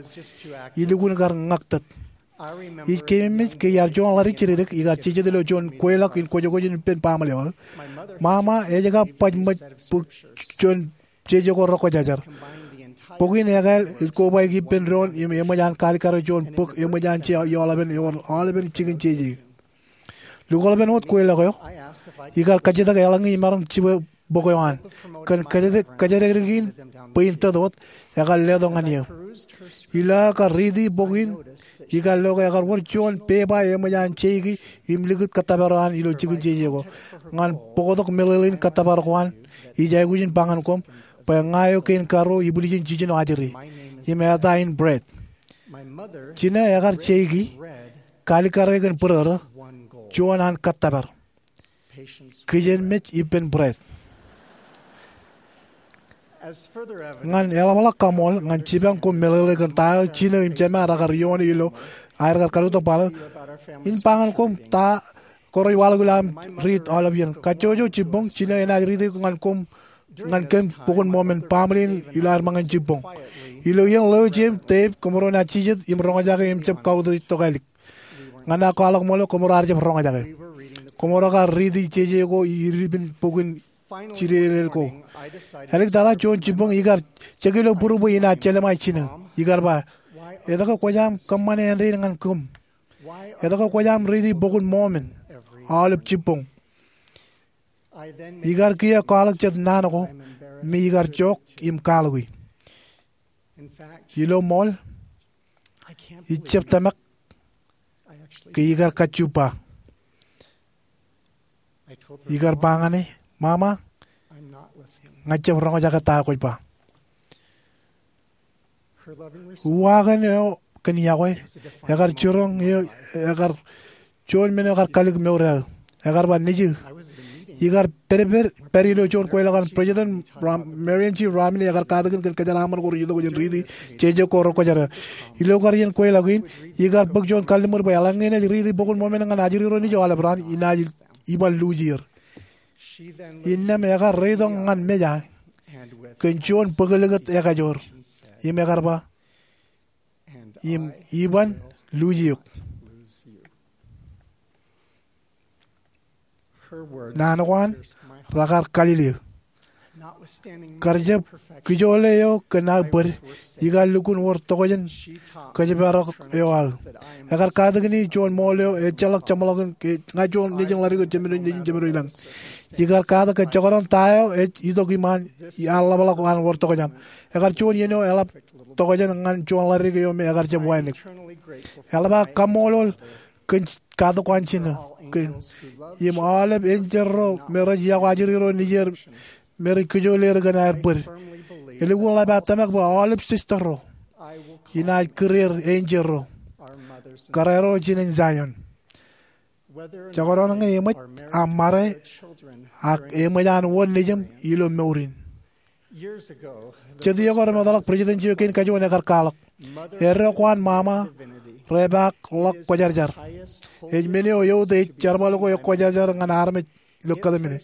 Ilukkuun kar ñaktok. Ij keememej ke iar juon ḷaddik jidikdik ikar jijet ilo juon kweilọk in kōjkōj in ippān baaṃle eo aō. Ṃaṃa ej kab baj ṃōj bōk juon jeje ko rekwōjarjar. Bok in ekāāl ej kobaik ippān doon im eṃōj an kalikkare juon bōk eṃōj an je ioḷapen ewōr aolepen jikin jeje. Lukwōḷpen wōt kweilọk eo, ikar kajjitōk eḷaññe imaroñ jibwe bok eo an. Kōn kōjatdikdik in bwe in tōt wōt, ekar letok ñan eō. Ilo aō kar riiti bok in, ikar lo ke ekar wōr juon pepa eṃōj an jeiki im likūt kōttōpar eo an ilo jikin jeje ko. Ñan bōktok meḷeḷein kōttōpar ko an, ij aikuj in ba ñan koṃ bwe ña eo kein karuo ibwiljin jiljino ajri, im eta in Brad. Jinō ekar jeiki, kalikkare kōn bōrōrō, juon an kōttōpar. Kijenmej ippān Brad. Ñan eḷapḷọk kaṃool ñan jipañ koṃ meḷeḷe kōn ta eo jinō im jema rekar ioone ilo aer kar kallitok baḷō, in ba ñan koṃ ta ko rej waḷọk ilo aṃ riit aolep iien. Kajjojo jibboñ, jinō enaaj riiti ñan koṃ, ñan kōm Bok in Mōmen, baaṃle in ilo aer ṃōñā jibboñ. Ilo iien ḷeo jeiū im teiū, koṃro naaj jijet im roñjake im jab kautiej tokālik. Ñan aō kwaḷọk ṃōḷo, koṃro ar jab roñjake. Koṃro kar riiti jeje ko ippān bok in jidedel ko. Āliktata juon jibboñ ikar jekilo būru bwe inaaj jelṃae jinō. Ikar ba, etke kwōj aṃ kōṃṃane āindein ñan koṃ? Etke kwōj aṃ riiti Bok in Mōmen aolep jibboñ? Ikar kiiō kwaḷọk jet naan ko me ikar jook im kwaḷọki. Ilo ṃool, ij jab tōmak ke ikar kajju ba. Ikar ba ñan e, Mama, ña jab roñjake ta kwōj ba. Uwaak eṇ eo kōn iọkwe, ekar jiroñ eō, ekar juon men eo ekar kallik mour eo aō. Ekar ba, Nejū, ikar pād, pād ilo juon kweilọk an President Rom-, Marion G. Romney ekar katakin kōn kōjeraaṃṃan ko rej itok jān riiti jeje ko rekwōjarjar. Ilo kar iien kweilọk in, ikar bōk juon kalliṃur bwe eḷaññe enaaj riiti Bok in Mōmen ñan ajri ro nejū aolep raan, inaaj iban luuj er. Innām ekar reitok ñan meja kōn juon bōk likūt ekajoor. Im ekar ba, im iban luuj eok. Naan ko an rekar kalile eō. Kar jab kijoole eo kōn aō bōd, ikar lukkuun wōr tokjān kōjparok eo aō. Ekar katakin juon ṃool eo ejjeḷọk jeṃḷọkin ke ña juon nejin ḷadik eo jemān nejin jemān ilañ. Ikar katak ke jekdọọn ta eo ej itok iṃaan ear ḷapḷọk an wōr tokjān. Ekar juon iien eo eḷap tokjān ñan juon ḷadik eo me ekar jab wānōk. Eḷap aō kaṃṃoolol kōn katak ko an jinō kōn im aolep enjeḷ ro me rej iọkwe ajri ro nejier me rej kijoole er kōn aer bōd. Elukkuun ḷap aō tōmak bwe aolep sister ro inaaj kūr er enjeḷ ro, kōrā ro jinen Zion. Jekdọọn ñe eṃōj aṃ ṃade ak eṃōj an wōn nejūṃ ilo mour in. Jet iiō ko remootḷọk president eo kein kajuon ekar kwaḷọk, Eddo ko an Mama repaak ḷọk kwōjarjar. Ej men eo eutiej jerbal ko ekwōjarjar ñan armej ilo kōtmāne.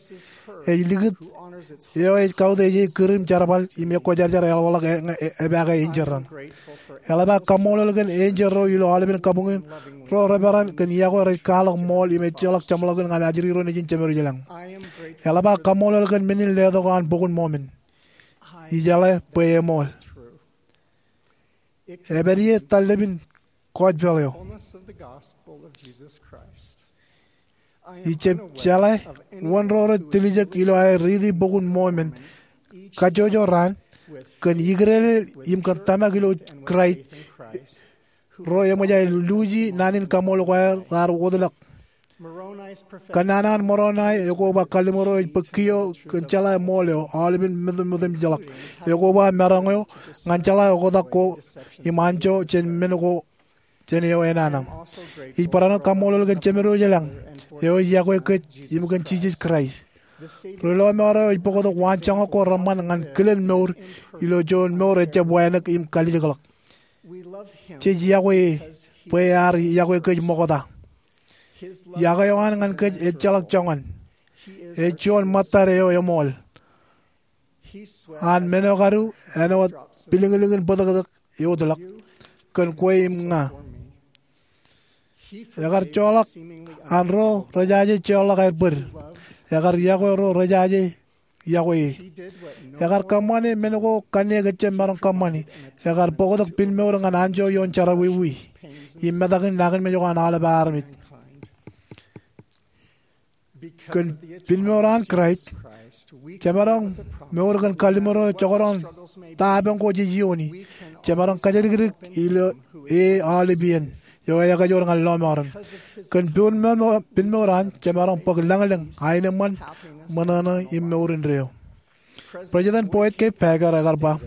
Ej likūt eo ej kautiej e kūr im jerbal im ekwōjarjar eḷapḷọk e, e, epaake enjeḷ raṇ. Eḷap aō kaṃṃoolol kōn enjeḷ ro ilo aolepen kabuñ in, ro reperan kōn iọkwe rej kwaḷọk ṃool im ejjeḷọk jeṃḷọkin ñan ajri ro nejin Jemedwōj ilañ. Eḷap aō kaṃṃoolol kōn men in letok an Bok in Mormon. Ijeḷā bwe eṃool. Epād ie tallep in gospel eo. Ij jab jeḷā wōn ro rej tiljek ilo aer riiti Bok in Mormon kajjojo raan kōn ikdeḷeḷ im kōn tōmak ilo Kraist ro eṃōj aer luuji naan in kaṃool ko aer raar wōtlọk. Kōnnaan an Moronai ekoba kalliṃur eo ej bōk kiiō kōn jeḷā ṃool eo aolepen mōtōmōtōmjeḷọk. Ekoba maroñ eo ñan jeḷā oktak ko im anjọ jān men ko jān eo enana. Ij barāinwōt kaṃṃoolol kōn Jemedwōj ilañ eo ej iọkwe kōj im kōn Jisōs Kraist. Ri lọmọọr eo ej bōktok waanjoñak ko reṃṃan ñan kilen mour ilo juon mour ejjab wānōk im kalijekḷọk. Jej iọkwe e bwe ear iọkwe kōj ṃokta. Iọkwe eo an ñan kōj ejjeḷọk joñan. Ej juon ṃōttad eo eṃool. An men eo kadu āinwōt pilñilñin bōtōktōk ewōtlọk kōn kwe im ña. Ekar joḷọk an ro rejaje joḷọk aer bōd. Ekar iọkwe ro rejaje iọkwe e. Ekar kōṃṃane men ko kanniōk ejjab maroñ kōṃṃani. Ekar bōktok pinemour ñan anjọ ioon jerọwiwi im metak in nañinmej ko an aolep armej. Kōn pinemour an Kraist, jemaroñ mour kōn kalliṃur eo joñan ta eoon ko jej iioni. Jemaroñ kajatdikdik ilo e aolep iien eo ekajoor ñan lọmọọren. Kōn pinemour an, jemaroñ bōk lañlōñ, aenōṃṃan, ṃōṇōṇō im mour indeeo. President Boyd K. Packer ekar ba,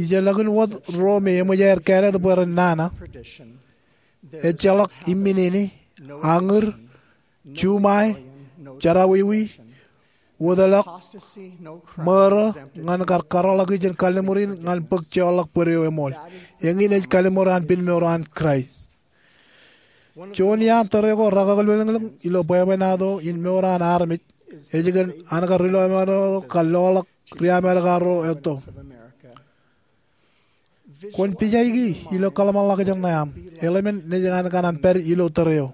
ijellọkin wōt ro me eṃōj aer kāālōt bwe ren nana, ejjeḷọk imminene, añūr, juṃae, jerọwiwi, wōtlọk, ṃōrō, ñan kar kōrọọlḷọk jān kalliṃur in ñan bōk jeorḷọk bōd eo eṃool. Eñin ej kalliṃur an pinemour an Kraist. Juon iaan tōre ko rekakilōñlōñ ilo bwebwenato in mour an armej ej kōn an kar ri lọmọọr ro kar loḷọk ri Amedka ro etto. Kwōn pijaiki ilo kōḷmānḷọkjeṇ ṇe aṃ. Eḷmen nejin an kōṇaan pād ilo tōre eo.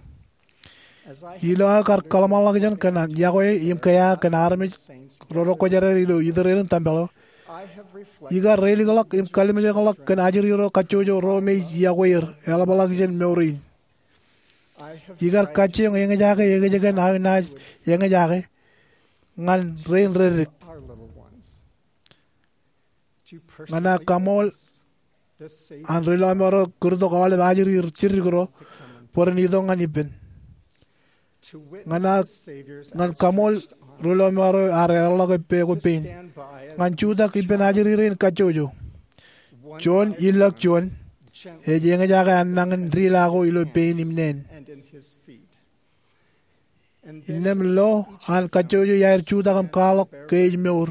Ilo aō kar kōḷmānḷọkjeṇ kōn an iọkwe im kea kōn armej ro rekwōjarjar ilo itōrerin tempel eo, ikar reilikḷọk im kallimjekḷọk kōn ajri ro kajjojo ro me ij iọkwe er eḷapḷọk jān mour in. Ikar kajjioñ eñjake ekōjkan aō naaj eñjake ñan rein reddik. Ñan aō kaṃool an ri lọmọọr ro kūrtok aolep ajri jidik ro bwe ren itok ñan ippān. Ñan aō, ñan kaṃool ri lọmọọr ro ar eḷḷọk ippān ko pein. Ñan jutak ippān ajri rein kajjojo. Juon ilọk juon ej eñjake an nañin dila ko ilo pein im neen. Innām lo an kajjojo iaer jutak im kwaḷọk ke ej mour.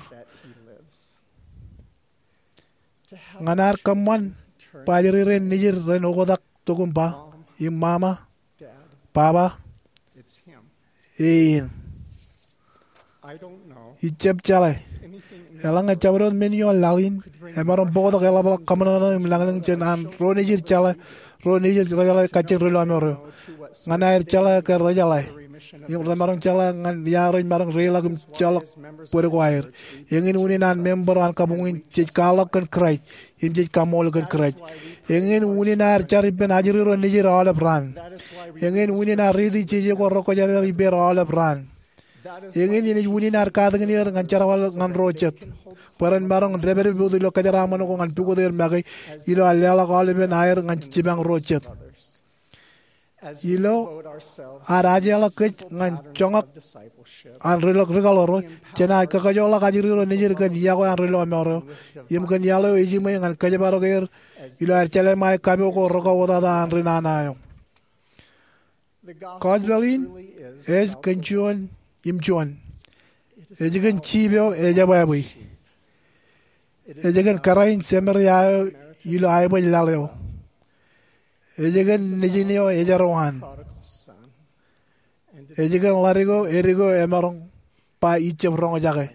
Ñan ad kōṃṃan bwe ajri rein nejid ren oktak tok im ba, im mama, baba, eien. Ij jab jeḷā. Eḷaññe jabdewōt men ioon laḷ in emaroñ bōktok eḷapḷọk kaṃōṇōṇō im lañlōñ jān an ro nejid jeḷā, ro nejid rejeḷā kajjien ri lọmọọr ro. Ñan aer jeḷā ke rejeḷā im remaroñ jeḷā ñan ia rej maroñ reiḷọk im joḷọk bōd ko aer. Eñin unin an member an kabuñ in jej kwaḷọk kōn Kraist im jej kaṃool kōn Kraist. Eñin unin aer jar ippān ajri ro nejid aolep raan. Eñin unin aer riiti jeje ko rekwōjarjar ippāer aolep raan. Eñin enaaj unin aer katakin er ñan jerbal ñan ro jet, bwe ren maroñ dāpdep wōt ilo kōjeraaṃṃan ko ñan pukot er make ilo aer leḷọk aolepen aer ñan jipañ ro jet. Ilo ad ajeḷọk kōj ñan joñak an ri lọk rikaḷ ro, jenaaj kakajoorḷọk ajri ro nejid kōn iọkwe an ri lọmọọr ro im kōn iaḷ eo ejiṃwe ñan kōjparok er ilo aer jelōñḷọk aō kapo ko rekọwōtata an ri nana eo. Gospel in ej kōn juon im juon. Ej kōn jip eo ejebwābwe. Ej kōn kōrā in Samaria eo ilo aebōj laḷ eo. Ej kōn nejin eo ejar waan. Ej kōn ḷadik eo edik eo emaroñ ba ij jab roñjake.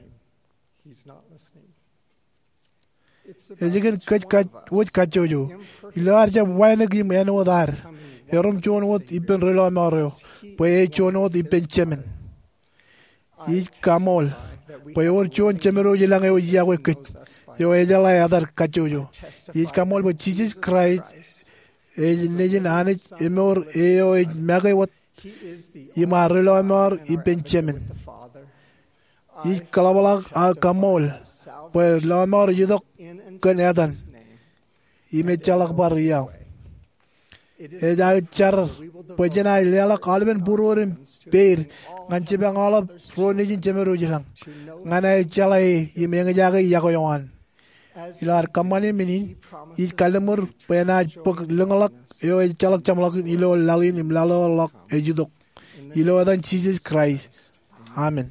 Ej kōn kōj wōj kajjojo. Ilo ad jab wānōk im āinwōt ad, erom juon wōt ippān ri lọmọọr eo, bwe ej juon wōt ippān Jemān. Ij kaṃool bwe ewōr juon Jemedwōj ilañ eo ej iọkwe kōj, eo ejeḷā etan kajjojo. Ij kaṃool bwe Jisōs Kraist ej Nejin Anij emour eo ej make wōt im ad ri lọmọọr ippān Jemān. Ij kaḷapḷọk ak kaṃool bwe lọmọọr ej itok kōn etan im ejjeḷọk bar iaḷ. Ej aō jar bwe jen aō leḷọk aolepen būruod im peid ñan jipañ aolep ro nejin Jemedwōj ilañ ñan aō jeḷā e im eñjake iọkwe eo an. Ilo ad kōṃṃane men in, ij kalliṃur bwe enaaj bōk lōñḷọk eo ejjeḷọk jeṃḷọkin ilo laḷ in im laḷ eo ḷọk ej itok. Ilo etan Jisōs Kraist, amen.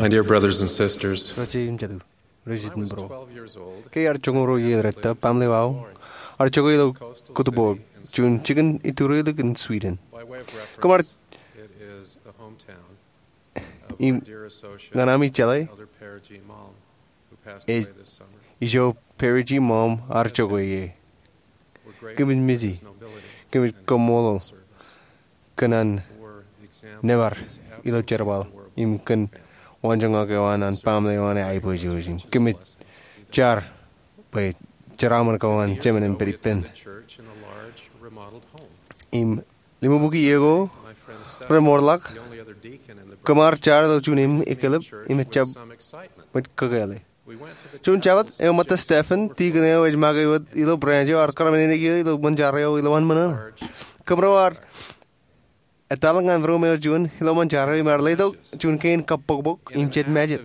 My dear brothers and sisters, Ri-jeje im jatū, ri-jeje im ro, ke iar joñoul ruo iiō detto, baaṃle eo aō ar jokwe ilo kūtbook juon jikin iturilik in Sweden. Kōm ar, im, ñan ami jeḷā, ej ijo Perry G. Malm ar jokwe ie. Kōmij missii. Kōmij kaṃṃoolol kōn an nōbar ilo jerbal im kōn waanjoñak eo an an baaṃle eo an eaiboojoj im kōmij jar bwe jeraaṃṃan ko an jemān en pād ippān. Im limabukwi iiō ko remootḷọk, kōm ar jar ilo juon eklep im ejjab ṃōj kōkeḷe. Juon Jabōt, eṃōttan Stephen, dikon eo ej make wōt ilo branch eo, ar kōrā men in ekiiō ilo ṃōn jar eo ilowaan ṃōṇōṇō. Kōmro ar etal ñan ruum eo juon ilo ṃōn jar eo im ar letok juon kein kabbokbok im jet mejād.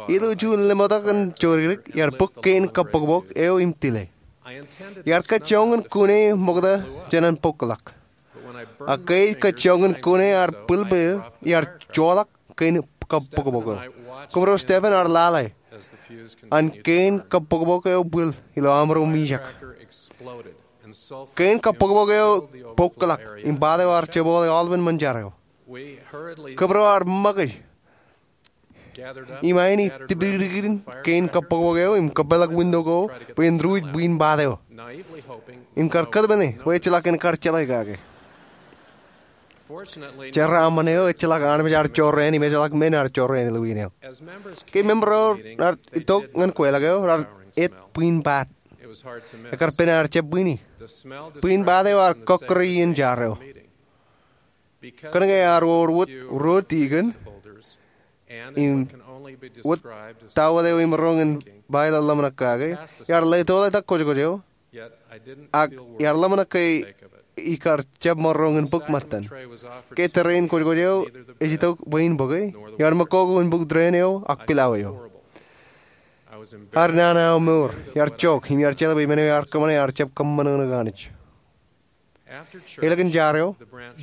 Ilo juon lemọtḷọk in jodikdik, iar bōk kein kabbokbok eo im tile. Iar kajjoñ in kune ṃokta jān an bōkḷọk. Ak ke ej kajjoñ in kune, ar bwilbwe, iar joḷọk kein kabbokbok eo. Kōmro Stephen ar lale an kein kabbokbok eo bwil ilo aṃro mijak. Kein kabbokbok eo bōkḷọk im part eo ar jebọọle aolepen ṃōn jar eo. Kōmro ar ṃōkaj im aini tipdikdikdikdin kein kabbokbok eo im kōpeḷḷọk window ko bwe en ruj bwiin part eo im kar kōtmāne bwe ejjeḷọk en kar jeḷā kake. Jeraaṃṃan eo ejjeḷọk armej ear jorrāān im ejjeḷọk men ear jorrāān ilo wien eo. Ke member ro raar itok ñan kweilọk eo, raar et bwiin part. Ekar pen ear jab bwini. Bwiin part eo ear kọkkure iien jar eo. Kōnke ear wor wōt ruo dikon im wōt ta wōt eo imaroñ in ba ilo ḷōmṇak kake, iar leto ḷọk kōjkōj eo. Ak iar ḷōmṇak ke ikar jab maroñ in bōk ṃōttan. Ke tōre in kōjkōj eo ej itok bwe in bōke, iar ṃōk kōkō in bōk tōre in eo ak pilawōj eo. Ear nana aō mour, iar jok im iar jeḷā bwe men eo ear kōṃṃane ear jab kōṃṃan ñan Anij. Elōñ in jar eo,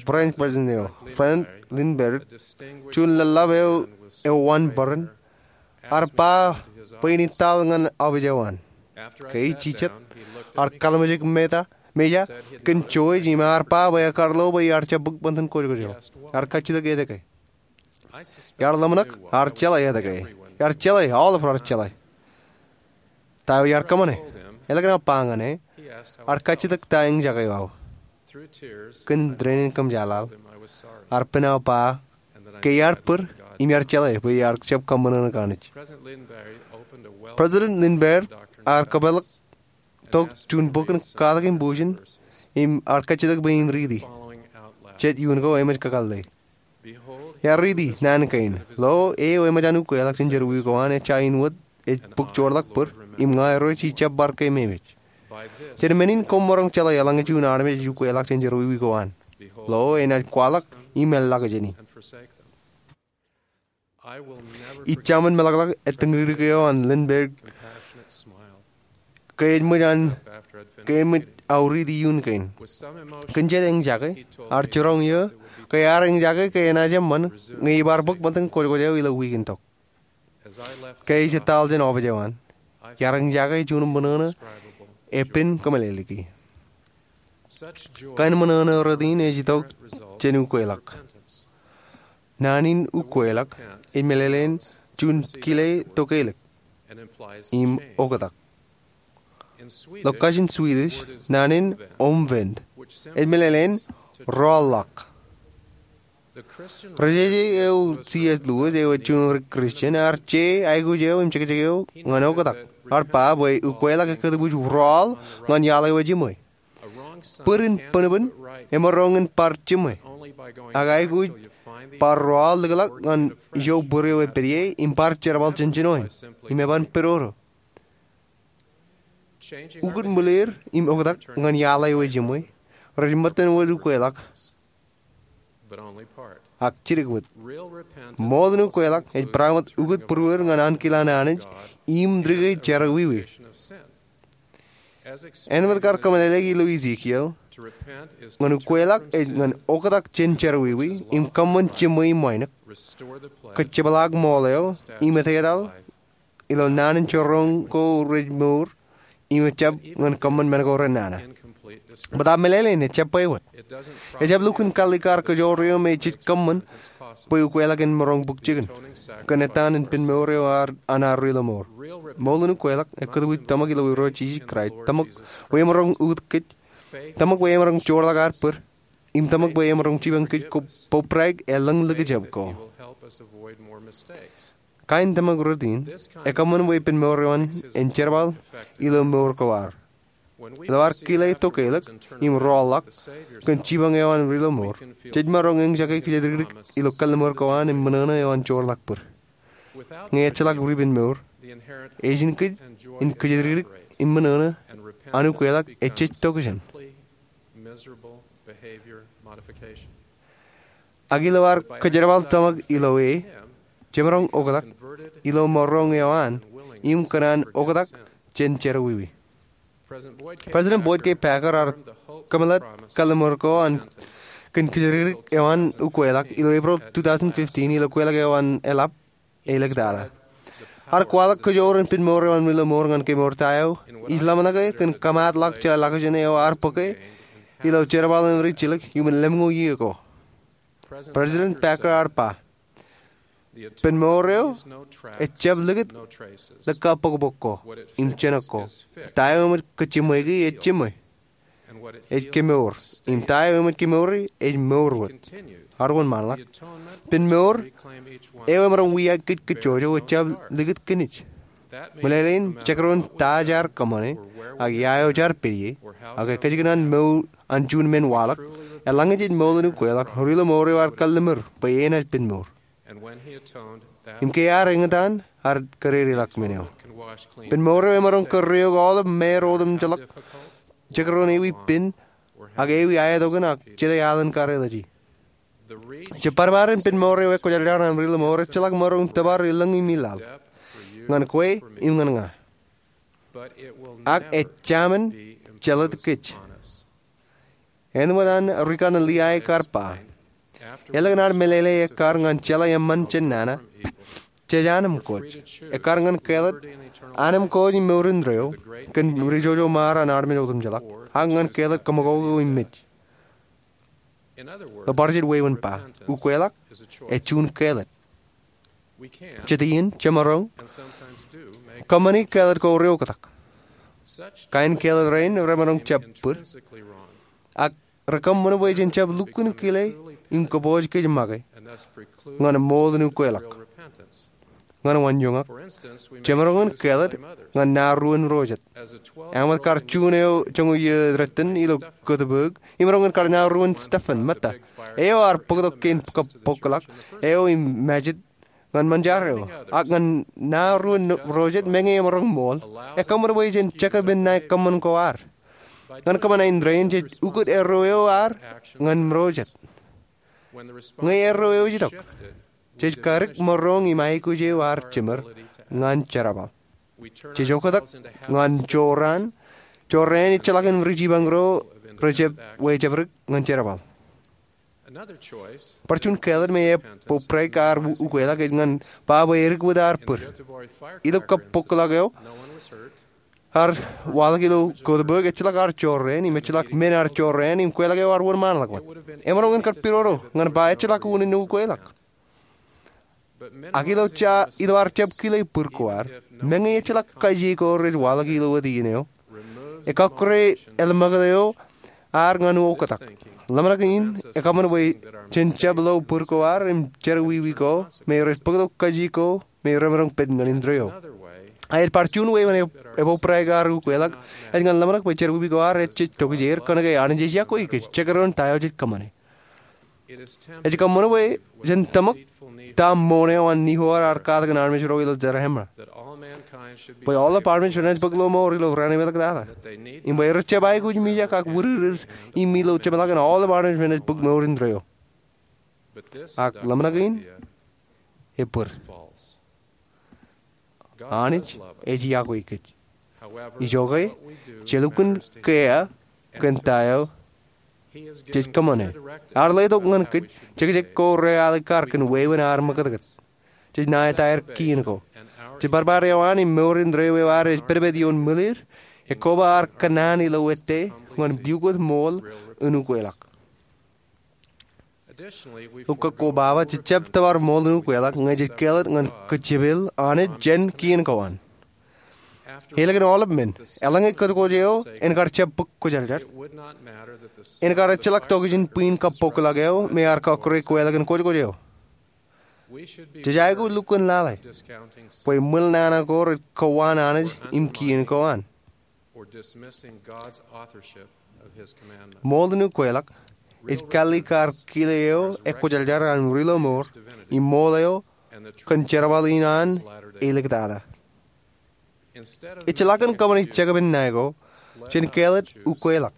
branch president eo, Frank Lindberg, juon lōḷḷap eo eo ewōr bōran, ear ba bwe en ittaḷ ñan ọfis eo an. Ke ej jijet, ear kalimjek meta, meja kōn George im ear ba bwe ekar lo bwe iar jab bōk ṃōttan kōjkōj eo. Ear kajjitōk etke. Iar ḷōmṇak, ear jeḷā etke. Iar jeḷā, aolep raar jeḷā. Ta eo iar kōṃṃane? Eḷaññe ear ba ñan e, ear kajjitōk ta eñjake eo aō. Kōn tōre in kōmjaaḷaḷ, ear pen aō ba ke iar bōd im iar jeḷā bwe iar jab kōṃṃan ñan Anij. President Lindberg ear kōpeḷḷọk tok juon bok in katak in bujen im ear kajjitōk bwe in riiti. Jet iuun ko eṃōj kakōḷḷe. Iar riiti naan kein. Lo, e eo eṃōj an ukweḷọk jān jerọwiwi ko an ejja in wōt ej bōk joorḷọk bōd, im ña irooj ij jab bar keememej. Jān men in koṃ maroñ jeḷā eḷaññe juon armej ej ukweḷọk jān jerọwiwi ko an. Lo, enaaj kwaḷọk im eḷḷọk jāni. Ij jaṃōn meḷọkḷọk ettōñdikdik eo an Lindberg ke eṃōj an, ke eṃōj aō riiti iuun kein. Kōn jet eñjake, ear jiroñ eō ke ear eñjake ke enaaj eṃṃan ñe ibar bōk ṃōttan kōjkōj eo ilo wiik in tok. Ke ij etal jān ọfis eo an, iar eñjake juon ṃōṇōṇō epen kōmeḷeḷeiki. Kain ṃōṇōṇō rot in ej itok jān ukweḷọk. Naan in ukweḷọk ej meḷeḷein juon kile tokeḷọk im oktak. Ilo kajin Swedish, naan in omvänd ej meḷeḷein rọọlḷọk. Ri-jeje eo C. S. Lewis eo ej juon ri-Kristian ear je aikuj eo im jekjek eo ñan oktak. Ear ba bwe ukweḷọk ekkā tōpoj rọọl ñan iaḷ eo ejiṃwe. Bōd in bōnbōn emaroñ in bar jiṃwe. Ak aikuj bar rọọl likḷọk ñan ijo bōd eo epād ie im bar jerbal jān jinoin im eban pedodo. Ukōt ṃwileer im oktak ñan iaḷ eo ejiṃwe rej ṃōttan wōt ukweḷọk, ak jidik wōt. Ṃool in ukweḷọk ej barāinwōt ukōt būruod ñan ankilaan Anij im dike jerọwiwi. Ānbwin kar kōmeḷeḷeiki ilo Ezekiel, ñan ukweḷọk ej ñan oktak jān jerọwiwi im kōṃṃan jiṃwe im wānōk, kōjepḷaak ṃool eo im etetal ilo naan in jorrōñ ko rej mour, im ejjab ñan kōṃṃan men ko renana. Bōtab meḷeḷein, ejjab bwe wōt. Ejjab lukkuun kallikkar kōjoor eo me jej kōṃṃan bwe ukweḷọk en maroñ bōk jikin, kōn ettaan in penmour eo an ad ri-lọmọọr. Ṃool in ukweḷọk ekkōtwij tōmak ilo Irooj Jisōs Kraist, tōmak bwe emaroñ ukōt kōj, tōmak bwe emaroñ joorḷọk ad bōd, im tōmak bwe emaroñ jipañ kōj kobrak elōñ likjab ko. Kain tōmak rot in ekōṃṃan bwe penmour eo an en jerbal ilo mour ko ad. Ilo ad kile tokālik im rọọlḷọk kōn jipañ eo an ri-lọmọọr, jej maroñ eñjake kōjatdikdik ilo kalliṃur ko an im ṃōṇōṇō eo an joorḷọk bōd. Ñe ejjeḷọk ribenmour, ejin kōj in kōjatdikdik im ṃōṇōṇō an ukweḷọk ejjej tokjān. Ak ilo ad kōjerbal tōmak ilo e, jemaroñ oktak ilo maroñ eo an im kōṇaan oktak jān jerọwiwi. President Boyd K. Packer ear kōmeḷeḷe kalliṃur ko an kōn kōjatdikdik eo an ukweḷọk ilo April two thousand fifteen ilo ukweḷọk eo an eḷap āliktata. Ear kwaḷọk kōjoor in penmour eo an ri-lọmọọr ñan kemour ta eo ij ḷōmṇak e kōn kōmaatḷọk jeḷā ḷọkjeṇ eo ear bōke ilo jerbal in rijjilōk iuṃwin lemñoul iiō ko. President Packer ear ba, penmour eo ejjab likūt ḷōkā bōkbōk ko im jenōk ko. Ta eo eṃōj kōjjiṃwe kōn e ej jiṃwe, ej kemour, im ta eo eṃōj kemouri ej mour wōt. Ear wōnṃaanḷọk. Penmour eo emaroñ wiaik kōj kajjojo ejjab likūt kōn ej. Meḷeḷein, jekdọọn ta jaar kōṃṃane, ak ia eo jaar pād ie, ak ekkejkajin mour an juon men waḷọk, eḷaññe jej ṃool in ukweḷọk, ri-lọmọọr eo ear kalliṃur bwe enaaj penmour. Im ke ear eñtaan, ear kōdedeḷọk men eo. Penmour eo emaroñ kōrreoik aolep māār otemjeḷọk, jekdọọn ewi pen, ak ewi aetokan ak jete alen karreoḷọk. Jibadbad in penmour eo ekwōjarjar an ri-lọmọọr ejjeḷọk maroñ tōpar ilōñ im ilaḷ ñan kwe im ñan ña. Ak ejāmin jelōt kōj. Āinwōt an rikanaan Liai kar ba, elōñ ad meḷeḷe ekkar ñan jeḷā eṃṃan jān nana, jej anemkwōj. Ekkar ñan kāālōt, anemkwōj im mour indeeo kōn rijojo ṃaar an armej otemjeḷọk, ak ñan kāālōt kōṃakoko im mej. Ilo bar jet wāween ba, ukweḷọk ej juon kāālōt. Jet iien, jemaroñ kōṃṃani kāālōt ko reoktak. Kain kāālōt rein remaroñ jab bōd, ak rekōṃṃan bwe jen jab lukkuun kile im kōpooj kōj make ñan ṃool in ukweḷọk. Ñan wanjoñak, jemaroñ in kāālōt ñan naruon ro jet. Āinwōt kar juon eo joñoul iiō dettan ilo kōtbōk, imaroñ in kar naruon Stephen, meta. Eo ear bōktok kein kab bōkḷọk eo im Majid ñan ṃōn jar eo. Ak ñan naruon ro jet, meñe emaroñ ṃool, ekōṃṃan bwe jen jekdọọn men ṇae kōṃṃan ko ad. Ñan kōṃṃan indeeo, jej ukōt erreo eo ad ñan ro jet. Ñe erreo eo ej itok, jej kadik maroñ im aikuj eo ad jemed ñan jerbal. Jej oktak ñan jorrāān, jorrāān ejjeḷọk in rijipañ ro rejab wōjabdik ñan jerbal. Bar juon kāālōt me ej bōbraik ad ukweḷọk ej ñan ba bwe edik wōt ad bōd. Ilo kab bōkḷọk eo ear waḷọk ilo kōtbōk, ejjeḷọk ad jorrāān im ejjeḷọk men ad jorrāān im kweḷọk eo ear wōnṃaanḷọk wōt. Emaroñ in kar pidodo ñan ba ejjeḷọk unin ukweḷọk. Ak ilo ja, ilo ad jab kile bōd ko ad, meñe ejjeḷọk kajjien ko rej waḷọk ilo wōt iien eo, ekọkkure elōñ ṃōkaj eo ad ñan oktak. Ḷōmṇak in ekōṃṃan bwe jen jab lo bōd ko ad im jerọwiwi ko me rej bōktok kajjien ko me remaroñ pād ñan indeeo. Ak bar juon wāween ebōbraik ad ukweḷọk ej ñan ḷōmṇak bwe jerọwiwi ko ad ejjej tokjāer kōnke Anij ej yokwe kōj jekdọọn ta eo jej kōṃṃane. Ej kōṃṃan bwe jen tōmak ta ṃoṇe eo an Nehor ear katak ñan armej ro ilo Zarahemla, bwe aolep armej renaaj bōk lọmọọr ilo raan im ḷōmṇak tata, im bwe rej jab aikuj mijak ak wūdikdik im ilo jeṃḷọkin aolep armej renaaj bōk mour indeeo. Ak ḷōmṇak in ebōd. Anij ej yokwe kōj. Ijoke, jelukkuun kea kōn ta eo jej kōṃṃane. Ear letok ñan kōj jekjek ko realikkar kōn wāween ad ṃakūtkūt. Jej ṇae etaer kien ko. Jibadbad eo an im mour indeeo eo ad ej pedped ioon ṃwilir ekkoba ar kōnnaan ilo ettā ñan pukot ṃool in ukweḷọk. Eokwe, koba ba jej jab tōpar ṃool in ukweḷọk ñe jej kāālōt ñan kōjepel Anij jān kien ko an. Ālikin aolep men, eḷaññe kōtkwōj eo en kar jab bōk kwōjarjar, en kar ejjeḷọk tokjān bwin kabbokḷọk eo me ear kọkkure kweḷọkin kwōjkwōj eo. Jej aikuj lukkuun lale bwe ṃwilenana ko rej kowaan Anij im kien ko an. Ṃool in ukweḷọk ej kāālōt kar kile eo ekwōjarjar an ri-lọmọọr im ṃool eo kōn jerbal in an āliktata. Ejjeḷọk kōn kōṃṃani jekpen ṇae ko, jen kāālōt ukweḷọk.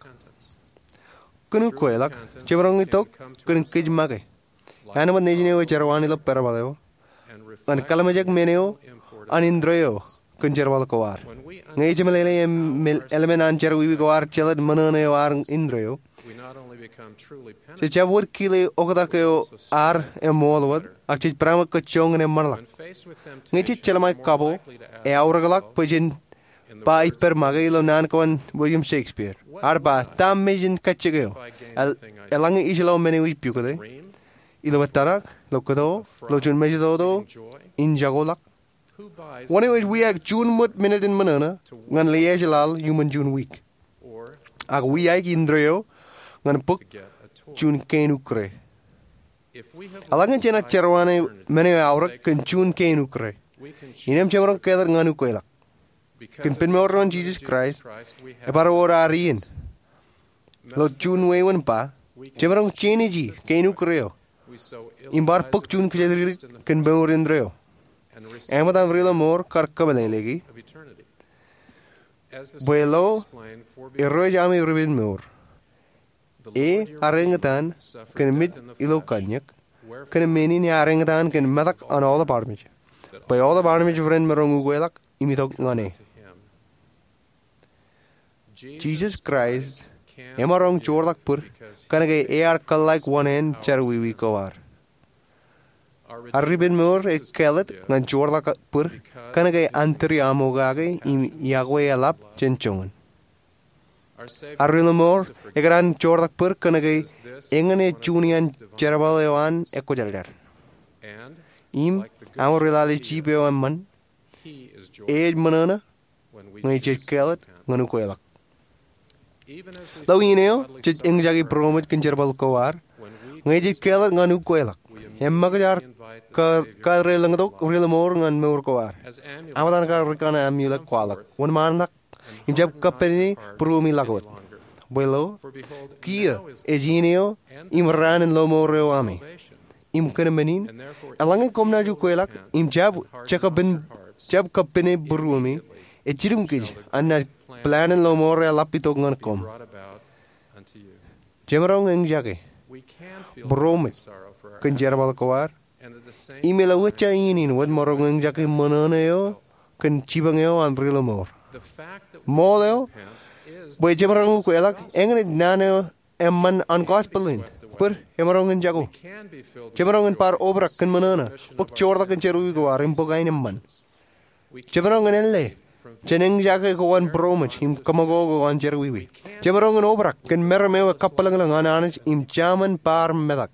Kōn ukweḷọk, jemaroñ itok kōn kōj make, āinwōt nejin eo ej jerwaan ilo parabōḷ eo, ñan kōḷmānjeik men eo an indeeo kōn jerbal ko ad. Ñe ej jemeḷeḷe im elōñ an jerọwiwi ko ad jelōt ṃōṇōṇō eo an indeeo, jej jab wōt kile oktak eo ad eṃool wōt, ak jej peran kōjjoñan eṃṃanḷọk. Ñe jej jelṃae kapo, eaorōkḷọk bwe jen ba ippād make ilo naan ko an William Shakespeare. Ear ba, ta me jen kajjik eo, eḷaññe ij lo men eo ij pukot e? Ilo ettōṇak, ilo kōto, ilo juon mejatoto in jako ḷọk? Wōn eo ej wiaik juon ṃōt minit in ṃōṇōṇō ñan liaaj laḷ iuṃwin juon wiik, ak wiaik indeeo ñan bōk juon kein ukkure? Eḷaññe jenaaj jerwaan men eo eaorōk kōn juon kein ukkure, innām jemaroñ kāālōt ñan ukweḷọk. Kōn ippān mour eo an Jisōs Kraist, ebar wōr ad iien. Ilo juon wāween ba, jemaroñ jenaaj kein ukkure eo im bar bōk juon kijerjidik kōn mour indeeo. Eṃōj an ri-lọmọọr kar kōmeḷeḷeiki bwe lo erooj ami ri-ippān mour, ear eñtaan kōn mej ilo kanniōk, kōn men in ear eñtaan kōn metak an aolep armej, bwe aolep armej ren maroñ ukweḷọk im itok ñan e. Jisōs Kraist emaroñ joortak bōd kōnke ear kōḷḷāik wōṇāān jerọwiwi ko ad. Ad ri-ippān mour ej kāālōt ñan joortak bōd kōnke an tūriaṃo kake im iọkwe eḷap jān joñan. Ad ri-lọmọọr ekōṇaan joortak bōd kōnke eñin ej juon iaan jerbal eo an ekwōjarjar. Im aṃ ri-lale jip eo eṃṃan, e ej ṃōṇōṇō ñe jej kāālōt ñan ukweḷọk. Ilo iien eo jej eñjake būroṃōj kōn jerbal ko ad, ñe jej kāālōt ñan ukweḷọk, eṃōkaj ad kadedeḷọñtok ri-lọmọọr ñan mour ko ad. Aṃ etan kar rūkanaan Amulek kwaḷọk, wōnṃaantak im jab kappāne būruemi ḷọk wōt. Bwe lo, kiiō ej iien eo im raan in lọmọọr eo ami. Im kōn men in, eḷaññe koṃ naaj ukweḷọk im jab kappāne būruemi, ejjitōñ kōj an naaj plan in lọmọọr eḷap itok ñan koṃ. Jemaroñ eñjake būroṃōj kōn jerbal ko ad, im ilo ejja iien in wōt maroñ eñjake ṃōṇōṇō eo kōn jipañ eo an ri-lọmọọr. Ṃool eo, bwe jemaroñ ukweḷọk eñin ej naan eo eṃṃan an gospel in, bōd emaroñ in jako. Jemaroñ in bar obrak kōn ṃōṇōṇō, bōk joortak in jerọwiwi ko ad im bōk aenōṃṃan. Jemaroñ in ālle jān eñjake ko an būroṃōj im kōṃakoko ko an jerọwiwi. Jemaroñ in obrak kōn meram eo ekabwilōñlōñ an Anij im jaṃin bar metak.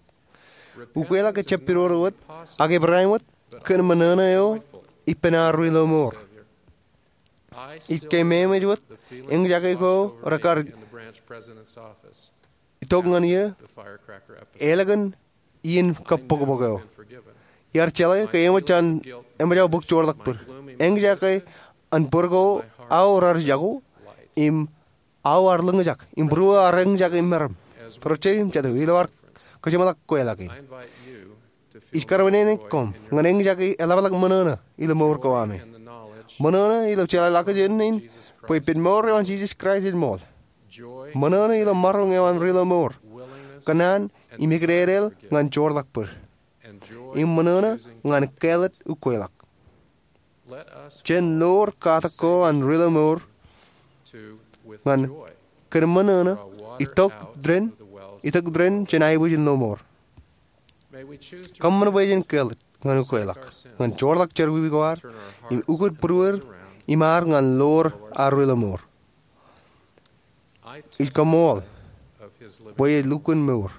Ukweḷọk ejjab pidodo wōt, ak ebarāinwōt kōn ṃōṇōṇō eo ippān ad ri-lọmọọr. Ij kememej wōt eñjake ko rekar itok ñan eō ālikin iien kabbokbok eo. Iar jeḷā ke eṃōj an, eṃōj aō bōk joortak bōd. Eñjake an bōd ko aō raar jako, im aō ar lōñjak, im būruō ar eñjake meram. Bōrōjjek im jatū, ilo ad kōjeṃḷọk kweḷọk in, ij karuwaineneik koṃ ñan eñjake eḷapḷọk ṃōṇōṇō ilo mour ko ami. Ṃōṇōṇō ilo jeḷāḷọkjeṇ in bwe ippān mour eo an Jisōs Kraist ej ṃool. Ṃōṇōṇō ilo maroñ eo an ri-lọmọọr, kōnnaan im ekideedeḷ ñan joortak bōd. Im ṃōṇōṇō ñan kāālōt ukweḷọk. Jen lor katak ko an ri-lọmọọr ñan kōn ṃōṇōṇō itok tōre, itok tōre jān aebōj in lọmọọr. Kōṃṃan bwe jen kāālōt ñan ukweḷọk, ñan joortak jerọwiwi ko ad, im ukōt būruod im ad ñan lor ad ri-lọmọọr. Ij kaṃṃool bwe ej lukkuun mour.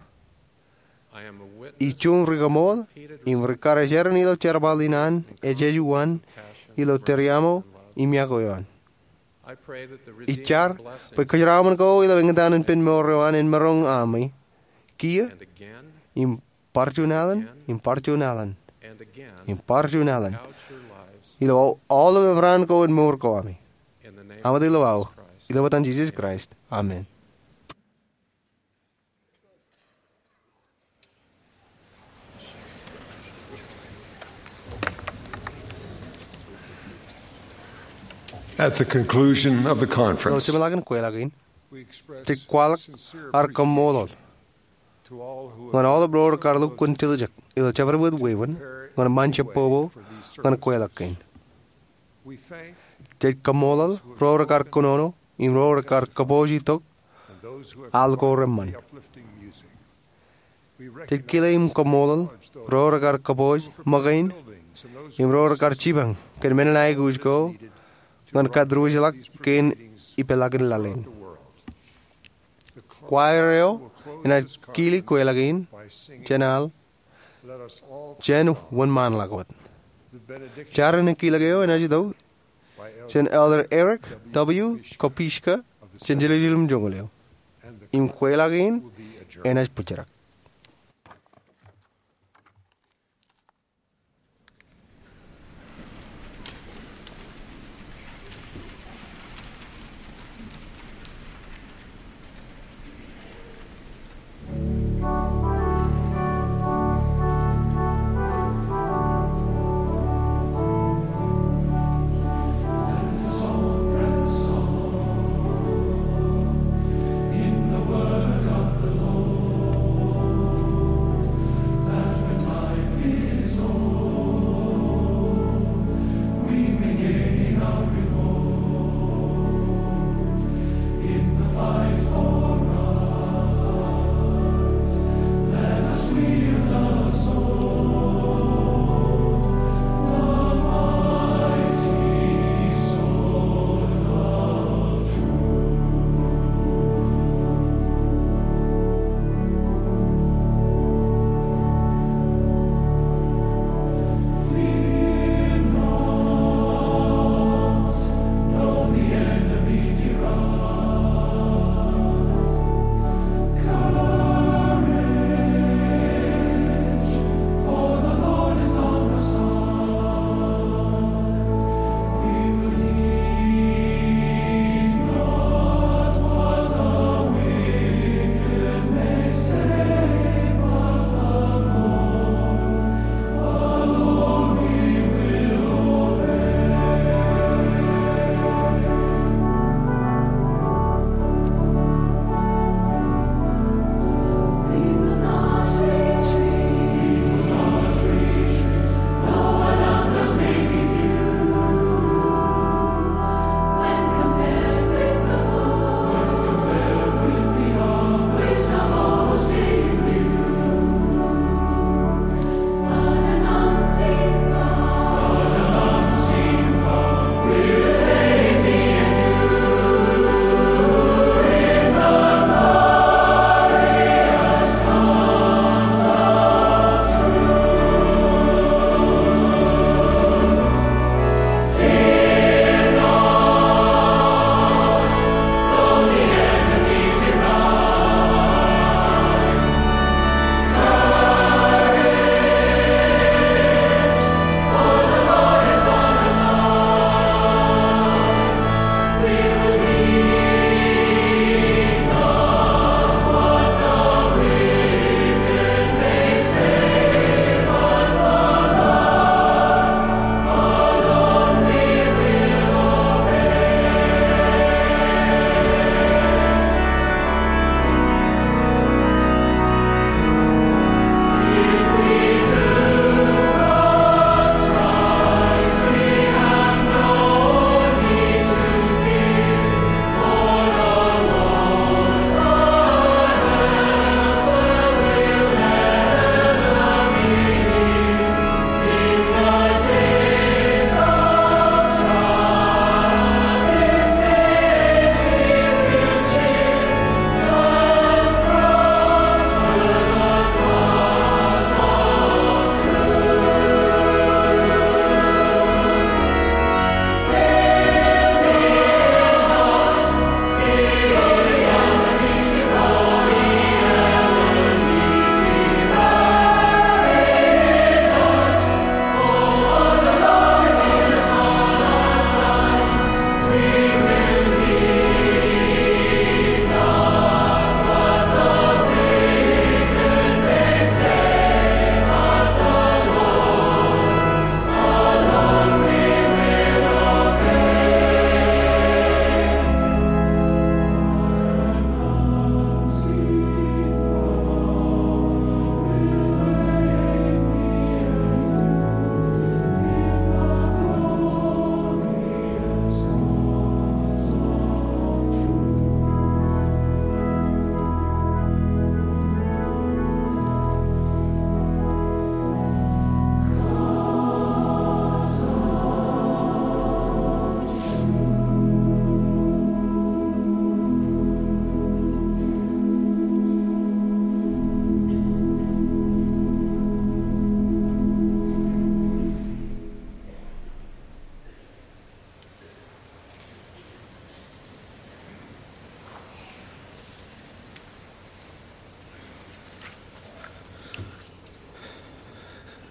Ij juon rikaṃool im rikarijeran ilo jerbal in an ejjeḷọk uwaan ilo tōre aṃo im iọkwe eo an. Ij jar bwe kōjeraaṃṃan ko ilo eñtaan in ippān mour eo an en maroñ ami kiiō im bar juon alen im bar juon alen im bar juon alen ilo aolep eṃṃan ko in mour ko ami. Aṃ ilo aō, ilo etan Jisōs Kraist, amen. At the conclusion of the conference, ilo jeṃḷọkin kweilọk in, jej kwaḷọk ad kaṃṃoolol ñan aolep ro rekar lukkuun tiljek ilo jabdewōt wāween ñan ṃaan jebbobo ñan kweilọk kein. Jej kaṃṃoolol ro rekar kōnono im ro rekar kōpooj itok al ko reṃṃan. Jej kile im kaṃṃoolol ro rekar kōpooj ṃōkein im ro rekar jipañ kōn men in aikuj ko ñan kōtdūruōjḷọk kein ippān laḷ in. Kwaer eo enaaj kili kweilọk in jān al jān wōnṃaanḷọk wōt. Jar in kilōk eo enaaj itok jān Elder Eric W. Kopischke jān Jerusalem joñoul eo. Im kweilọk in enaaj bōjrak.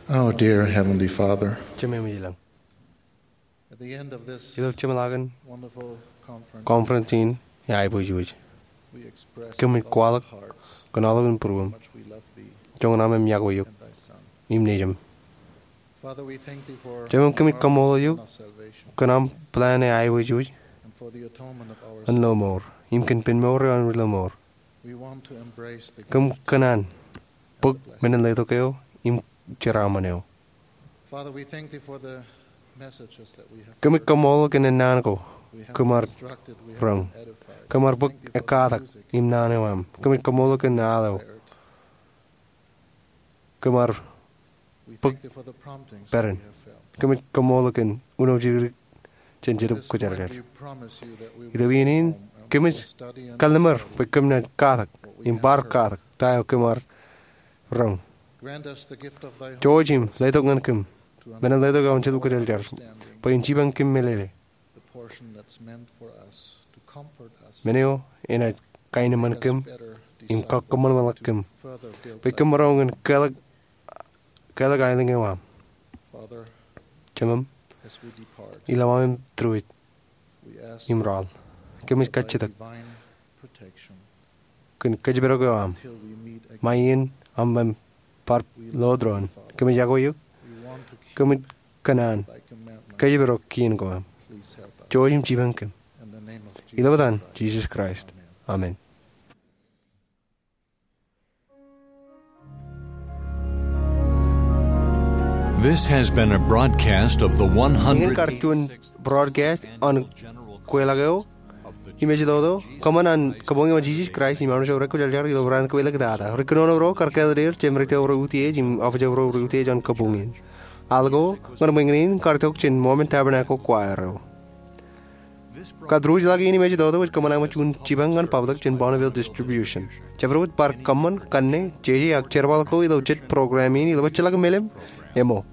Our dear Heavenly Father, Jemem ilañ, at the end of this ilo jeṃḷakin wonderful conference, conference in eaibwejwōj, we express kōmij kwaḷọk kōn aolepen būruōm, joñan aṃ yokwe eok im Nejiṃ. Father, we thank thee for Jemem, kōmij kaṃṃoolol eok kōn aṃ plan eo eaibwejwōj and for the atonement of our ilo mour im kōn pen mour eo an ilo mour. We want to embrace the Kōm kōṇaan bōk men in letok eo im jeraaṃṃan eo. Father, we thank thee for the messages that we have Kōmij kaṃṃoolol kōn ennaan ko kōm ar roñ. Kōm ar bōk ekkatak im naan eo aṃ. Kōmij kaṃṃoolol kōn al eo kōm ar bōk peran. Kōmij kaṃṃoolol kōn uno jidikdik jān Jetōb Kwōjarjar. Ilo iien in, kōmij kalliṃur bwe kōm naaj katak im bar katak ta eo kōm ar roñ. Jouj im letok ñan kōm men in letok eo an Jetōb Kwōjarjar bwe en jipañ kōm meḷeḷe. Men eo enaaj kaenōṃṃan kōm im kakōṃṃanṃanḷọk kōm bwe kōm maroñ in kālōk, kālōk aelōñ eo aṃ. Jemem, ilo aṃ tūriwij im raḷ, kōmij kajjitōk kōn kōjparok eo aṃ ṃae iien aṃ bar lodron. Kōmij yokwe eok. Kōmij kōṇaan kōjparok kien ko aṃ. Jouj im jipañ kōm. Ilo etan Jisōs Kraist, amen. This has been a broadcast of the Iien kar juon broadcast an kweilọk eo im ej itok kōṃṃan an kabuñ eo an Jisōs Kraist im armej ro rej kwōjarjar ilo raan kweilọk tata. Ri kōnono ro kar kāālōt er jān ri tōl ro utiej im office ro rej utiej an kabuñ in. Al ko ñan ṃōñā in kar itok jān Mormon Tabernacle Choir eo. Kar tūriwij ḷọk in im ej itok ej kōṃṃan aṃ juon jipañ ñan public jān Bonneville Distribution. Jabdewōt bar kōṃṃan kanne, jeje ak jerbal ko ilo jet program in ilo bajjeḷọk melem, emo